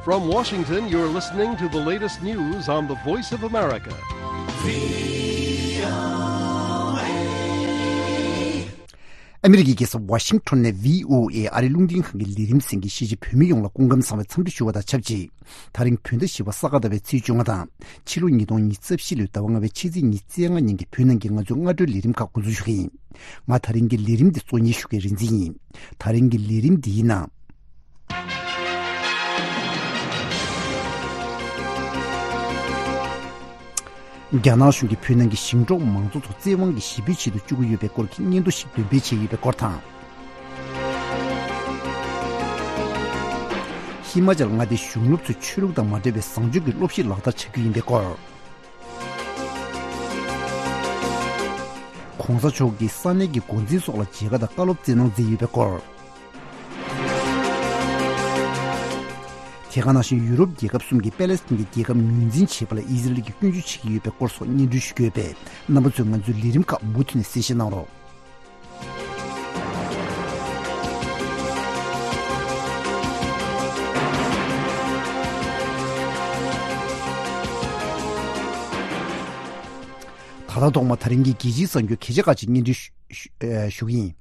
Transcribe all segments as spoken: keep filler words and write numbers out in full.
From Washington, you're listening to the latest news on the Voice of America. ཨ་མི་རི་ཀའི་རྒྱལ་ས་ཝ་ཤིང་ཊོན་ནས་བྷི་ཨོ་ཨེ་ཨ་རིའི་རླུང་འཕྲིན་ཁང་གི་ལས་རིམ་གསན་མཁན་གཞིས་བྱེས་བོད་མི་ཡོངས་ལ་སྐུ་ཁམས་བཟང་བའི་འཚམས་འདྲི་ཞུ་བ་དང་ཆབས་ཅིག་ད་རིང་བོད་ཟླ་བཞི་པ་ས་ག་ཟླ་བའི་ཚེས་བཅོ་ལྔ་དང་། ཕྱི་ལོ་ཉིས་སྟོང་ཉི་ཤུ་རྩ་བཞི་ལོའི་ཟླ་བ་ལྔ་པའི་ཕྱི་ཚེས་ཉི་ཤུ་རྩ་ལྔ་ཉིན་གྱི་བོད་ནང་གི་ང་ཚོའི་སྔ་དྲོའི་ལས་རིམ་ཁག་འགོ་འཛུགས་ཞུ་གི་ཡིན། ང་ད་རིང་གི་ལས་རིམ་འདི་གཙོ་གཉེར་ཞུ་མཁན་རིག་འཛིན་ཡིན། ད་རིང་གི་ལས་རིམ་འདིའི་ནང་། རྒྱ་ནག་གཞུང་གིས་བོད་ནང་གི་ཞིང་འབྲོག་མང་ཚོགས་ཚོ་བཙན་དབང་གིས་ཞི་བའི་ཆེད་དུ་བཅུག་གི་ཡོད་པའི་སྐོར་གྱི་སྙན་ཐོ་ཞིག་འདོན་སྤེལ་བྱས་ཡོད་པའི་སྐོར་དང་། ཧི་མ་ཅལ་མངའ་སྡེའི་གཞུང་སློབ་ཚོས་ཆོས་ལུགས་དང་མ་འབྲེལ་བའི་བཟང་སྤྱོད་ཀྱི་སློབ་གཞི་ལག་བསྟར་བྱ་རྒྱུ་ཡིན་པའི་སྐོར། ༸གོང་ས་མཆོག་གིས་ས་གནས་ཀྱི་འགོ་འཛིན་སོགས་ལ་མཇལ་ཁ་དང་བཀའ་སློབ་སྩལ་གནང་མཛད་ཡོད་པའི་སྐོར། དེ་ག་ནང་བཞིན་ཡུ་རོབ་རྒྱལ་ཁབ་གསུམ་གྱིས་པེ་ལེ་སི་ཐན་གྱི་རྒྱལ་ཁབ་ངོས་འཛིན་བྱེད་པ་ལ་ཨི་ཟི་རེལ་གྱིས་སྐྱོན་བརྗོད་བྱེད་ཀྱི་ཡོད་པའི་སྐོར་སོགས་སྙན་སྒྲོན་ཞུ་གི་ཡོད་པས། རྣམ་པ་ཚོས་ང་ཚོའི་ལས་རིམ་ཁག་མུ་མཐུད་ནས་གསན་བཞེས་གནང་རོགས། ད་ལྟ་ཐོག་མ་ད་རིང་གི་རྒྱལ་སྤྱིའི་གསར་འགྱུར་གལ་ཆེ་ཁག་ཅིག་སྙན་སྒྲོན་ཞུ་ཞུ་ཨེ་ཞུ་གི་ཡིན།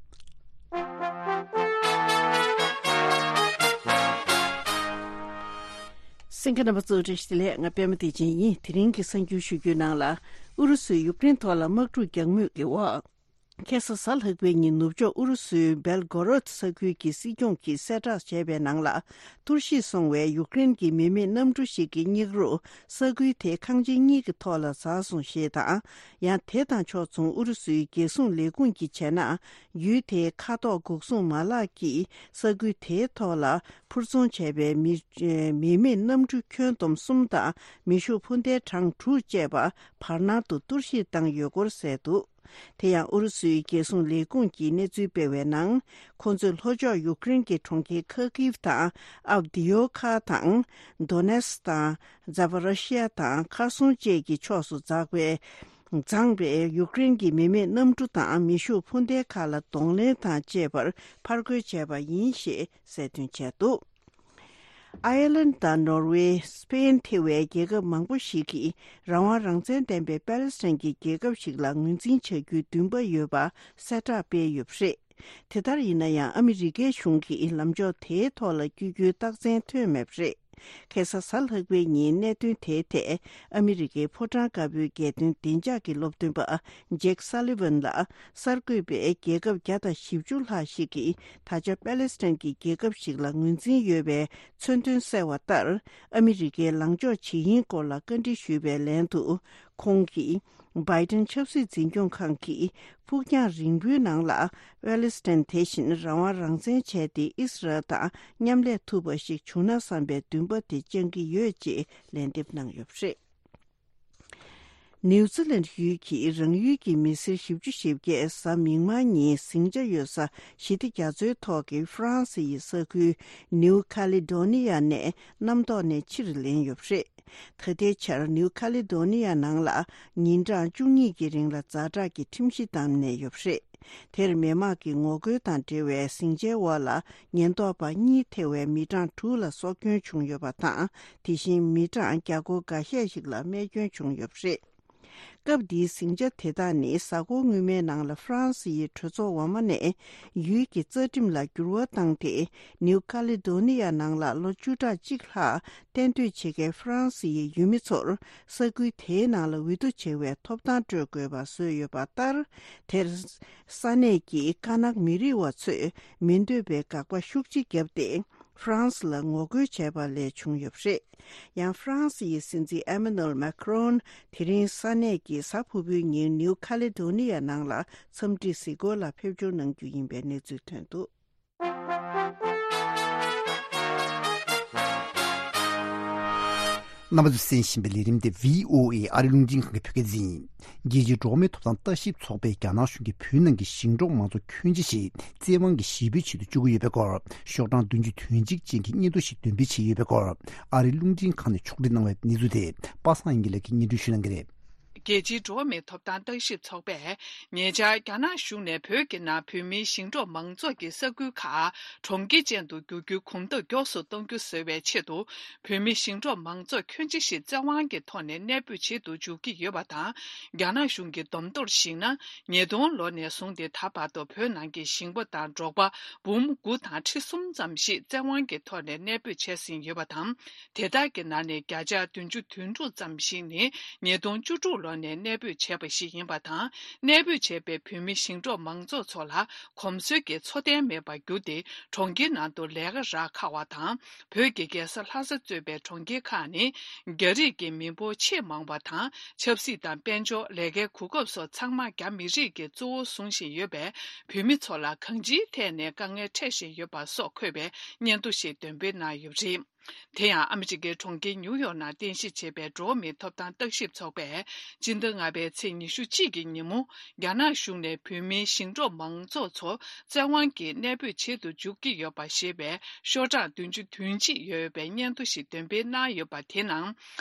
གསན་མཁན་རྣམ་པ་ཚོ་བཀྲ་ཤིས་བདེ་ལེགས། ང་པད་མ་བདེ་ཆེན་ཡིན། དེ་རིང་གི་གསར་འགྱུར་ཞུ་རྒྱུའི་ནང་ལ། ཨུ་རུ་སུས་ཡུཀ་རེན་ཐོག་ལ་དམག་འཁྲུག་རྒྱག་མུས་ཀྱི་འོག་ཁ་སང་གཟའ་ལྷག་པའི་ཉིན་ནུབ་ཕྱོགས་ཨུ་རུ་སུའི་སྦེལ་གོ་རོད་ས་ཁུལ་གྱི་སྲིད་སྐྱོང་གིས་གསལ་བསྒྲགས་བྱས་པའི་ནང་ལ། གཏོར་བཤིག་སོང་བའི་ཡུཀ་རེན་གྱི་མི་མེད་གནམ་གྲུ་ཞིག་གི་སྙིགས་རོ་ས་ཁུལ་དེའི་ཁང་ཆེན་གཉིས་ཀྱི་ཐོག་ལ་འཛག་སོང་ཞེས་དང་། ཡང་དེ་དང་ཕྱོགས་མཚུངས་ཨུ་རུ་སུའི་རྒྱལ་སྲུང་ལས་ཁུངས་ཀྱིས་བྱས་ན། ཡུལ་དེའི་མཁའ་ཐོག་འགོག་སྲུང་མ་ལག་གིས་ས་ཁུལ་དེའི་ཐོག་ལ་འཕུར་འཚོང་བྱས་པའི་མི་མི་མེད་གནམ་གྲུ་ཁྱོན་བསྡོམས་གསུམ་དང་མེ་ཤུགས་འཕུར་མདེལ་གྲངས་དྲུག་བཅས་པ་བར་སྣང་དུ་གཏོར་བཤིག་བཏང་ཡོད་སྐོར་གསལ་འདུག་དེ་ཡང་ཨུ་རུ་སུའི་རྒྱལ་སྲུང་ལས་ཁུངས་ཀྱིས་གནས་ཚུལ་སྤེལ་བའི་ནང་། ཁོ་ཚོས་ལྷོ་ཕྱོགས་ཡུཀ་རེན་གྱི་གྲོང་ཁྱེར་ཁ་ཀིབ་དང་ཨབ་དི་ཡོ་ཁ་དང་། དོ་ནེ་སི་དང་ཛ་པ་རོ་ཤི་ཡ་དང་ཁར་སོང་བཅས་ཀྱི་ཕྱོགས་སུ་འཛགས་པའི། འཛེགས་པའི་ཡུཀ་རེན་གྱི་མི་མེད་གནམ་གྲུ་དང་མེ་ཤུགས་འཕུར་མདེལ་ཁག་ལ་གདོང་ལེན་དང་བཅས་པར་ཕར་རྒོལ་བྱས་པ་ཡིན་ཞེས་གསལ་སྟོན་བྱས་འདུག་ཨའི་ལན་དང་ནོར་ཝེ། སྤེན་ཐེ་བའི་རྒྱལ་ཁབ་མང་པོ་ཞིག་གིས་རང་དབང་རང་བཙན་ལྡན་པའི་པེ་ལེ་སི་ཐན་གྱི་རྒྱལ་ཁབ་ཞིག་ལ་ངོས་འཛིན་བྱ་རྒྱུའི་འདུན་པ་ཡོད་པ་གསལ་བསྒྲགས་སྤེལ་ཡོད་པ་རེད། དེ་ལྟར་ཡིན་ན་ཡང་ཨ་མི་རི་ཀའི་གཞུང་གིས་ལམ་ཕྱོགས་དེའི་ཐོག་ལ་བསྐྱོད་རྒྱུའི་རྟགས་མཚན་ཐོན་མེད་པ་རེད། ཁ་སང་གཟའ་ལྷག་པའི་ཉིན་གནད་དོན་དེའི་ཐད་ཨ་མི་རི་ཀའི་ཕོ་བྲང་དཀར་པོའི་རྒྱལ་དོན་བདེ་འཇགས་ཀྱི་སློབ་སྟོན་པ་ཇེག་སཱ་ལི་ཝན་ལ། གསར་འགོད་པས་རྒྱལ་ཁབ་བརྒྱ་དང་བཞི་བཅུ་ལྷག་ཞིག་གིས་ད་ཆ་པེ་ལེ་སི་ཐན་གྱི་རྒྱལ་ཁབ་ཞིག་ལ་ངོས་འཛིན་ཡོད་པའི་མཚོན་དོན་གསལ་བ་ལྟར། ཨ་མི་རི་ཀའི་ལངས་ཕྱོགས་ཇི་ཡིན་སྐོར་ལ་བཀའ་འདྲི་ཞུས་པའི་ལན་དུ། ཁོང་གིས། བྷའི་ཏིན་ཆབ་སྲིད་འཛིན་སྐྱོང་ཁང་གིས་ཕུགས་རྒྱང་རིང་པོའི་ནང་ལ་པེ་ལེ་སི་ཐན་དེ་བཞིན་རང་དབང་རང་བཙན་བྱས་ཏེ་ཨི་སི་རལ་དང་མཉམ་ལས་ཐུབ་པ་ཞིག་བྱུང་ན་བསམ་པའི་འདུན་པ་དེ་བཅངས་ཀྱི་ཡོད་ཅེས་ལན་འདེབས་གནང་ཡོད་པ་རེད། ནིའུ་ཛི་ལན་ཡུལ་གྱིས་རང་ཡུལ་གྱི་མི་སེར་བཞི་བཅུ་ཞེ་བརྒྱད་གཟའ་མིག་དམར་ཉིན་ཟིང་ཆ་ཡོད་ས་ཞི་བདེ་རྒྱ་མཚོའི་ཐོག་གི་ཧྥ་རན་སི་ཡི་ས་ཁུལ་ནིའུ་ཁ་ལི་ཌོ་ནི་ཡ་ནས་གནམ་ཐོག་ནས་ཕྱིར་ལེན་ཡོད་པ་རེད། ད་ལྟའི་ཆར་ནིའུ་ཁ་ལི་ཌོ་ནི་ཡ་ནང་ལ་ཉིན་གྲངས་བཅུ་གཉིས་ཀྱི་རིང་ལ་ཛ་དྲག་གི་ཁྲིམས་གཞི་བསྡམས་ནས་ཡོད་པ་རེད། དེར་མི་མང་གི་ངོ་རྒོལ་དང་འབྲེལ་བའི་ཟིང་ཆའི་འོག་ལ་ཉེན་རྟོག་པ་གཉིས་ཐེ་བའི་མི་གྲངས་དྲུག་ལ་སྲོག་སྐྱོན་བྱུང་ཡོད་པ་དང་། དེ་བཞིན་མི་གྲངས་བརྒྱ་སྐོར་འགའ་ཤས་ཤིག་ལ་རྨས་སྐྱོན་བྱུང་ཡོད་པ་རེད། སྐབས་འདིའི་ཟིང་ཆ་དེ་དག་ནི་གཟའ་འཁོར་སྔོན་མའི་ནང་ལ་ཧྥ་རན་སི་ཡི་གྲོས་ཚོགས་འོག་མ་ནས་ཡུལ་གྱི་རྩ་ཁྲིམས་ལ་འགྱུར་བ་བཏང་སྟེ། ནིའུ་ཁ་ལི་ཌོ་ནི་ཡ་ནང་ལ་ལོ་བཅུ་ཕྲག་གཅིག་ལྷག་གཏན་སྡོད་བྱེད་མཁན་ཧྥ་རན་སི་ཡི་ཡུལ་མི་ཚོར་ས་ཁུལ་དེའི་ནང་ལ་འོས་བསྡུ་བྱེད་པའི་ཐོབ་ཐང་སྤྲོད་དགོས་པ་བཟོས་ཡོད་པ་ལྟར། དེར་ས་གནས་ཀྱི་ཀ་ནག་མི་རིགས་པ་ཚོས་མི་འདོད་པའི་དགག་པ་ཤུགས་ཆེ་བརྒྱབ་སྟེ། ཧྥ་རན་སི་ལ་ངོ་རྒོལ་བྱས་པ་ལས་བྱུང་ཡོད་པ་རེད། ཡང་ཧྥ་རན་སི་ཡི་སྲིད་འཛིན་ཨེ་མ་ནུ་ཨེལ་མེ་ཁ་རོན་དེ་རིང་ས་གནས་ཀྱི་གཟའ་ཕུར་བུའི་ཉིན་ནིའུ་ཁ་ལི་ཌོ་ནི་ཡ་ནང་ལ་འཚམས་འདྲི་གཟིགས་སྐོར་ལ་ཕེབས་འབྱོར་གནང་རྒྱུ་ཡིན་པའི་གནས་ཚུལ་ཐོན་འདུག་རྣམ་པ་ཚོས་གསན་བཞིན་པའི་ལས་རིམ་དེ་བྷི་ཨོ་ཨེ་ཨ་རིའི་རླུང་འཕྲིན་ཁང་གི་བོད་སྐད་སྡེ་ཚན་ཡིན། རྒྱལ་སྤྱིའི་འགྲོ་བ་མིའི་ཐོབ་ཐང་ལྟ་ཞིབ་ཚོགས་པས་རྒྱ་ནག་གཞུང་གིས་བོད་ནང་གི་ཞིང་འབྲོག་མང་ཚོགས་ཁྱོན་ཆེ་ཞིག་བཙན་དབང་གིས་ཞི་བའི་ཆེད་དུ་བཅུག་གི་ཡོད་པའི་སྐོར། ཤོག་གྲངས་བདུན་ཅུ་དོན་གཅིག་ཅན་གྱི་སྙན་ཐོ་ཞིག་འདོན་སྤེལ་བྱས་ཡོད་པའི་སྐོར། ཨ་རིའི་རླུང་འཕྲིན་ཁང་ནས་ཕྱོགས་སྒྲིག་གནང་བའི་གནས་ཚུལ་དེ་པ་སངས་དབྱངས་སྐྱིད་ལགས་ཀྱིས་སྙན་སྒྲོན་ཞུ་གནང་གི་རེད། རྒྱལ་སྤྱིའི་འགྲོ་བ་མིའི་ཐོབ་ཐང་བརྟག་ཞིབ་ཚོགས་པས་ཉེ་ཆར་རྒྱ་ནག་གཞུང་ནས་བོད་ཀྱི་ནང་བོད་མིའི་ཞིང་འབྲོག་མང་ཚོགས་ཀྱི་ས་ཁུལ་ཁག་གྲོང་ཁྱེར་ཅན་དུ་བསྒྱུར་རྒྱུའི་གོམ་སྟབས་མགྱོགས་སུ་གཏོང་རྒྱུ་བཟོ་བའི་ཆེད་དུ། བོད་མིའི་ཞིང་འབྲོག་མང་ཚོགས་ཁྱོན་ཆེ་ཞིག་བཙན་དབང་གི་ཐོག་ནས་གནས་སྤོས་བྱེད་དུ་འཇུག་གི་ཡོད་པ་དང་། རྒྱ་ནག་གཞུང་གི་བསྡོམས་ཐོར་གཞིགས་ན། ཉིས་སྟོང་ལོ་ནས་བཟུང་སྟེ་ད་བར་དུ་བོད་ནང་གི་ཞིང་པ་དང་འབྲོག་པ་འབུམ་དགུ་དང་ཁྲི་གསུམ་ཙམ་ཞིག་བཙན་དབང་གི་ཐོག་ནས་གནས་སྤོས་བྱས་ཟིན་ཡོད་པ་དང་། དེ་དག་གི་ནང་ནས་བརྒྱ་ཆ་བདུན་ཅུ་དོན་དྲུག་ཙམ་ཞིག་ནི་ཉིས་སྟོང་བཅུ་དྲུག་ལོ་ནས་གནས་སྤོས་བྱས་པ་ཞིག་ཡིན་པ་དང་། གནས་སྤོས་བྱས་པའི་བོད་མི་ཞིང་འབྲོག་མང་ཚོགས་ཚོ་ལ་གོམས་སྲོལ་གྱི་འཚོ་རྟེན་མེད་པར་གྱུར་ཏེ། གྲོང་ཁྱེར་ནང་དུ་ལས་ཀ་རག་ཁག་པ་དང་། བོད་ཀྱི་རྒྱལ་ས་ལྷ་ས་གཙོས་པའི་གྲོང་ཁྱེར་ཁག་ནི་རྒྱ་རིགས་ཀྱི་མི་འབོར་ཆེས་མང་བ་དང་། ཆབ་སྲིད་དང་། དཔལ་འབྱོར། ལས་ཀའི་གོ་སྐབས་སོགས་ཚང་མ་རྒྱ་མི་རིགས་ཀྱིས་གཙོ་བོ་བཟུང་བཞིན་ཡོད་པས། བོད་མི་ཚོ་ལ་གང་ཅིའི་ཐད་ནས་དཀའ་ངལ་འཕྲད་བཞིན་ཡོད་པ་སོགས་འཁོད་པའི་སྙན་ཐོ་ཞིག་འདོན་སྤེལ་གནང་ཡོད་པ་རེད། དེ་ཡང་ཨ་མི་རི་ཀའི་གྲོང་ཁྱེར་ཉིའུ་ཡོག་ནང་རྟེན་གཞི་བྱས་པའི་འགྲོ་བ་མིའི་ཐོབ་ཐང་བརྟག་ཞིབ་ཚོགས་པས། སྤྱི་ཟླ་ལྔ་པའི་ཚེས་ཉི་ཤུ་གཅིག་གི་ཉིན་མོ། རྒྱ་ནག་གཞུང་ནས་བོད་མིའི་ཞིང་འབྲོག་མང་ཚོགས་ཚོ་བཙན་དབང་གིས་གནས་སྤོས་བྱེད་དུ་འཇུག་གི་ཡོད་པ་ཞེས་པའི་ཤོག་གྲངས་བདུན་ཅུ་དོན་གཅིག་ཡོད་པའི་སྙན་ཐོ་ཞིག་འདོན་སྤེལ་གནང་ཡོད་པ་དེའི་ནང་།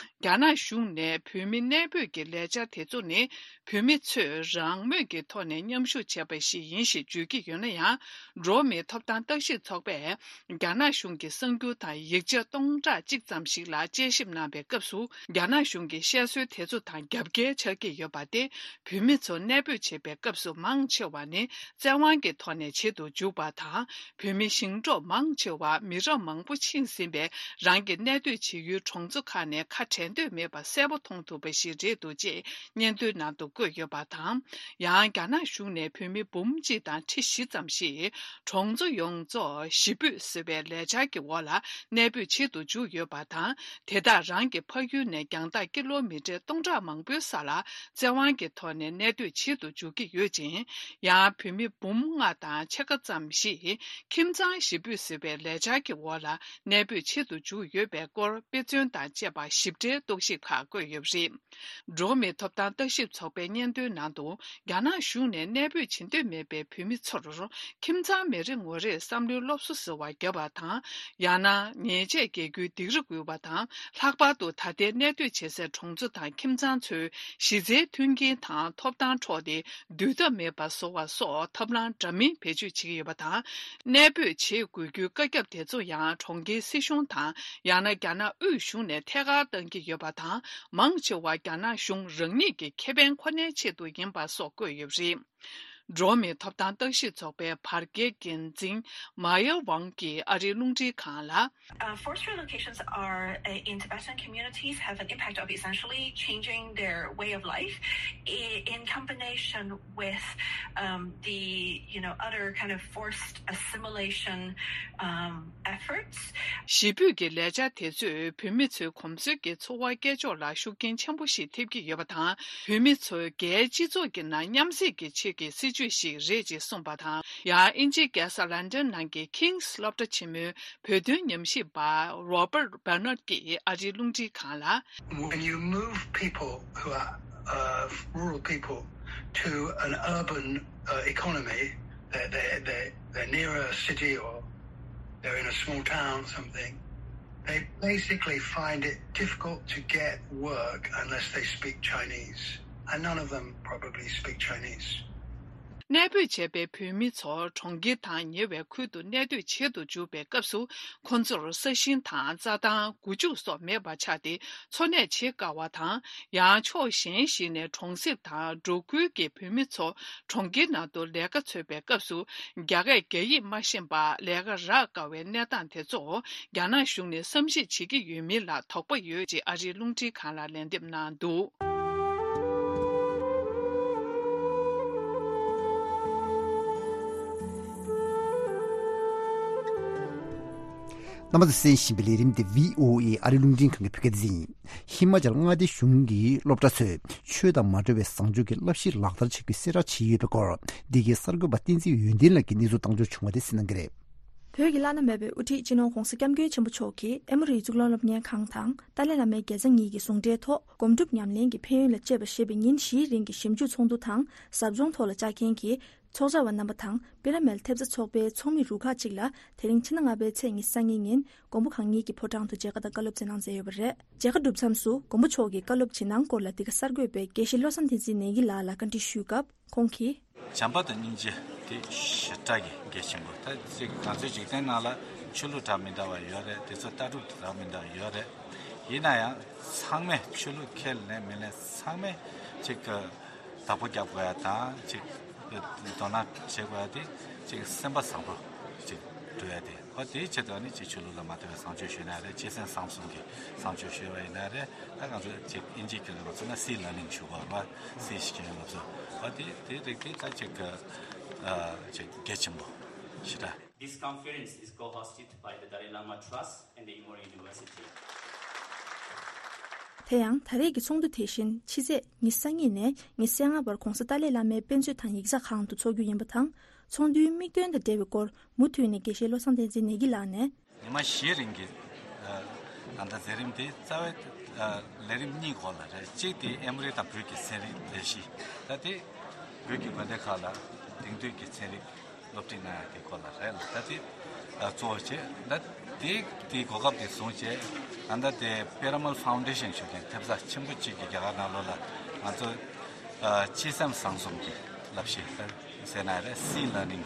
རྒྱ་ནག་གཞུང་ནས་བོད་མི་གནས་སྤོས་ཀྱི་ལས་འཆར་དེ་ཚོ་ནི། བོད་མི་ཚོས་རང་མོས་ཀྱི་ཐོག་ནས་མཉམ་ཞུགས་བྱས་པ་ཞིག་ཡིན་ཞེས་བརྗོད་ཀྱི་ཡོད་ན་ཡང་། འགྲོ་བ་མིའི་ཐོབ་ཐང་བརྟག་ཞིབ་ཚོགས་པས། རྒྱ་ནག་གཞུང་གི་གསར་འགྱུར་དང་ཡིག་ཆ་སྟོང་ཕྲག་གཅིག་ཙམ་ཞིག་ལ་དཔྱད་ཞིབ་གནང་བའི་སྐབས་སུ། རྒྱ་ནག་གཞུང་གིས་བཤད་སྲོལ་དེ་ཚོ་དང་རྒྱབ་འགལ་ཆགས་ཀྱི་ཡོད་པ་སྟེ། བོད་མི་ཚོ་གནས་སྤོས་བྱེད་པའི་སྐབས་སུ་མང་ཆེ་བ་ནི་བཙན་དབང་གི་ཐོག་ནས་བྱེད་དུ་འཇུག་པ་དང་། བོད་མི་ཞིང་འབྲོག་མང་ཆེ་བ་མི་རབས་མང་པོ་ཕྱིན་ཟིན་པའི་རང་གི་གནས་སྡོད་བྱེད་ཡུལ་གྲོང་ཚོ་ཁག་ནས་ཁ་བྲལ་འདོད་མེད་པ་གསལ་པོ་མཐོང་ཐུབ་པ་ཞིག་རེད་འདུག་ཅེས་སྙན་ཐོའི་ནང་དུ་བཀོད་ཡོད་པ་དང་། ཡང་རྒྱ་ནག་གཞུང་ནས་བོད་མི་འབུམ་གཅིག་དང་ཁྲི་བཞི་ཙམ་ཞིག་གྲོང་ཚོ་ཡོངས་རྫོགས་གཞིས་སྤོས་ཟེར་བའི་ལས་འཆར་གྱི་འོག་ལ་གནས་སྤོས་བྱེད་དུ་འཇུག་ཡོད་པ་དང་། དེ་དག་རང་གི་ཕ་ཡུལ་ནས་རྒྱང་ཐག་ཀི་ལོ་མི་ཊར་སྟོང་ཕྲག་མང་པོའི་ས་ལ་བཙན་དབང་གི་ཐོག་ནས་གནས་སྡོད་བྱེད་དུ་འཇུག་གི་ཡོད་ཅིང་། ཡང་བོད་མི་འབུམ་ལྔ་དང་ཕྱེད་ཀ་ཙམ་ཞིག་ཁྱིམ་ཚང་གཞིས་སྤོས་ཟེར་བའི་ལས་འཆར་གྱི་འོག་ལ་གནས་སྤོས་བྱེད་དུ་འཇུག་ཡོད་པའི་སྐོར་དཔེ་མཚོན་དང་བཅས་པ་ཞིབ་ཕྲའི་རྟོག་ཞིབ་ཁག་བཀོད་ཡོད་པ་རེད། འགྲོ་བ་མིའི་ཐོབ་ཐང་བརྟག་ཞིབ་ཚོགས་པའི་སྙན་ཐོའི་ནང་དུ། རྒྱ་ནག་གཞུང་ནས་གནས་སྤོས་བྱེད་འདོད་མེད་པའི་བོད་མི་ཚོར་ཁྱིམ་ཚང་མི་རེ་ངོ་རེར་བསམ་བློའི་སློབ་གསོ་ཟེར་བ་བརྒྱབ་པ་དང་། ཡང་ན་ཉེས་ཆད་འགེལ་རྒྱུའི་སྡིགས་ར་འགུལ་བ་དང་། ལྷག་པར་དུ་ད་ལྟའི་གནས་སྡོད་བྱེད་སའི་གྲོང་ཚོ་དང་ཁྱིམ་ཚང་ཚོའི་གཞི་རྩའི་མཐུན་རྐྱེན་དང་ཐོབ་ཐང་འཕྲོག་སྟེ། སྡུད་ཐབས་མེད་པ་བཟོ་བ་སོགས་ཐབས་ལམ་འདྲ་མིན་བེད་སྤྱོད་བྱེད་ཀྱི་ཡོད་པ་དང་། གནས་སྤོས་བྱེད་དགོས་རྒྱུའི་བཀའ་ཁྱབ་དེ་ཚོ་ཡང་གྲོང་ཁྱེར་སྲིད་གཞུང་དང་། ཡང་ན་རྒྱ་ནག་དབུས་གཞུང་ནས་ཐད་ཀར་བཏང་གི་ཡོད་པ་དང་། མང་ཆེ་བ་རྒྱ་ནག་གཞུང་རང་ཉིད་ཀྱི་ཁེ་ཕན་ཁོ་ནའི་ཆེད་དུ་ཡིན་པ་སོགས་བཀོད་ཡོད་པ་རེད། འགྲོ་བ་མིའི་ཐོབ་ཐང་བརྟག་ཞིབ་ཚོགས་པའི་བར་བརྒལ་འགན་འཛིན་མ་ཡ་ཝང་གིས་ཨ་རིའི་རླུང་འཕྲིན་ཁང་ལ། Uh, forced relocations are, uh, in Tibetan communities have an impact of essentially changing their way of life i- in combination with, um, the, you know, other kind of forced assimilation, um, efforts. གཞིས་སྤོས་ཀྱི་ལས་འཆར་དེ་ཚོས་བོད་མི་ཚོའི་གོམས་སྲོལ་གྱི་འཚོ་བ་སྐྱེལ་ཕྱོགས་ལ་ཤུགས་རྐྱེན་ཆེན་པོ་ཞིག་ཐེབས་ཀྱི་ཡོད་པ་དང་། བོད་མི་ཚོ་རྒྱའི་སྤྱི་ཚོགས་ཀྱི་ནང་མཉམ་བསྲེས་ཀྱི་ཆེད་ཀྱི་སྲིད་ཇུས་ཤིག་རེད་ཅེས་གསུངས་པ་དང་། ཡང་དབྱིན་ཇིའི་རྒྱལ་ས་ལན་ཌན་ནང་གི་King's སློབ་གྲྭ་ཆེན་མོའི་བོད་དོན་ཉམས་ཞིབ་པ་Robert Bernard ཀྱིས་ཨ་རིའི་རླུང་འཕྲིན་ཁང་ལ། When you move people who are, uh, rural people to an urban, uh, economy, they're, they're, they're, they're near a city or they're in a small town or something, they basically find it difficult to get work unless they speak Chinese. And none of them probably speak Chinese. གནས་སྤོས་བྱས་པའི་བོད་མི་ཚོ་གྲོང་ཁྱེར་དང་ཉེ་བའི་ཁུལ་དུ་གནས་སྡོད་བྱེད་དུ་འཇུག་པའི་སྐབས་སུ། ཁོ་ཚོར་ས་ཞིང་དང་རྩྭ་ཐང་། སྒོ་ཕྱུགས་སོགས་མེད་པ་ཆགས་ཏེ། འཚོ་གནས་བྱེད་དཀའ་བ་དང་། ཡང་ཕྱོགས་གཞན་ཞིག་ནས་གྲོང་གསེབ་དང་འབྲོག་ཁུལ་གྱི་བོད་མི་ཚོ་གྲོང་ཁྱེར་ནང་དུ་ལས་ཀ་འཚོལ་བའི་སྐབས་སུ། རྒྱ་སྐད་རྒྱ་ཡིག་མ་ཤེས་པར་ལས་ཀ་རག་དཀའ་བའི་གནས་སྟངས་དེ་ཚོ། རྒྱ་ནག་གཞུང་ནས་བསམ་གཞིག་བྱེད་ཀྱི་ཡོད་མིན་ལ་དོགས་པ་ཡོད་ཅེས་ཨ་རིའི་རླུང་འཕྲིན་ཁང་ལ་ལན་འདེབས་གནང་འདུག། རྣམ་པ་ཚོས་གསན་བཞིན་པའི་ལས་རིམ་འདི་བྷི་ཨོ་ཨེ་ཨ་རིའི་རླུང་འཕྲིན་ཁང་གི་བོད་སྐད་སྡེ་ཚན་ཡིན། ཧི་མ་ཅལ་མངའ་སྡེ་གཞུང་གི་སློབ་གྲྭ་ཚོས་ཆོས་དང་མ་འབྲེལ་བའི་བཟང་སྤྱོད་ཀྱི་བསླབ་གཞི་ལག་བསྟར་བྱེད་རྒྱུའི་གསལ་བསྒྲགས་བྱས་ཡོད་པའི་སྐོར། འདི་གའི་གསར་འགོད་པ་བསྟན་འཛིན་ཡོན་ཏན་ལགས་ཀྱིས་གནས་ཚུལ་བཏང་འབྱོར་བྱུང་བ་དེ་གསན་གནང་གི་རེད། བོད་ཀྱི་བླ་ན་མེད་པའི་དབུ་ཁྲིད་སྤྱི་ནོར་༧གོང་ས་༧སྐྱབས་མགོན་ཆེན་པོ་མཆོག་གིས་ཨེ་མོ་རི་གཙུག་ལག་སློབ་གཉེར་ཁང་དང་ཏཱ་ལའི་བླ་མའི་དགེ་རྩ་གཉིས་ཀྱི་ཟུང་འབྲེལ་ཐོག་སྒོམ་སྒྲུབ་ཉམས་ལེན་གྱི་ཕན་ཡོན་ལ་དཔྱད་པ་ཞེས་པའི་ཉིན་བཞིའི་རིང་གི་ཞིབ་འཇུག་ཚོགས་འདུ་དང་ཟབ་སྦྱོང་ཐོག་ལ་བཅར་མཁན་གྱི་ ཚོགས་བཅར་བ་རྣམ་པ་དང་པི་ར་མལ་ཐེབས་རྩ་ཚོགས་པའི་ཚོགས་མི་རུ་ཁག་ཅིག་ལ་དེ་རིང་ཕྱི་ཟླ་ལྔ་པའི་ཚེས་ཉི་ཤུ་རྩ་གཉིས་ཉིན་མགོན་པོ་གང་ཉིད་ཀྱི་ཕོ་བྲང་དུ་མཇལ་ཁ་དང་བཀའ་སློབ་སྩལ་གནང་མཛད་ཡོད་པ་རེད། མཇལ་ཁ་གྲུབ་མཚམས་སུ་མགོན་པོ་མཆོག་གིས་བཀའ་སློབ་ཇི་གནང་སྐོར་ལ་འདི་ག་གསར་འགོད་པས་དགེ་བཤེས་བློ་བཟང་བསྟན་འཛིན་ནེ་གི་ལགས་ལ་བཀའ་འདྲི་ཞུས་སྐབས་ཁོང་གིས། བྱམས་པ་དང་སྙིང་རྗེ་དེ་ཞེ་དྲག་གི་གལ་ཆེན་པོ། ད་ཅིག་ང་ཚོའི་འཇིག་རྟེན་ནང་ལ་ཆོས་ལུགས་འདྲ་མི་འདྲ་བ་ཡོད་རེད། དེ་ཚོ་ལྟ་གྲུབ་འདྲ་མི་འདྲ་བ་ཡོད་རེད། ཡིན་ན་ཡང་ཚང་མས་ཆོས་ལུགས་ཁས་ལེན་མི་ལེན་ཚང་མས་ཅིག་བདག་པོ་རྒྱབ་དགོས་ཡ་དང་ཅིག་དོ་སྣང་བྱེད་དགོས་ཡ་དེ་ཅིག་སེམས་པ་བཟང་པོ་ཅིག་འགྲོ་ཡ་དེ། ཨོ་དེའི་ཆེད་དུ་ནི་ཅིག་ཆོས་ལུགས་ལ་མ་ལྟོས་པའི་བཟང་སྤྱོད་ཞུས་ན་རེད། སྤྱི་སེམས་བཟང་གསུམ་གྱི་བཟང་སྤྱོད་ཞུས་པ་ཡིན་ན་རེད། ད་ང་ཚོ་ཅིག་ཨིན་ཇིའི་སྐད་ལ་ང་ཚོ་ན་སི་ལར་ནིང་ཞུ་དགོས་རེད་བ། སི་ཞིག་ཡོད་ལབ་སོ། ཨོ་དེ་དེ་རིགས་དེ་ད་ཅིག་ཨ་ཅིག་གལ་ཆེན་པོ་ཞེ་དྲག This conference is co-hosted by the Dalai Lama Trust and the Emory University. དེ་ཡང་ད་རེས་ཀྱི་ཚོགས་འདུ་དེ་བཞིན་ཕྱི་ཚེས་ཉི་ཤུ་རྩ་གཉིས་ནས་ཉི་ཤུ་རྩ་ལྔ་བར་༧གོང་ས་ཏཱ་ལའི་བླ་མའི་དཔེ་མཛོད་དང་ཡིག་ཚགས་ཁང་དུ་འཚོགས་རྒྱུ་ཡིན་པ་དང་། ཚོགས་འདུའི་དམིགས་དོན་དང་འབྲེལ་བའི་སྐོར་མུ་མཐུད་ནས་དགེ་བཤེས་བློ་བཟང་བསྟན་འཛིན་ནེ་གི་ལགས་ནས། ཉི་མ་བཞིའི་རིང་གི་ཨ་ད་ལྟ་མཛད་རིམ་དེ་རྩ་བའི་ཨ་ལས་རིམ་གཉིས་སྐོར་ལ་རེད། གཅིག་དེ་ཨེ་མོ་རི་དང་བོད་ཀྱི་ཚན་རིག་ལས་གཞི། ད་དེ་བོད་ཀྱི་དགོན་སྡེ་ཁག་ལ་དེང་དུས་ཀྱི་ཚན་རིག་སློབ་ཁྲིད་གནང་ཡ་དེ་སྐོར་ལ་རེད་ལ། ད་དེ་ཨ་གཙོ་བོ་བྱས། ད་དེ་དེའི་གོ་སྐབས་དེ་བཟུང་བྱས། ད་ལྟ་དེ་པི་ར་མལ་ཕའུན་ཌེ་ཤན་ཞུ་མཁན་ཐེབས་རྩ་ཆེན་པོ་གཅིག་གིས་རྒྱ་གར་ནང་ལོགས་ལ་ང་ཚོ་ཨ་སྤྱི་སེམས་བཟང་གསུམ་གྱི་བསླབ་གཞི་ཟེར་ན་རེད། སི་ལར་ནིང་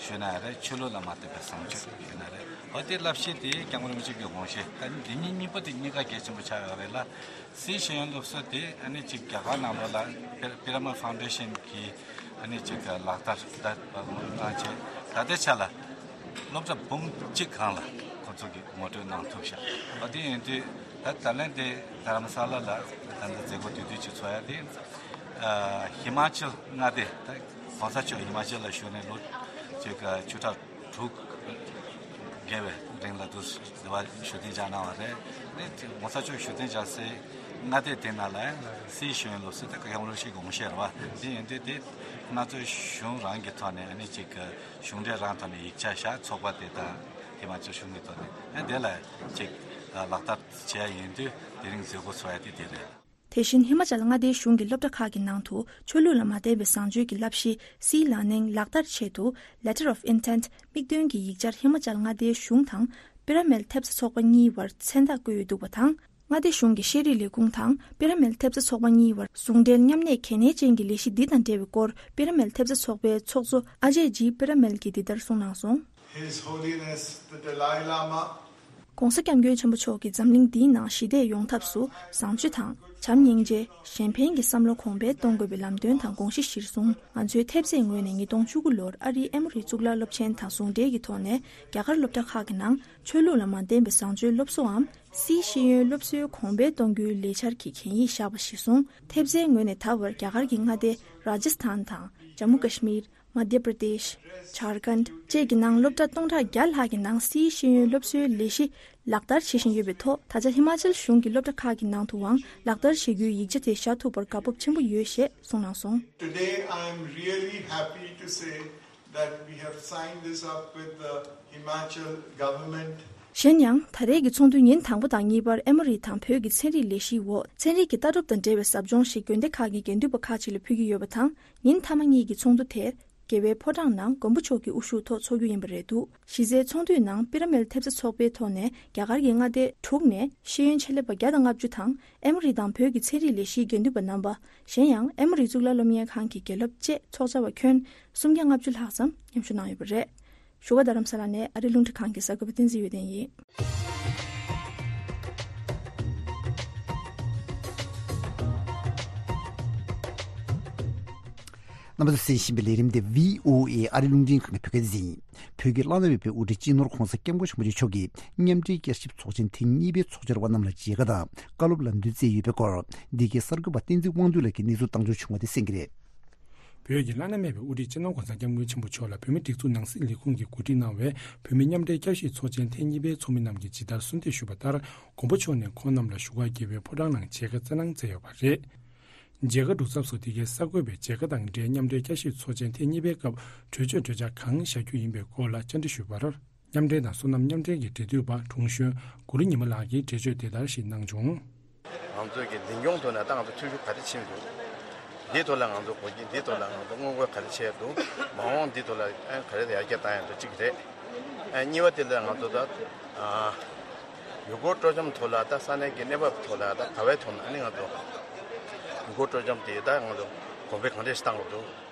ཞུས་ན་རེད། ཆོས་ལུགས་ལ་མ་ལྟོས་པའི་བཟང་སྤྱོད་ཞུས་ན་རེད། འོ་དེ་བསླབ་གཞི་དེ་སྐྱབས་མགོན་རིན་པོ་ཆེ་གི་དགོངས་བཞེད། ད་འདི་གཉིས་གཉིས་པོ་དེ་གཉིས་ཀ་གལ་ཆེན་པོ་ཆགས་ཡོད་རེད་ལ། སིའི་ཤེས་ཡོན་སློབ་གསོ་དེ་ཨ་ནི་ཅིག་རྒྱ་གར་ནང་ལོགས་ལ་པི་ར་མལ་ཕའུན་ཌེ་ཤན་གྱིས་ཨ་ནི་ཅིག་ལག་བསྟར་ད་གནང་བྱས། ད་ལྟའི་ཆ་ལ་སློབ་གྲྭ་འབུམ་གཅིག་སྒང་ལ་ཁོ་ཚོ་གིས་ངོ་སྤྲོད་གནང་ཐུབ་ཤག་འོ་དེ་ཡིན་དུས་ད་ད་ལན་དེ་རྡ་རམ་ས་ལ་ལ་ད་ལྟ་མཛད་སྒོ་དེ་དུས་ཅིག་ཚོགས་ཡ་དེ། ཨ་ཧི་མ་ཅལ་མངའ་སྡེ། ད་༧གོང་ས་མཆོག་ཧི་མ་ཅལ་ལ་བཞུགས་ནས་ལོ་ཅིག་བཅུ་ཕྲག་དྲུག་བརྒལ་བའི་རིང་ལ་འདུག་འདི་བ་བཞུགས་གདན་འཇགས་གནང་བ་རེད། ཨ་ནི་༧གོང་ས་མཆོག་བཞུགས་གདན་འཇགས་སའི་མངའ་སྡེ་དེ་ནང་ལ་སིའི་ཤེས་ཡོན་སློབ་གསོ་དེ་སྐྱབས་མགོན་རིན་པོ་ཆེའི་དགོངས་བཞེད་རེད་བ། དེ་ཡིན་དུས་དེ་ང་ཚོའི་གཞུང་རང་གི་ཐོག་ནས་ཨ་ནི་ཅིག་གཞུང་འབྲེལ་རང་ཐོག་ནས་ཡིག་ཆ་བཞག་ཚོགས་པ་དེ་དང་ཧི་མ་ཅལ་གཞུང་གི་ཐོག་ནས་ཨ་ནི་དེ་ལ་ཅིག་ལག་བསྟར་བྱས་ཡིན་དུས་དེ་རིང་མཛད་སྒོ་ཚོགས་ཡ་དེ་དེ་རེད། དེ་བཞིན་ཧི་མ་ཅལ་མངའ་སྡེའི་གཞུང་གི་སློབ་གྲྭ་ཁག་གི་ནང་དུ་ཆོས་ལུགས་ལ་མ་བརྟེན་པའི་བཟང་སྤྱོད་ཀྱི་བསླབ་གཞི་སི་ལར་ནིང་ལག་བསྟར་ཆེད་དུ་Letter of Intent དམིགས་འདུན་གྱི་ཡིག་ཆར་ཧི་མ་ཅལ་མངའ་སྡེའི་གཞུང་དང་པི་ར་མལ་ཐེབས་རྩ་ཚོགས་པ་གཉིས་བར་མཚན་རྟགས་བཀོད་ཡོད་འདུག་པ་དང་། མངའ་སྡེ་གཞུང་གི་ཤེས་རིག་ལས་ཁུངས་དང་པི་ར་མལ་ཐེབས་རྩ་ཚོགས་པ་གཉིས་བར་ཟུང་འབྲེལ་མཉམ་གནས་གལ་གནད་ཅན་གྱི་ལས་གཞི་འདི་དང་འབྲེལ་བའི་སྐོར་པི་ར་མལ་ཐེབས་རྩ་ཚོགས་པའི་ཚོགས་གཙོ་ཨ་ཇེ་ཇི་པི་ར་མལ་གྱིས་འདི་ལྟར་གསུངས་གནང་སོང་། His Holiness the Dalai Lama། ༸གོང་ས་༸སྐྱབས་མགོན་ཆེན་པོ་མཆོག་གིས་འཛམ་གླིང་འདིའི་ནང་ཞི་བདེ་ཡོང་ཐབས་སུ་བཟང་སྤྱོད་དང་བྱམས་སྙིང་རྗེ། གཞན་ཕན་གྱི་བསམ་བློ་གོང་འཕེལ་གཏོང་དགོས་པའི་ལམ་སྟོན་དང་དགོངས་གཞི་གཞིར་བཟུང་། ང་ཚོའི་ཐེབས་རྩའི་ངོས་ནས་ཉིས་སྟོང་བཅུ་དགུ་ལོར་ཨ་རིའི་ཨེ་མོ་རི་གཙུག་ལག་སློབ་ཆེན་དང་ཟུང་འབྲེལ་གྱི་ཐོག་ནས་རྒྱ་གར་སློབ་གྲྭ་ཁག་གི་ནང་ཆོས་ལུགས་ལ་མ་བརྟེན་པའི་བཟང་སྤྱོད་སློབ་གསོའམ་སིའི་ཤེས་ཡོན་སློབ་གསོའི་གོང་འཕེལ་གཏོང་རྒྱུའི་ལས་འཆར་གྱི་གན་ཡིག་བཞག་པ་གཞིར་བཟུང་། ཐེབས་རྩའི་ངོས་ནས་ད་བར་རྒྱ་གར་གྱི་མངའ་སྡེ་རཱ་ཇཱ་སི་ཐན་དང་། ཇམ་མུ་ཀ་ཤི་མིར། མ་དྷྱ་པྲ་དེཤ། ཇར་ཁན་ཌ་བཅས་ཀྱི་ནང་སློབ་གྲྭ་སྟོང་ཕྲག་བརྒྱ་ལྷག་གི་ནང་སིའི་ཤེས་ཡོན་སློབ་གསོའི་ལས་གཞི་ལག་བསྟར་བྱེད་བཞིན་ཡོད་པའི་ཐོག་ད་ཆ་ཧི་མ་ཅལ་གཞུང་གི་སློབ་གྲྭ་ཁག་གི་ནང་དུའང་ལག་བསྟར་བྱེད་རྒྱུའི་ཡིག་ཆ་དེ་བཞག་ཐུབ་པར་དགའ་སྤོབས་ཆེན་པོ་ཡོད་ཞེས་གསུངས་གནང་སོང་། Today, I am really happy to say that we have signed this up with the Himachal government. གཞན་ཡང་ད་རེས་ཀྱི་ཚོགས་འདུའི་ཉིན་དང་པོ་དང་གཉིས་པར་ཨེ་མོ་རི་དང་བོད་ཀྱི་ཚན་རིག་ལས་གཞིའི་འོག་ཚན་རིག་གི་ལྟ་གྲུབ་དང་འབྲེལ་བའི་ཟབ་སྦྱོང་ཞིག་དགོན་སྡེ་ཁག་གི་དགེ་འདུན་པ་ཁག་ཅིག་ལ་ཕུལ་གྱི་ཡོད་པ་དང་། ཉིན་མཐའ་མ་གཉིས་ཀྱི་ཚོགས་འདུ་དེ་རྒྱལ་བའི་ཕོ་བྲང་ནང་མགོན་པོ་མཆོག་གི་དབུ་བཞུགས་ཐོག་འཚོགས་རྒྱུ་ཡིན་པ་རེད་འདུག་གཞི་རྩའི་ཚོགས་འདུའི་ནང་པི་ར་མལ་ཐེབས་རྩ་ཚོགས་པའི་ཐོག་ནས་རྒྱ་གར་གྱི་མངའ་སྡེ་དྲུག་ནས་ཤེས་ཡོན་ཆེད་ལས་པ་བརྒྱ་དང་ལྔ་བཅུ་དང་ཨེ་མོ་རི་དང་བོད་ཀྱི་ཚན་རིག་ལས་གཞིའི་དགེ་འདུན་པ་རྣམ་པ། གཞན་ཡང་ཨེ་མོ་རི་གཙུག་ལག་སློབ་གཉེར་ཁང་གི་དགེ་སློབ་བཅས་ཚོགས་བཅར་བ་ཁྱོན་སུམ་བརྒྱ་ལྔ་བཅུ་ལྷག་ཙམ་མཉམ་ཞུགས་གནང་ཡོད་པ་རེད། བཞུགས་སྒར་རྡ་རམ་ས་ལ་ནས་ཨ་རི་རླུང་འཕྲིན་ཁང་གི་གསར་འགོད་པ་བསྟན་འཛིན་ཡོན་ཏན་ཡིན། རྣམ་པ་ཚོས་གསན་བཞིན་པའི་ལས་རིམ་འདི་བྷི་ཨོ་ཨེ་ཨ་རི་རླུང་འཕྲིན་ཁང་གི་བོད་སྐད་སྡེ་ཚན་ཡིན། བོད་ཀྱི་བླ་ན་མེད་པའི་དབུ་ཁྲིད་སྤྱི་ནོར་༸གོང་ས་༸སྐྱབས་མགོན་ཆེན་པོ་མཆོག་གིས་མཉམ་འབྲེལ་བསྐྱར་ཞིབ་ཚོགས་ཆེན་ཐེངས་གཉིས་པའི་ཚོགས་བཅར་བ་རྣམས་ལ་མཇལ་ཁ་དང་བཀའ་སློབ་ལམ་སྟོན་སྩལ་ཡོད་པའི་སྐོར། འདི་གའི་གསར་འགོད་པ་བསྟན་འཛིན་དབང་འདུས་ལགས་ཀྱིས་གནས་ཚུལ་བཏང་འབྱོར་བྱུང་བ་དེ་གསན་གྱི་རེད། བོད་ཀྱི་བླ་ན་མེད་པའི་དབུ་ཁྲིད་སྤྱི་ནོར་༸གོང་ས་༸སྐྱབས་མགོན་ཆེན་པོ་མཆོག་ལ་བོད་མིའི་སྒྲིག་འཛུགས་ནང་སྲིད་ལས་ཁུངས་ཀྱིས་གོ་སྒྲིག་གནང་བའི་བོད་མི་མཉམ་འབྲེལ་བསྐྱར་ཞིབ་ཚོགས་ཆེན་ཐེངས་གཉིས་པའི་ཚོགས་མི་རྣམས་ཀྱིས་ཇི་ལྟར་གསོལ་འདེབས་ཞུས་པ་ལྟར། མགོན་པོ་མཆོག་ནས་ཁོང་རྣམས་ལ་བཞུགས་སྒར་རྒྱལ་བའི་ཕོ་བྲང་ནང་མཇལ་ཁ་སྩལ་གནང་མཛད་ཡོད་པ་རེད། མཇལ་ཁ་གྲུབ་མཚམས་སུ་འདི་གའི་གསར་འགོད་པས་མཇལ་ཁ་དང་འབྲེལ་མཉམ་འབྲེལ་བསྐྱར་ཞིབ་ཚོགས་ཆེན་ཐེངས་གཉིས་པའི་སྐབས་གྲོས་ཆོད་གྲོས་འཆར་གང་བཞག་རྒྱུ་ཡིན་པའི་སྐོར་ལ་བཅར་འདྲི་ཞུས་པར། མཉམ་འབྲེལ་དང་སོ་ནམ་མཉམ་འབྲེལ་གྱི་འབྲེལ་མཐུད་པ་དྲུང་གཞོན་གུ་རུ་ཉི་མ་ལགས་ཀྱིས་འགྲེལ་བརྗོད་དེ་ལྟར་ཞིག་གནང་བྱུང་། ང་ཚོས་ཀྱི་འཛིན་སྐྱོང་ཐོག་ནས་ད་ང་ཚོ་ཐུགས་ཤུགས་ག་རེ་ཕྱིན་འདུག་འདིའི་ཐོག་ལ་ང་ཚོ་གོ་རྒྱུ། འདིའི་ཐོག་ལ་ང་ཚོ་སྔོན་འགོག་ག་རེ་བྱས་འདུག་མ་འོངས་འདིའི་ཐོག་ལ་ཨ་ག་རེ་ཡར་རྒྱས་བཏང་ཡ་འདུག་གཅིག་རེད། ཨ་གཉིས་པ་དེ་ལ་ང་ཚོ་ད་ཨ་ཡུལ་སྐོར་སྤྲོ་འཆམ་ཐོག་ལ་ད་ས་གནས་ཀྱི་གནས་བབ་ཐོག་ལ་ད་ག་བའི་ཐོག་ནས་ཨ་ནི་ང་ཚོ་ཡུལ་སྐོར་སྤྲོ་འཆམ་དེ་ད་ང་ཚོ་གོང་འཕེལ་གང་འདྲས་ཤིག་བཏང་དགོས་འདུག་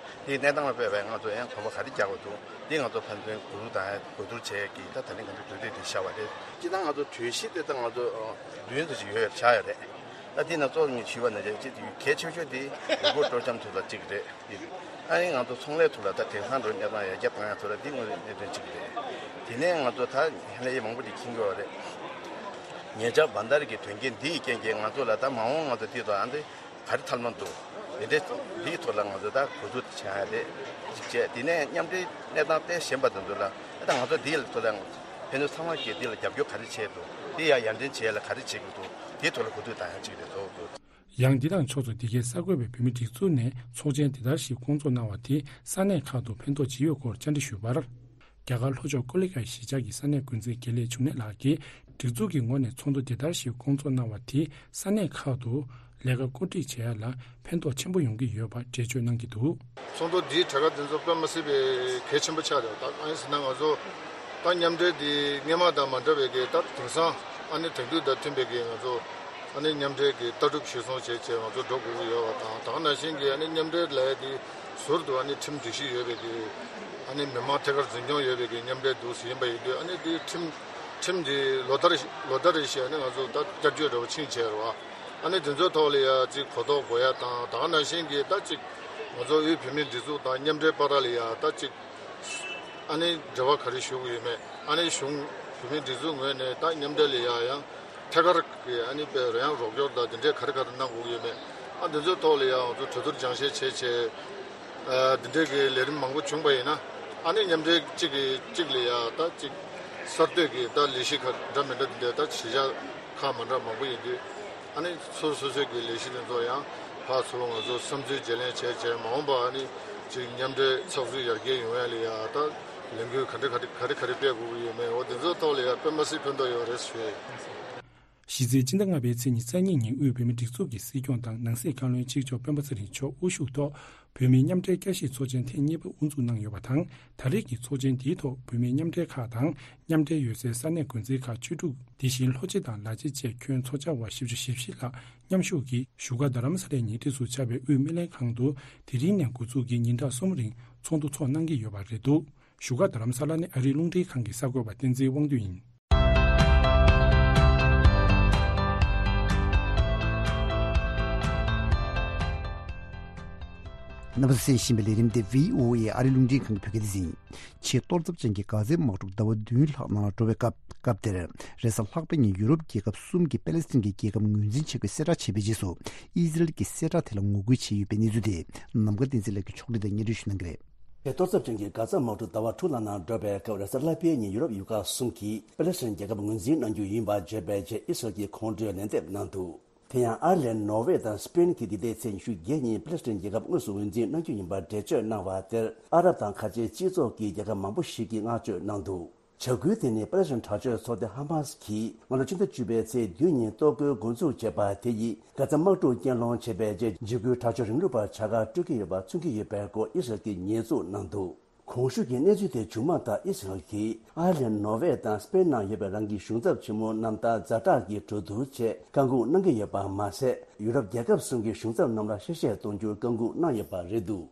དེའི་གནས་སྟངས་ལ་དཔག་པའི་ང་ཚོ་ཡང་གོམ་པ་ག་རེ་རྒྱག་དགོས་འདུག་འདི་ང་ཚོ་ཕན་ཚུན་གོ་བསྡུར་དང་གོ་བསྡུར་བྱས་ཀྱི་ད་ད་ནི་ང་ཚོ་གྲོས་ཚོགས་འདི་བཞག་པ་རེད། སྤྱིར་བཏང་ང་ཚོ་གྲོས་གཞི་དེ་ད་ང་ཚོ་ཨ་བདུན་ཙམ་ཞིག་ཡོད་ཡོད་ཆགས་ཡོད་རེད། ད་དེ་ནང་གཙོ་བོ་ཞུས་པ་ནང་བཞིན་གལ་ཆེ་ཤོས་དེ་ཡུལ་སྐོར་སྤྲོ་འཆམ་ཐོག་ལ་གཅིག་རེད། ཨ་ནི་ང་ཚོ་ཚོང་ལས་ཐོག་ལ་ད་དེང་སང་འགྲོ་གནས་སྟངས་ཡར་རྒྱས་བཏང་ཡ་ཐོག་ལ་འདི་དངོས་གནས་གནད་དོན་གཅིག་རེད། དེ་ནས་ང་ཚོ་ད་ལྷན་རྒྱས་མང་པོ་ཅིག་མཁྱེན་གྱི་ཡོད་རེད། ཉེ་ཆར་བྷན་དྷ་ར་གི་དོན་རྐྱེན་འདི་ཡི་རྐྱེན་གྱིས་ང་ཚོ་ལ་ད་མ་འོངས་ང་ཚོ་འདི་དང་ཨ་འདི་ག་རེ་ཐབས་ལམ་འདུག་འདི་འདྲའི་འདིའི་ཐོག་ལ་ང་ཚོ་ད་གོ་བསྡུར་བྱ་ཡ་རེད། གཅིག་བྱས། དེ་ནས་མཉམ་འབྲེལ་གནས་སྟངས་གཏན་གཞན་པ་དེ་ཚོ་ལ་ད་ང་ཚོ་འདིའི་ཐོག་ལ་ཕན་ཚུན་ཚང་མ་གིས་འདི་ལ་རྒྱབ་སྐྱོར་ག་རེ་བྱས་འདུག་འདི་ཡར་ཡར་འདྲེན་བྱེད་ཡ་ལ་ག་རེ་བྱེད་དགོས་འདུག་འདིའི་ཐོག་ལ་གོ་བསྡུར་བཏང་ཡ་གཅིག་རེད། གཙོ་བོ་གཙོ་བོ། ཡང་འདི་དང་ཕྱོགས་མཚུངས་འདི་གའི་གསར་འགོད་པས་བོད་མིའི་སྒྲིག་འཛུགས་ནས་ཚོགས་ཆེན་དེ་ལྟར་ཞིག་བསྐོང་ཚོགས་གནང་བ་དེས་ས་གནས་ཁག་ཏུ་ཕན་ཐོགས་ཇི་ཡོད་སྐོར་བཅར་འདྲི་ཞུས་པར། རྒྱ་གར་ལྷོ་ཕྱོགས་ཀོ་ལི་གྷལ་གཞིས་ཆགས་ཀྱི་ས་གནས་འགོ་འཛིན་དགེ་ལེགས་འབྱུང་གནས་ལགས་ཀྱིས། སྒྲིག་འཛུགས་ཀྱི་ངོས་ནས་ཚོགས་འདུ་དེ་ལྟར་ཞིག་བསྐོང་ཚོགས་གནང་བ་དེས་ས་གནས་ཁག་ཏུ་ལས་ཀ་བཀོད་སྒྲིག་བྱེད་ཡ་ལ་ཕན་ཐོགས་ཆེན་པོ་ཡོང་གི་ཡོད་པ་འགྲེལ་བརྗོད་གནང་གི་འདུག་ཚོགས་འདུ་འདིའི་གྲས་ཀ་དེ་ཚོ་དཔེ་མ་སྲིད་པའི་གལ་ཆེན་པོ་ཆགས་རེད། ད་གང་ཡིན་ཟེར་ན་ང་ཚོ་ད་མཉམ་འབྲེལ་འདི་སྔོན་མ་དང་མ་འདྲ་བའི་གི་ད་དེང་སང་ཨ་ནི་དེང་དུས་དང་མཐུན་པའི་གི་ང་ཚོ་ཨ་ནི་མཉམ་འབྲེལ་གྱི་ལྟ་གྲུབ་གཞིར་བཟུང་བྱས་བྱས་ང་ཚོ་འགྲོ་དགོས་ཀྱི་ཡོད་པ་དང་། ད་ག་ནང་བཞིན་གྱི་ཨ་ནི་མཉམ་འབྲེལ་ལབ་ཡ་དེ་ཟུར་དུ་ཨ་ནི་ཁྲིམས་སྒྲིག་གཞི་ཡོད་པའི་གི་ཨ་ནི་མི་མང་ཐད་ཀར་འཛིན་སྐྱོང་ཡོད་པའི་གི་མཉམ་འབྲེལ་འདུག་ཟེར་ཡིན་པ་ཡིན་དུས། ཨ་ནི་དེ་ཁྲིམས་ཁྲིམས་དེ་ལོ་ལྟར་ལོ་ལྟར་རེ་བཞིན་ཨ་ནི་ང་ཚོ་ད་བསྐྱར་བཅོས་འདྲ་པོ་ཕྱིན་བྱས་རེད་བ། ཨ་ནི་དེ་ཚོའི་ཐོག་ལ་ཡ་ཅིག་གོ་རྟོགས་དགོས་ཡ་དང་། ད་ག་ནང་བཞིན་གྱི་ད་ཅིག་ང་ཚོ་དབུས་བོད་མིའི་སྒྲིག་འཛུགས་དང་མཉམ་འབྲེལ་བར་ལ་ཡ་ད་ཅིག་ཨ་ནི་འབྲེལ་བ་ག་རེ་ཞུ་དགོས་ཡོད་མེད། ཨ་ནི་གཞུང་བོད་མིའི་སྒྲིག་འཛུགས་ངོས་ནས་ད་མཉམ་འབྲེལ་ལ་ཡ་ཡང་ཐད་ཀར་གྱི་ཨ་ནི་དཔེ་རོལ་དབྱངས་རོགས་སྐྱོར་དང་དེ་འདྲས་ག་རེ་ག་རེ་གནང་དགོས་ཀྱི་ཡོད་མེད། ཨ་འདི་ཚོའི་ཐོག་ལ་ཡ་ང་ཚོ་གྲོས་བསྡུར་སྦྱང་བཤད་བྱས་བྱས། ཨ་འདི་འདྲས་ཀྱི་ལས་རིམ་མང་པོ་བྱུང་པ་ཡིན་ན། ཨ་ནི་མཉམ་འབྲེལ་གཅིག་གིས་གཅིག་ལ་ཡ་ད་ཅིག་གསར་གཏོད་ཀྱི་ད་ལས་གཞི་ཁག་འདྲ་མི་འདྲ་འདི་འདྲས་ད་གཞིས་ཆགས་ཁག་མ་འདྲ་མང་པོ་ཡིན་དུས། ཨ་ནི་སོ་སོ་སོའི་གི་ལས་གཞི་དེ་ཚོ་ཡང་ཕར་ཚུར་ང་ཚོ་བསམ་ཚུལ་བརྗེ་ལེན་བྱས་བྱས། མ་འོངས་པ་ཨ་ནི་ཅིག་མཉམ་འབྲེལ་ཚགས་ཚུད་ཡར་རྒྱས་ཡོང་ཡ་ལ་ཡ་ད་ལས་འགུལ་ག་འདྲ་ག་འདྲ་ག་རེ་ག་རེ་སྤེལ་དགོས་ཀྱི་ཡོད་མེད། འོ་དེ་ཚོའི་ཐོག་ལ་ཡ་དཔེ་མ་སྲིད་ཕན་ཐོགས་ཡོད་རེད་ཞུ་ཡ་ཡིན། གཞི་རྩའི་སྤྱི་ཟླ་ལྔ་པའི་ཚེས་ཉི་ཤུ་རྩ་གཉིས་ཉིན་དབུས་བོད་མིའི་སྒྲིག་འཛུགས་ཀྱི་སྲིད་སྐྱོང་དང་ནང་སྲིད་བཀའ་བློན་གཅིག་ལྕོགས་སྤེན་པ་ཚེ་རིང་མཆོག་དབུ་བཞུགས་ཐོག་བོད་མིའི་མཉམ་འབྲེལ་བསྐྱར་ཞིབ་ཚོགས་ཆེན་ཐེངས་གཉིས་པ་དབུ་འཛུགས་གནང་ཡོད་པ་དང་། ད་རེས་ཀྱི་ཚོགས་ཆེན་འདིའི་ཐོག་བོད་མིའི་མཉམ་འབྲེལ་ཁག་དང་མཉམ་འབྲེལ་ཡོད་སའི་ས་གནས་འགོ་འཛིན་ཁག་བཅུ་དྲུག་དེ་བཞིན་ལྷོ་སྤྱི་དང་ལ་སྤྱི་བཅས་ཁྱོན་ཚོགས་བཅར་བ་བཞི་བཅུ་ཞེ་བཞི་ལྷག་མཉམ་ཞུགས་ཀྱིས་བཞུགས་སྒར་རྡ་རམ་ས་ལའི་ཉེ་འཁྲིས་སུ་ཆགས་པའི་དབུས་སྨན་ལྷན་ཁང་དུ་དེ་རིང་ནས་འགོ་འཛུགས་ཀྱིས་ཉིན་གྲངས་གསུམ་རིང་ཚོགས་འདུ་འཚོགས་གནང་གི་ཡོད་པ་རེད་འདུག་བཞུགས་སྒར་རྡ་རམ་ས་ལ་ནས་ཨ་རིའི་རླུང་འཕྲིན་ཁང་གི་གསར་འགོད་པ་བསྟན་འཛིན་དབང་འདུས་ཡིན། རྣམ་པ་ཚོས་གསན་བཞིན་པའི་ལས་རིམ་དེ་བྷི་ཨོ་ཨེ་ཨ་རིའི་རླུང་འཕྲིན་ཁང་གི་བོད་སྐད་སྡེ་ཚན་ཡིན། ཆེས་གཏོར་ཚབས་ཅན་གྱི་གྷ་ཛའི་དམག་འཁྲུག་ཟླ་བ་བདུན་ལྷག་ནང་ལ་འགྲོ་བའི་སྐབས་སྐབས་དེར། རེས་གཟའ་ལྷག་པའི་ཉིན་ཡུ་རོབ་རྒྱལ་ཁབ་གསུམ་གྱིས་པེ་ལེ་སི་ཐན་གྱི་རྒྱལ་ཁབ་ངོས་འཛིན་བྱེད་དགོས་གསལ་བསྒྲགས་བྱས་པའི་རྗེས་སུ། ཨི་ཟི་རལ་གྱི་གསལ་བསྒྲགས་དེ་ལ་ངོ་རྒོལ་བྱས་ཡོད་པའི་གནས་ཚུལ་དེ་ནམ་མཁའ་བསྟན་འཛིན་ལགས་ཀྱིས་ཕྱོགས་སྒྲིག་དང་སྙན་སྒྲོན་ཞུ་གནང་གི་རེད། གཏོར་ཚབས་ཅན་གྱི་གྷ་ཛ་དམག་འཁྲུག་ཟླ་བ་དྲུག་ལྷག་ནང་འགྲོ་བའི་སྐབས། རེས་གཟའ་ལྷག་པའི་ཉིན་ཡུ་རོབ་ཡུལ་ཁག་གསུམ་གྱིས་པེ་ལེ་སི་ཐན་རྒྱལ་ཁབ་ངོས་འཛིན་གནང་རྒྱུ་ཡིན་པ་བརྗོད་པའི་རྗེས། ཨི་སི་རལ་གྱིས་ཁོང་ཁྲོའི་ལན་འདེབས་གནང་འདུག་དེ་ཡང་ཨ་རི་ལན། ནོར་ཝེ་དང་སི་པེན་གྱིས་འདི་ཟླའི་ཚེས་ཉི་ཤུ་བརྒྱད་ཉིན་པེ་ལེ་སི་ཐན་རྒྱལ་ཁབ་དངོས་སུ་ངོས་འཛིན་གནང་རྒྱུ་ཡིན་པར་འགྲེལ་བརྗོད་གནང་བ་དེར། ཨ་རབ་དང་ཁ་ཆེའི་སྤྱི་ཚོགས་ཀྱི་རྒྱལ་ཁབ་མང་པོ་ཞིག་གིས་བསྔགས་བརྗོད་གནང་འདུག་བྱ་འགུལ་དེ་ནི་པེ་ལེ་སི་ཐན་དྲག་སྤྱོད་ཚོགས་སྡེ་ཧ་མ་སི་གིས་སྔ་ལོ་ཕྱི་ཟླ་བཅུ་པའི་ཚེས་བདུན་ཉིན་གཏོར་རྒོལ་འགོ་འཛུགས་བྱས་པ་དེ་ཡིས། གྷ་ཛ་དམག་འཁྲུག་རྐྱེན་སློང་བྱས་པའི་རྗེས། འཇིགས་སྐུལ་དྲག་སྤྱོད་རིང་ལུགས་པར་བྱ་དགའ་སྤྲོད་ཀྱི་ཡོད་པ་མཚོན་གྱི་ཡོད་པའི་སྐོར་ཨི་སི་རལ་གྱིས་ཉེས་འཛུགས་གནང་འདུག་གོང་ཞུས་ཀྱི་གནས་ཚུལ་དེ་མཇུག་མ་ལྟར། ཨི་སི་རལ་གྱིས་ཨ་རི་ལན། ནོར་ཝེ་དང་སི་པེན་ནང་ཡོད་པའི་རང་གི་གཞུང་ཚབ་ཆེན་མོ་རྣམས་དང་ཛ་དྲག་གི་གྲོས་བསྡུར་ཆེད་བཀའ་འགུག་གནང་གི་ཡོད་པ་མ་ཟད། ཡུ་རོབ་རྒྱལ་ཁབ་གསུམ་གྱི་གཞུང་ཚབ་རྣམས་ལ་གཤེ་གཤེ་གཏོང་རྒྱུར་བཀའ་འགུག་གནང་ཡོད་པ་རེད་འདུག་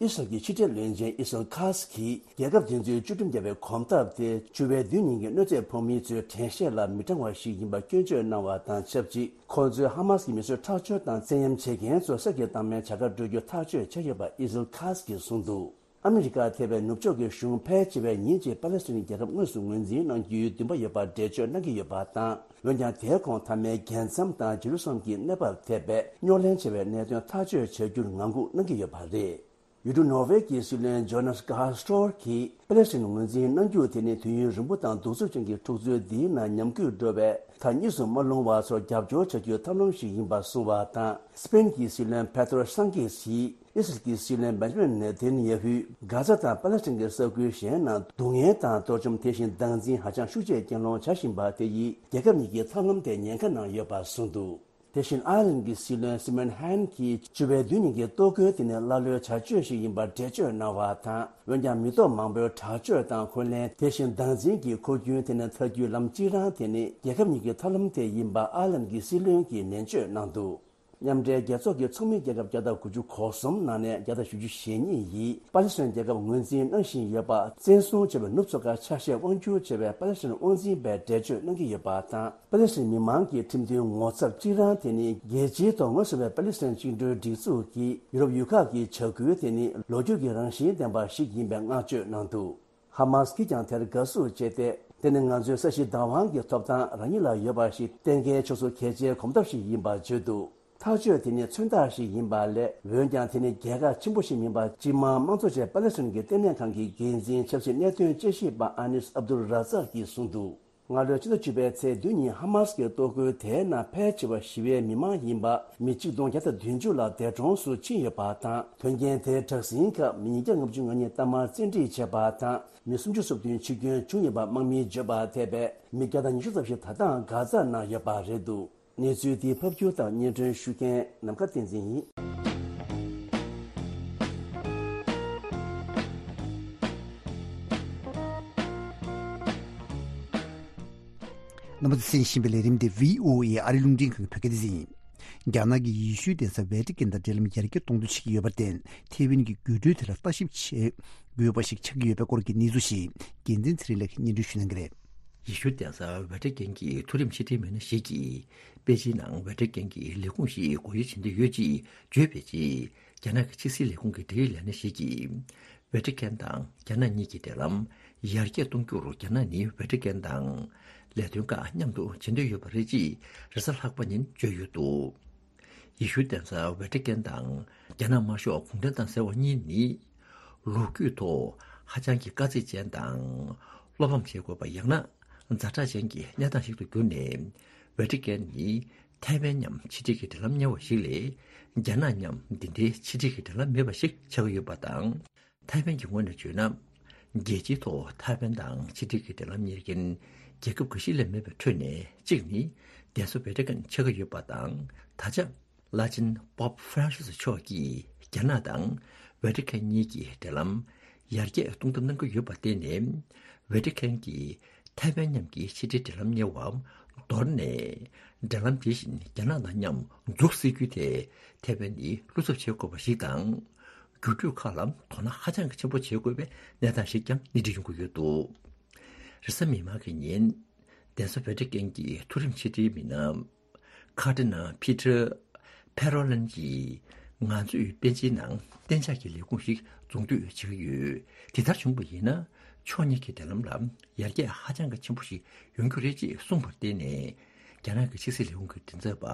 ཨི་སི་རལ་གྱི་ཕྱི་འབྲེལ་བློན་ཆེན་ཨི་སི་རལ་ཁ་སི་གིས། རྒྱལ་ཁབ་དེ་ཚོའི་བཅོས་སྒྲིག་བརྒྱབ་པའི་གོམ་སྟབས་དེ། བཅུ་པའི་བདུན་ཉིན་གྱི་གནོད་འཚེ་ཕོག་མིའི་ཚོའི་དྲན་ཤེས་ལ་མི་དྲང་བ་ཞིག་ཡིན་པ་སྐྱོན་བརྗོད་གནང་བ་དང་ཆབས་ཅིག་ཁོ་ཚོས་ཧ་མ་སི་གི་མི་གསོད་ཁྲག་སྦྱོར་དང་བཙན་གཡེམ་བྱེད་མཁན་ཚོ་གསེར་གྱི་རྟགས་མའི་བྱ་དགའ་སྤྲོད་རྒྱུ་ཐག་གཅོད་བྱས་ཡོད་པ་ཨི་སི་རལ་ཁ་སི་གིས་གསུངས་འདུག་ཨ་མི་རི་ཀ་ཐེ་བའི་ནུབ་ཕྱོགས་ཀྱི་གཞུང་ཕལ་ཆེ་བས་ཉིན་གཅིག་པ་ལེ་སི་ཐན་རྒྱལ་ཁབ་དངོས་སུ་ངོས་འཛིན་གནང་རྒྱུའི་འདུན་པ་ཡོད་པར་འགྲེལ་བརྗོད་གནང་གི་ཡོད་པ་དང་། འོན་ཀྱང་། དེའི་གོང་མཐའ་མའི་རྒྱལ་མཚམས་དང་ཇེ་རུ་སཱ་ལེམ་གྱི་གནས་བབ་ཐད་པའི་རྙོག་གླེང་ཆེ་བའི་གནད་དོན་ཐག་གཅོད་བྱ་རྒྱུར་ངང་སྒུག་གནང་གི་ཡོད་པ་རེད། ཡུལ་གྲུ་ནོར་ཝེ་གྱི་སྲིད་བློན་ཇོ་ནཱས་གྷ་སི་ཊོར་གྱིས། པེ་ལེ་སི་ཐན་ངོས་འཛིན་གནང་རྒྱུ་དེ་ནི་དུས་ཡུན་རིང་པོ་དང་གདུག་རྩུབ་ཅན་གྱི་འཁྲུག་རྩོད་འདིའི་ནང་ཉམས་རྒུད་འགྲོ་བའི་མཐའ་གཉིས་སུ་མ་ལྷུང་བ་ཚོར་རྒྱབ་སྐྱོར་བྱ་རྒྱུའི་ཐབས་ལམ་ཞིག་ཡིན་པ་གསུངས་པ་དང་། སི་པེན་གྱི་སྲིད་བློན་པེ་ཏྲོ་སང་ཀེ་སིས། ཨི་སི་རལ་གྱི་སྲིད་བློན་བེན་ཇ་མིན་ནེ་ཐན་ཡ་ཧུས། གྷ་ཛ་དང་པ་ལེ་སི་ཐན་གྱི་ས་ཁུལ་གཞན་ནང་སྡུག་བསྔལ་དང་གཏོར་བཅོམ། དེ་བཞིན་སྡང་འཛིན་ཧ་ཅང་ཤུགས་ཆེ་རྐྱེན་སློང་བྱ་བཞིན་པ་དེ་ཡིས། རྒྱལ་ཁབ་གཉིས་ཀྱི་ཐབས་ལམ་དེ་ཉེན་ཁ་ནང་ཡོད་པ་གསུངས་འདུག་དེ་བཞིན་ཨའི་ལན་གྱི་སྲིད་བློན་སི་མོན་ཧན་གྱིས་བཅུ་པའི་བདུན་ཉིན་གྱི་གཏོར་རྒོལ་དེ་ནི་ཀླ་ཀློའི་བྱ་སྤྱོད་ཞིག་ཡིན་པར་འགྲེལ་བརྗོད་གནང་བ་དང་། འོན་ཀྱང་མི་སྟོབས་མང་པོའི་དྲག་སྤྱོད་དང་འཁོན་ལན། དེ་བཞིན་སྡང་འཛིན་གྱི་འཁོར་རྒྱུན་དེ་ནི་ཐར་རྒྱུའི་ལམ་གཅིག་རང་དེ་ནི་རྒྱལ་ཁབ་གཉིས་ཀྱི་ཐབས་ལམ་དེ་ཡིན་པ་ཨའི་ལན་གྱི་སྲིད་བློན་གྱིས་ནན་བརྗོད་གནང་འདུག་མཉམ་འབྲེལ་རྒྱལ་ཚོགས་ཀྱི་ཚོགས་མི་རྒྱལ་ཁབ་བརྒྱ་དང་དགུ་བཅུ་གོ་གསུམ་ནང་ནས་བརྒྱ་དང་བཞི་བཅུ་ཞེ་གཉིས་ཡིས་པ་ལི་སི་ཐན་རྒྱལ་ཁབ་ངོས་འཛིན་གནང་བཞིན་ཡོད་པ། བཙན་བཟུང་བྱས་པའི་ནུབ་ཚོ་ཁ་ཆ་ཤས་དབང་སྒྱུར་བྱས་པའི་པ་ལི་སི་ཐན་དབང་འཛིན་པས་འགྲེལ་བརྗོད་གནང་གི་ཡོད་པ་དང་། པ་ལི་སི་ཐན་མི་མང་གི་ཁྲིམས་མཐུན་ངོ་ཚབ་གཅིག་རང་དེ་ནི་རྒྱལ་སྤྱིའི་ཐོག་ངོས་བཟུང་བའི་པ་ལི་སི་ཐན་བཅིངས་འགྲོལ་སྒྲིག་འཛུགས་ཀྱིས་ཡུ་རོབ་ཡུལ་ཁག་གི་བྱ་འགུལ་དེ་ནི་ལོ་རྒྱུས་ཀྱི་རང་བཞིན་ལྡན་པ་ཞིག་ཡིན་པའི་བསྔགས་བརྗོད་གནང་འདུག་ཧ་མཱས་ཀྱིས་ཀྱང་དེར་དགའ་བསུ་བྱས་ཏེ། དེ་ནི་ང་ཚོའི་ས་གཞི་བདག་དབང་གི་ཐོབ་ཐང་རང་ཉིད་ལ་ཡོད་པ་ཞིག་གཏན་འཁེལ་ཕྱོགས་སུ་གལ་ཆེའི་གོམ་སྟབས་ཤིག་ཡིན་པར་བརྗོད་འདུག་ཐག་གཅོད་དེ་ནི་མཚོན་རྟགས་ཤིག་ཡིན་པ་ལས། འོན་ཀྱང་དེ་ནི་རྒྱལ་ཁ་ཆེན་པོ་ཞིག་མིན་པ། སྤྱི་དམངས་དམངས་གཙོ་ཅན་པ་ལེ་སི་ཐན་གྱི་ལྟེ་གནས་ཁང་གི་འགན་འཛིན་ཆབ་སྲིད་གནད་དོན་དཔྱད་ཞིབ་པ་ཨ་ནིས་ཨབ་དུལ་ར་ཛག་གིས་གསུངས་འདུག་སྔ་ལོའི་ཕྱི་ཟླ་བཅུ་པའི་ཚེས་བདུན་ཉིན་ཧ་མཱས་ཀྱི་གཏོར་རྒོལ་དེའི་ནང་ཕལ་ཆེ་བ་ཞི་བའི་མི་མང་ཡིན་པ། མི་གཅིག་སྟོང་བརྒྱ་དང་བདུན་ཅུ་ལ་འདས་གྲོངས་སུ་ཕྱིན་ཡོད་པ་དང་། དོན་རྐྱེན་དེའི་དྲག་ཟིང་སྐབས་མི་ཉིས་བརྒྱ་ལྔ་བཅུ་ང་གཉིས་གཏའ་མར་བཙན་ཁྲིད་བྱས་པ་དང་། མི་སུམ་ཅུ་སོ་བདུན་འཆི་སྐྱོན་བྱུང་ཡོད་པ་དམག་མིས་བརྗོད་པར་འཐད་པས། མི་བརྒྱ་དང་ཉི་ཤུ་ཙམ་ཞིག་ད་ལྟའང་གྷ་ཛ་ནང་ཡོད་པ་རེད་འདུག་གནས་ཚུལ་འདི་ཕབ་སྒྱུར་དང་སྙན་སྒྲོན་ཞུ་མཁན་ནམ་མཁའ་བསྟན་འཛིན་ཡིན། རྣམ་པ་ཚོས་གསན་བཞིན་པའི་ལས་རིམ་འདི་བྷི་ཨོ་ཨེ་ཨ་རི་རླུང་འཕྲིན་ཁང་གི་བོད་སྐད་སྡེ་ཚན་ཡིན། རྒྱ་ནག་གིས་ཡེ་ཤུའི་གདན་ས་ཝེ་ཏི་ཀན་དང་འབྲེལ་ལམ་ཡར་རྒྱས་གཏོང་འདོད་བྱེད་ཀྱི་ཡོད་པར་བརྟེན། ཐེ་ཝན་གྱི་རྒུད་སྤྲོད་དེ་ལ་ལྟ་ཞིབ་བྱེད་དགོས་པ་ཞིག་ཆགས་ཀྱི་ཡོད་པའི་སྐོར་གྱི་གནས་ཚུལ་ཞིག་འགན་འཛིན་ཚེ་རིང་ལགས་ཀྱིས་སྙན་སྒྲོན་ཞུ་གནང་གི་རེད། ཡེ་ཤུ་གདན་ས་ཝེ་ཏི་ཀན་གྱི་མཐོ་རིམ་ཕྱི་དྲིལ་མི་སྣ་ཞིག་གིས། པེ་ཅིན་ནང་ཝེ་ཏི་ཀན་གྱི་ལས་ཁུངས་ཤིག་སྒོ་དབྱེ་བྱེད་འདོད་ཡོད་ཅེས་བརྗོད་པའི་རྗེས། རྒྱ་ནག་གི་ཕྱི་སྲིད་ལས་ཁུངས་ཀྱི་འབྲེལ་ཡོད་ལས་སྣེ་ཞིག་གིས། ཝེ་ཏི་ཀན་དང་རྒྱ་ནག་གཉིས་ཀྱི་འབྲེལ་ལམ་ཡར་རྒྱས་གཏོང་རྒྱུར་རྒྱ་ནག་ནི་ཝེ་ཏི་ཀན་དང་ལས་དོན་ཁག་མཉམ་དུ་བྱེད་འདོད་ཡོད་པ་རེད་ཅེས་རེས་གཟའ་ལྷག་པ་ཉིན་བརྗོད་ཡོད་འདུག་ཡེ་ཤུ་གདན་ས་ཝེ་ཏི་ཀན་དང་རྒྱ་ནག་དམར་ཤོག་གུང་ཁྲན་ཏང་ཟེར་བ་གཉིས་ནི། ལོ་རྒྱུས་ཐོག་ཧ་ཅང་གི་དཀའ་ཚེགས་ཅན་དང་། བློ་ཕམ་བྱེད་དགོས་པ་ཡང་ན་ཛ་དྲག་ཅན་གྱི་གནས་སྟངས་ཤིག་ཏུ་གྱུར་ནས། ཝེ་ཏི་ཀན་ནི་ཐའེ་ཝན་མཉམ་ཕྱི་འབྲེལ་གྱི་འབྲེལ་ལམ་གཉེར་བ་ཞིག་ལས། རྒྱ་ནག་མཉམ་འདི་འདྲའི་ཕྱི་འབྲེལ་གྱི་འབྲེལ་ལམ་མེད་པ་ཞིག་ཆགས་ཀྱི་ཡོད་པ་དང་། ཐའེ་ཝན་གྱི་ངོས་ནས་བརྗོད་ན། རྒྱལ་སྤྱིའི་ཐོག་ཐའེ་ཝན་དང་ཕྱི་འབྲེལ་གྱི་འབྲེལ་ལམ་གཉེར་མཁན་རྒྱལ་ཁབ་འགའ་ཤས་ལས་མེད་པའི་ཁྲོད་ནས་གཅིག་ནི་གདན་ས་ཝེ་ཏི་ཀན་ཆགས་ཀྱི་ཡོད་པ་དང་། ད་ཆ་བླ་ཆེན་པོབ་ཧྥ་རན་སི་མཆོག་གིས་རྒྱ་ནག་དང་ཝེ་ཏི་ཀན་གཉིས་ཀྱི་འབྲེལ་ལམ་ཡར་རྒྱས་གཏོང་ཐབས་གནང་གི་ཡོད་པར་བརྟེན་ནས། ཝེ་ཏི་ཀན་གྱིས་ཐའེ་ཝན་མཉམ་གྱི་ཕྱི་འབྲེལ་འབྲེལ་ལམ་གཉེར་བ་མདོར་ན། འབྲེལ་ལམ་དེ་བཞིན་རྒྱ་ནག་དང་མཉམ་འཛུགས་སྲིད་རྒྱུ་དེ་ཐའེ་ཝན་ནི་བློ་འཚབ་བྱེད་དགོས་པ་ཞིག་དང་། འགྱུར་འགྲོས་ཁག་ལ་དོ་སྣང་ཧ་ཅང་གི་ཆེན་པོ་བྱེད་དགོས་པའི་གནས་སྟངས་ཤིག་ཀྱང་སྣེ་ཁྲིད་ཡོང་གི་ཡོད་འདུག་རེས་གཟའ་མིག་དམར་གྱི་ཉིན། གདན་ས་ཝེ་ཏི་ཀན་གྱི་མཐོ་རིམ་ཕྱི་དྲིལ་མི་སྣ། ཁར་ཌི་ནལ་པི་ཊར་ཕེ་རོ་ལན་གྱིས། ང་ཚོས་པེ་ཅིན་ནང་གཏན་འཇགས་ཀྱི་ལས་ཁུངས་ཤིག་འཛུགས་འདོད་བྱེད་ཀྱི་ཡོད། དེ་ལྟར་བྱུང་བ་ཡིན་ན། ཕྱོགས་གཉིས་ཀྱི་འབྲེལ་ལམ་ལ་ཡར་རྒྱས་ཧ་ཅང་གི་ཆེན་པོ་ཞིག་ཡོང་རྒྱུ་རེད་ཅེས་གསུངས་པར་བརྟེན་ནས། རྒྱ་ནག་གི་ཕྱི་སྲིད་ལས་ཁུངས་ཀྱི་མགྲིན་ཚབ་པ་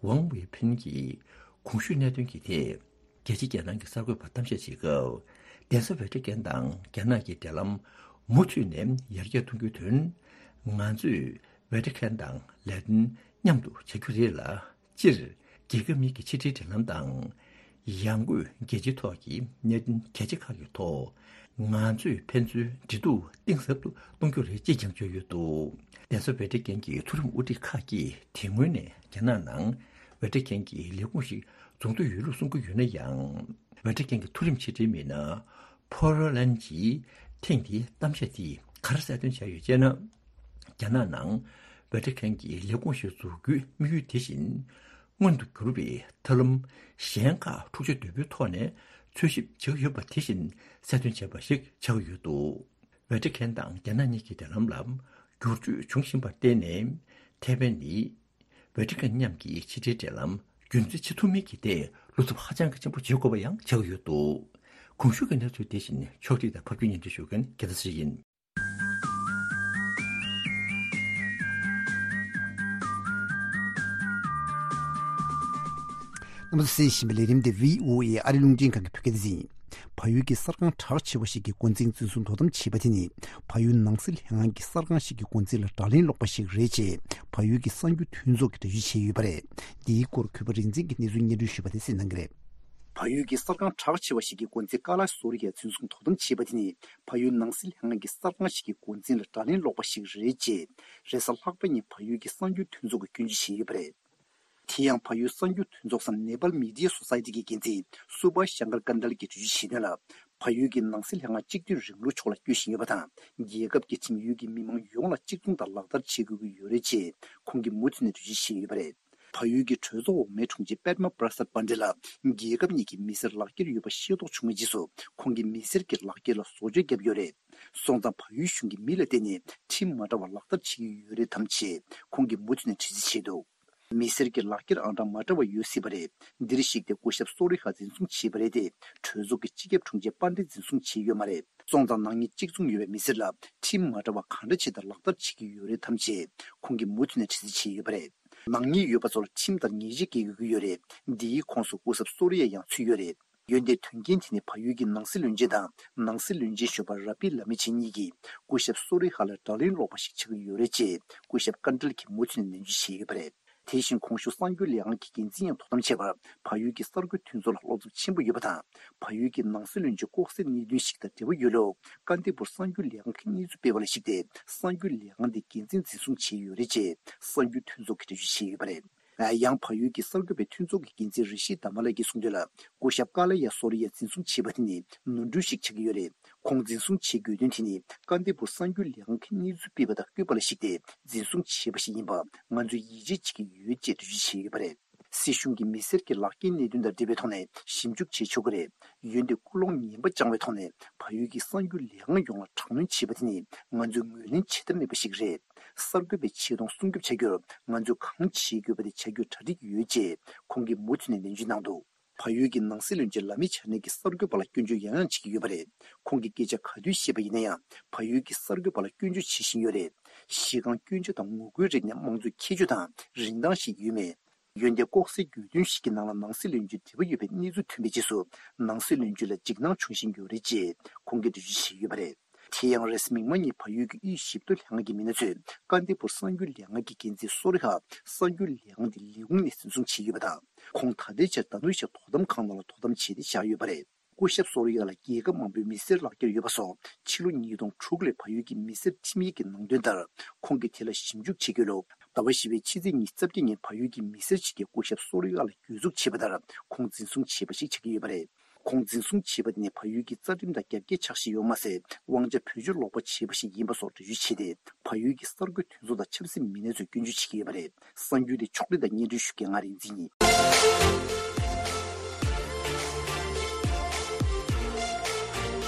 ཝང་ཝེ་ཕིན་གྱིས་གོང་ཞུས་གནད་དོན་གྱི་ཐད། རྒྱལ་སྤྱིའི་རྒྱལ་ནང་གི་གསར་འགོད་པར་གཏམ་བཤད་བྱེད་སྐབས། གདན་ས་ཝེ་ཏི་ཀན་དང་རྒྱ་ནག་གི་འབྲེལ་ལམ་མུ་མཐུད་ནས་ཡར་རྒྱས་གཏོང་རྒྱུའི་དོན། ང་ཚོས་ཝེ་ཏི་ཀན་དང་ལས་དོན་མཉམ་དུ་བྱ་རྒྱུ་རེད་ལ། སྤྱིར་རྒྱལ་ཁབ་གཉིས་ཀྱི་ཕྱི་འབྲེལ་འབྲེལ་ལམ་དང་། ཡང་སྒོས་རྒྱལ་སྤྱིའི་ཐོག་གི་གནད་དོན་གལ་ཆེ་ཁག་གི་ཐོག་ང་ཚོས་ཕན་ཚུན་འབྲེལ་གཏུག་གཏིང་ཟབ་ཏུ་གཏོང་རྒྱུ་རེད་ཅེས་ཀྱང་བརྗོད་ཡོད་འདུག་གདན་ས་ཝེ་ཏི་ཀན་གྱི་མཐོ་རིམ་དབུ་ཁྲིད་ཁག་གིས་དེ་སྔོན་ནས་རྒྱ་ནག་ནང་ཝེ་ཏི་ཀན་གྱི་ལས་ཁུངས་ཤིག་འཛུགས་འདོད་ཡོད་ལུགས་གསུང་གི་ཡོད་ན་ཡང་། ཝེ་ཏི་ཀན་གྱི་མཐོ་རིམ་ཕྱི་དྲིལ་མི་སྣ་ཕོ་རོ་ལན་གྱིས་ཐེངས་འདིའི་གཏམ་བཤད་དེས་ག་རེ་གསལ་སྟོན་བྱས་ཡོད་ཅེ་ན། རྒྱ་ནག་ནང་ཝེ་ཏི་ཀན་གྱི་ལས་ཁུངས་ཤིག་འཛུགས་རྒྱུའི་དམིགས་ཡུལ་དེ་བཞིན་མངོན་དུ་གྱུར་པའི་ཐབས་ལམ་གཞན་ཁག་འཁྲུག་ཆ་དོད་པོའི་ཐོག་ནས་འཚོལ་ཞིབ་བྱེད་ཀྱི་ཡོད་པ་དེ་བཞིན་གསལ་སྟོན་བྱས་པ་ཞིག་ཆགས་ཡོད་འདུག་ཝེ་ཏི་ཀན་དང་རྒྱ་ནག་གཉིས་ཀྱི་འབྲེལ་ལམ་ལ་འགྱུར་བཅོས་འབྱུང་བཞིན་པར་བརྟེན་ནས། ཐའེ་ཝན་ནི་ཝེ་ཏི་ཀན་མཉམ་གྱི་ཕྱི་འབྲེལ་འབྲེལ་ལམ་རྒྱུན་འཛིན་བྱེད་ཐུབ་མིན་གྱི་ཐད་བློ་འཚབ་ཧ་ཅང་གི་ཆེན་པོ་བྱེད་དགོས་པ་ཡང་ཆགས་ཀྱི་ཡོད་འདུག་གོང་ཞུས་ཀྱི་གནས་ཚུལ་དེ་བཞིན་ཕྱོགས་སྒྲིག་དང་ཕབ་སྒྱུར་སྙན་སྒྲོན་ཞུ་མཁན་རྒྱལ་མཚན་ཡིན། རྣམ་པ་ཚོས་གསན་བཞིན་པའི་ལས་རིམ་དེ་བྷི་ཨོ་ཨེ་ཨ་རི་རླུང་འཕྲིན་ཁང་གི་བོད་སྐད་སྡེ་ཚན་ཡིན། བལ་ཡུལ་གྱི་གསར་ཁང་གྲགས་ཆེ་བ་ཞིག་གི་འགོ་འཛིན་འཛིན་བཟུང་དོ་དམ་བྱས་པ་དེ་ནི། བལ་ཡུལ་ནང་སྲིད་ལྷན་ཁང་གི་གསར་ཁང་ཞིག་གི་འགོ་འཛིན་ལ་དགྲ་ལན་སློག་པ་ཞིག་རེད་ཅེས། བལ་ཡུལ་གྱི་གསར་འགྱུར་མཐུན་ཚོགས་ཀྱིས་འགྲེལ་བརྗོད་བྱས་ཡོད་པ་རེད། འདིའི་སྐོར་གུས་པ་རིག་འཛིན་གྱིས་གནས་ཚུལ་སྙན་སྒྲོན་ཞུས་པ་དེ་གསན་གནང་གི་རེད། བལ་ཡུལ་གྱི་གསར་ཁང་གྲགས་ཆེ་བ་ཞིག་གི་འགོ་འཛིན་ཀ་ལ་སོ་རི་ཡ་འཛིན་བཟུང་དོ་དམ་བྱས་པ་དེ་ནི། བལ་ཡུལ་ནང་སྲིད་ལྷན་ཁང་གི་གསར་ཁང་ཞིག་གི་འགོ་འཛིན་ལ་དགྲ་ལན་སློག་པ་ཞིག་རེད་ཅེས། རེས་གཟའ་ལྷག་པ་ཉིན་བལ་ཡུལ་གྱི་གསར་འགྱུར་མཐུན་ཚོགས་ཀྱིས་སྐྱོན་བརྗོད་བྱས་ཡོད་པ་རེད། དེ་ཡང་བལ་ཡུལ་གསར་འགྱུར་མཐུན་ཚོགས་སམ་Nepal Media Society གི་འགན་འཛིན་སུ་བྷ་ཤང་ཀར་ཀན་དལ་གྱིས་འགྲེལ་བརྗོད་བྱས་དོན་ལ། བལ་ཡུལ་གྱི་ནང་སྲིད་ལྷན་ཁང་གཅིག་མཐུན་རིང་ལུགས་ཕྱོགས་ལ་སྐྱོད་བཞིན་ཡོད་པ་དང་། རྒྱལ་ཁབ་ཀྱི་ཁྲིམས་ཡུལ་གྱི་མི་མང་ཡོངས་ལ་གཅིག་མཚུངས་དང་ལག་བསྟར་བྱེད་དགོས་ཀྱི་ཡོད་རེད་ཅེས་ཁོང་གིས་མུ་མཐུད་ནས་འགྲེལ་བརྗོད་བྱས་ཡོད་པ་རེད། བལ་ཡུལ་གྱི་གྲོས་ཚོགས་འོག་མའི་དྲུང་ཆེ་པད་མ་པྲ་སད་པན་ཌེ་ལ་རྒྱལ་ཁབ་གཉིས་ཀྱི་མི་སེར་ལག་འཁྱེར་ཡོད་པ་ཤེས་རྟོགས་བྱུང་བའི་རྗེས་སུ་ཁོང་གིས་མི་སེར་གྱི་ལག་འཁྱེར་ལ་བཟོ་བཅོས་བརྒྱབ་ཡོད་རེད། སོང་ཙང་བལ་ཡུལ་གཞུང་གིས་མི་ལ་བརྟེན་ནས་ཁྲིམས་མ་འདྲ་བ་ལག་བསྟར་བྱེད་ཀྱི་ཡོད་རེད་དམ་ཅེས་ཁོང་གིས་མུ་མཐུད་ནས་དྲི་རྩད་བྱས་འདུག་མི་སེར་གྱི་ལག་འཁྱེར་ཨང་གྲངས་མ་འདྲ་བ་ཡོད་སྲིད་པ་རེད། འདིར་གཞིགས་ཏེ་སྐུ་ཞབས་སོ་རི་ཧ་འཛིན་བཟུང་བྱས་པ་རེད་དེ། གྲོས་ཚོགས་ཀྱི་སྤྱི་ཁྱབ་དྲུང་ཆེ་པན་ཌེ་འཛིན་བཟུང་བྱས་ཡོད་མ་རེད། སོང་ཙང་ནག་ཉེས་གཅིག་མཚུངས་ཡོད་པའི་མི་སེར་ལ་ཁྲིམས་མ་འདྲ་བ་གང་འདྲ་ཅིག་དང་ལག་བསྟར་བྱེད་ཀྱི་ཡོད་རེད་དམ་ཅེས་ཁོང་གིས་མུ་མཐུད་ནས་དྲི་རྩད་བྱས་ཡོད་པ་རེད། ནག་ཉེས་ཡོད་པ་ཚོར་ཁྲིམས་ལྟར་ཉེས་ཆད་འགེལ་དགོས་ཀྱི་ཡོད་རེད། འདིའི་ཁོངས་སུ་སྐུ་ཞབས་སོ་རི་ཡ་ཡང་ཚུད་ཡོད་རེད། འོན་ཏེ་དོན་རྐྱེན་དེ་ནི་བལ་ཡུལ་གྱི་ནང་སྲིད་བློན་ཆེན་དང་ནང་སྲིད་བློན་ཆེན་གཞོན་པ་ར་པི་ལ་མི་ཆེན་གཉིས་ཀྱིས་སྐུ་ཞབས་སོ་རི་ཧ་ལ་དགྲ་ལན་སློག་པ་ཞིག་ཆགས་ཀྱི་ཡོད་རེད་ཅེས་སྐུ་ཞབས་ཀན་ཏལ་གྱིས་མུ་མཐུད་ནས་ནན་བརྗོད་བྱས་ཡོད་པ་རེད། དེ་བཞིན་གོང་ཞུས་གསར་འགྱུར་ལས་ཁང་གི་འགན་འཛིན་ཡང་དོ་དམ་བྱས་པར་བལ་ཡུལ་གྱི་གསར་འགོད་མཐུན་ཚོགས་ལ་བློ་འཚབ་ཆེན་པོ་ཡོད་པ་དང་། བལ་ཡུལ་གྱི་ནང་སྲིད་བློན་ཆེན་ལྐོག་ཟའི་གནད་དོན་ཞིག་དང་འབྲེལ་བ་ཡོད་ལུགས་ཀན་ཏི་པུར་གསར་འགྱུར་ལས་ཁང་གིས་གནས་ཚུལ་སྤེལ་བ་ལ་གཞིགས་ཏེ། གསར་འགྱུར་ལས་ཁང་དེ་འགན་འཛིན་འཛིན་བཟུང་བྱས་ཡོད་རེད་ཅེས་གསར་འགྱུར་མཐུན་ཚོགས་ཀྱིས་འགྲེལ་བརྗོད་བྱས་ཡོད་པ་རེད། ཡང་བལ་ཡུལ་གྱི་གསར་འགོད་པའི་མཐུན་ཚོགས་ཀྱི་འགན་འཛིན་རི་ཤི་དྷ་མ་ལ་གིས་གསུངས་དོན་ལ། སྐུ་ཞབས་ཀ་ལ་ཡ་སོ་རི་ཡ་འཛིན་བཟུང་བྱས་པ་དེ་ནི་ནོར་འཁྲུལ་ཞིག་ཆགས་ཀྱི་ཡོད་རེད། ཁོང་འཛིན་བཟུང་བྱེད་དགོས་དོན་དེ་ནི་ཀན་ཏི་པུར་གསར་འགྱུར་ལས་ཁང་གིས་གནས་ཚུལ་སྤེལ་བ་དང་བཀོད་པ་ལ་གཞིགས་ཏེ་འཛིན་བཟུང་བྱས་པ་ཞིག་ཡིན་པ་ང་ཚོས་ཡིད་ཆེས་བྱེད་ཀྱི་ཡོད་ཅེས་འགྲེལ་བརྗོད་བྱས་ཡོད་པ་རེད། སྲིད་གཞུང་གིས་མི་སེར་གྱི་ལག་འཁྱེར་གནད་དོན་དང་འབྲེལ་བའི་ཐོག་ནས་ཞིབ་འཇུག་བྱེད་ཆོག་གི་རེད། འོན་ཏེ་ཀུན་སློང་ངན་པ་བཅངས་པའི་ཐོག་ནས་བལ་ཡུལ་གྱི་གསར་འགྱུར་ལས་ཁང་ཡོངས་ལ་དྲག་གནོན་བྱས་པ་དེ་ནི་ང་ཚོས་ངོས་ལེན་བྱེད་ཐབས་མེད་པ་ཞིག་རེད། གསར་འགོད་པའི་ཆེ་མཐོང་སྲུང་སྐྱོབ་བྱ་རྒྱུར་ང་ཚོས་གང་བྱེད་དགོས་པ་དེ་བྱ་རྒྱུར་གྲ་སྒྲིག་ཡོད་ཅེས་ཁོང་གིས་མུ་མཐུད་ནས་ནན་བརྗོད་གནང་འདུག་བལ་ཡུལ་གྱི་ནང་སྲིད་བློན་ཆེན་ལ་མི་ཆ་ནེ་གིས་གསར་འགོད་པ་ལ་སྐྱོན་བརྗོད་ཡང་ཡང་བྱེད་ཀྱི་ཡོད་པ་རེད། ཁོང་གིས་སྐད་ཆ་ག་དུས་བཤད་པ་ཡིན་ན་ཡང་། བལ་ཡུལ་གྱི་གསར་འགོད་པ་ལ་སྐྱོན་བརྗོད་བྱེད་བཞིན་ཡོད་རེད། གཞི་རྐང་སྐྱོན་བརྗོད་དང་ངོ་རྒོལ་རིགས་ནི་དམངས་གཙོའི་ཁྱད་ཆོས་དང་རིན་ཐང་ཞིག་ཡོད་མེད། འོན་ཏེ་ལྐོག་ཟའི་རྒྱུ་དོན་ཞིག་གི་ནང་ལ་ནང་སྲིད་བློན་ཆེན་འབྲེལ་བ་ཡོད་པའི་གནས་ཚུལ་ཐོན་པའི་རྗེས་སུ། ནང་སྲིད་བློན་ཆེན་ལ་འཇིགས་སྣང་བྱུང་བཞིན་ཡོད་རེད་ཅེས་ཁོང་གིས་འགྲེལ་བརྗོད་བྱས་ཡོད་པ་རེད། དེ་ཡང་རེས་གཟའ་མིག་དམར་ཉིན་བལ་ཡུལ་གྱི་དབུས་ཞིབ་ཏུ་ལྷན་ཁང་གི་མི་སྣ་ཚོས་ཀན་ཏི་པུར་གསར་འགྱུར་ལས་ཁང་གི་འགན་འཛིན་སོ་རི་ཧ་གསར་འགྱུར་ལས་ཁང་དེ་ལས་ཁུངས་ནས་འཛིན་བཟུང་བྱས་ཡོད་པ་དང་། ཁོང་ད་ལྟའི་ཆར་དྷ་ནུ་ཤ་དོ་དམ་ཁང་ནང་ལ་དོ་དམ་བྱས་ཏེ་བཞག་ཡོད་པ་རེད། སྐུ་ཞབས་སོ་རི་ཡ་ལ་རྒྱལ་ཁབ་མང་པོའི་མི་སེར་ལག་འཁྱེར་ཡོད་པ་སོགས་ཕྱི་ལོ་ཉིས་སྟོང་དྲུག་ལོའི་བལ་ཡུལ་གྱི་མི་སེར་ཁྲིམས་ཡིག་གི་ནང་དོན་ལྟར་ཁོང་གིས་དེ་ལ་ཞིབ་འཇུག་བྱེད་དགོས་ལུགས་ཟླ་བ་བཞི་པའི་ཕྱི་ཚེས་ཉི་ཤུ་རྩ་བརྒྱད་ཉིན་བལ་ཡུལ་གྱི་མི་སེར་ཞིག་གིས་སྐུ་ཞབས་སོ་རི་ཡ་ལ་གྱོད་འཛུགས་བྱས་པ་ལྟར་ཁོང་འཛིན་བཟུང་བྱས་པ་ཞིག་ཆགས་ཀྱི་ཡོད་པ་རེད། ཁོང་འཛིན་བཟུང་བྱས་པ་དེ་ནི་བལ་ཡུལ་གྱི་རྩ་ཁྲིམས་དང་རྒྱབ་འགལ་ཆགས་བཞིན་ཡོད་མ་ཟད། དབང་ཆ་བེད་སྤྱོད་ལོག་པ་བྱས་པ་ཞིག་ཡིན་པ་སོགས་འགྲེལ་བརྗོད་བྱས་ཏེ། བལ་ཡུལ་གྱི་གསར་འགོད་མཐུན་ཚོགས་དང་ཆབ་སྲིད་མི་སྣ་ཚོས་སྐྱོན་བརྗོད་བྱེད་ཀྱི་ཡོད་པ་རེད། གསར་འགྱུར་དེ་ཕྱོགས་སྒྲིག་དང་སྙན་སྒྲོན་ཞུ་མཁན་ང་རིག་འཛིན་ཡིན།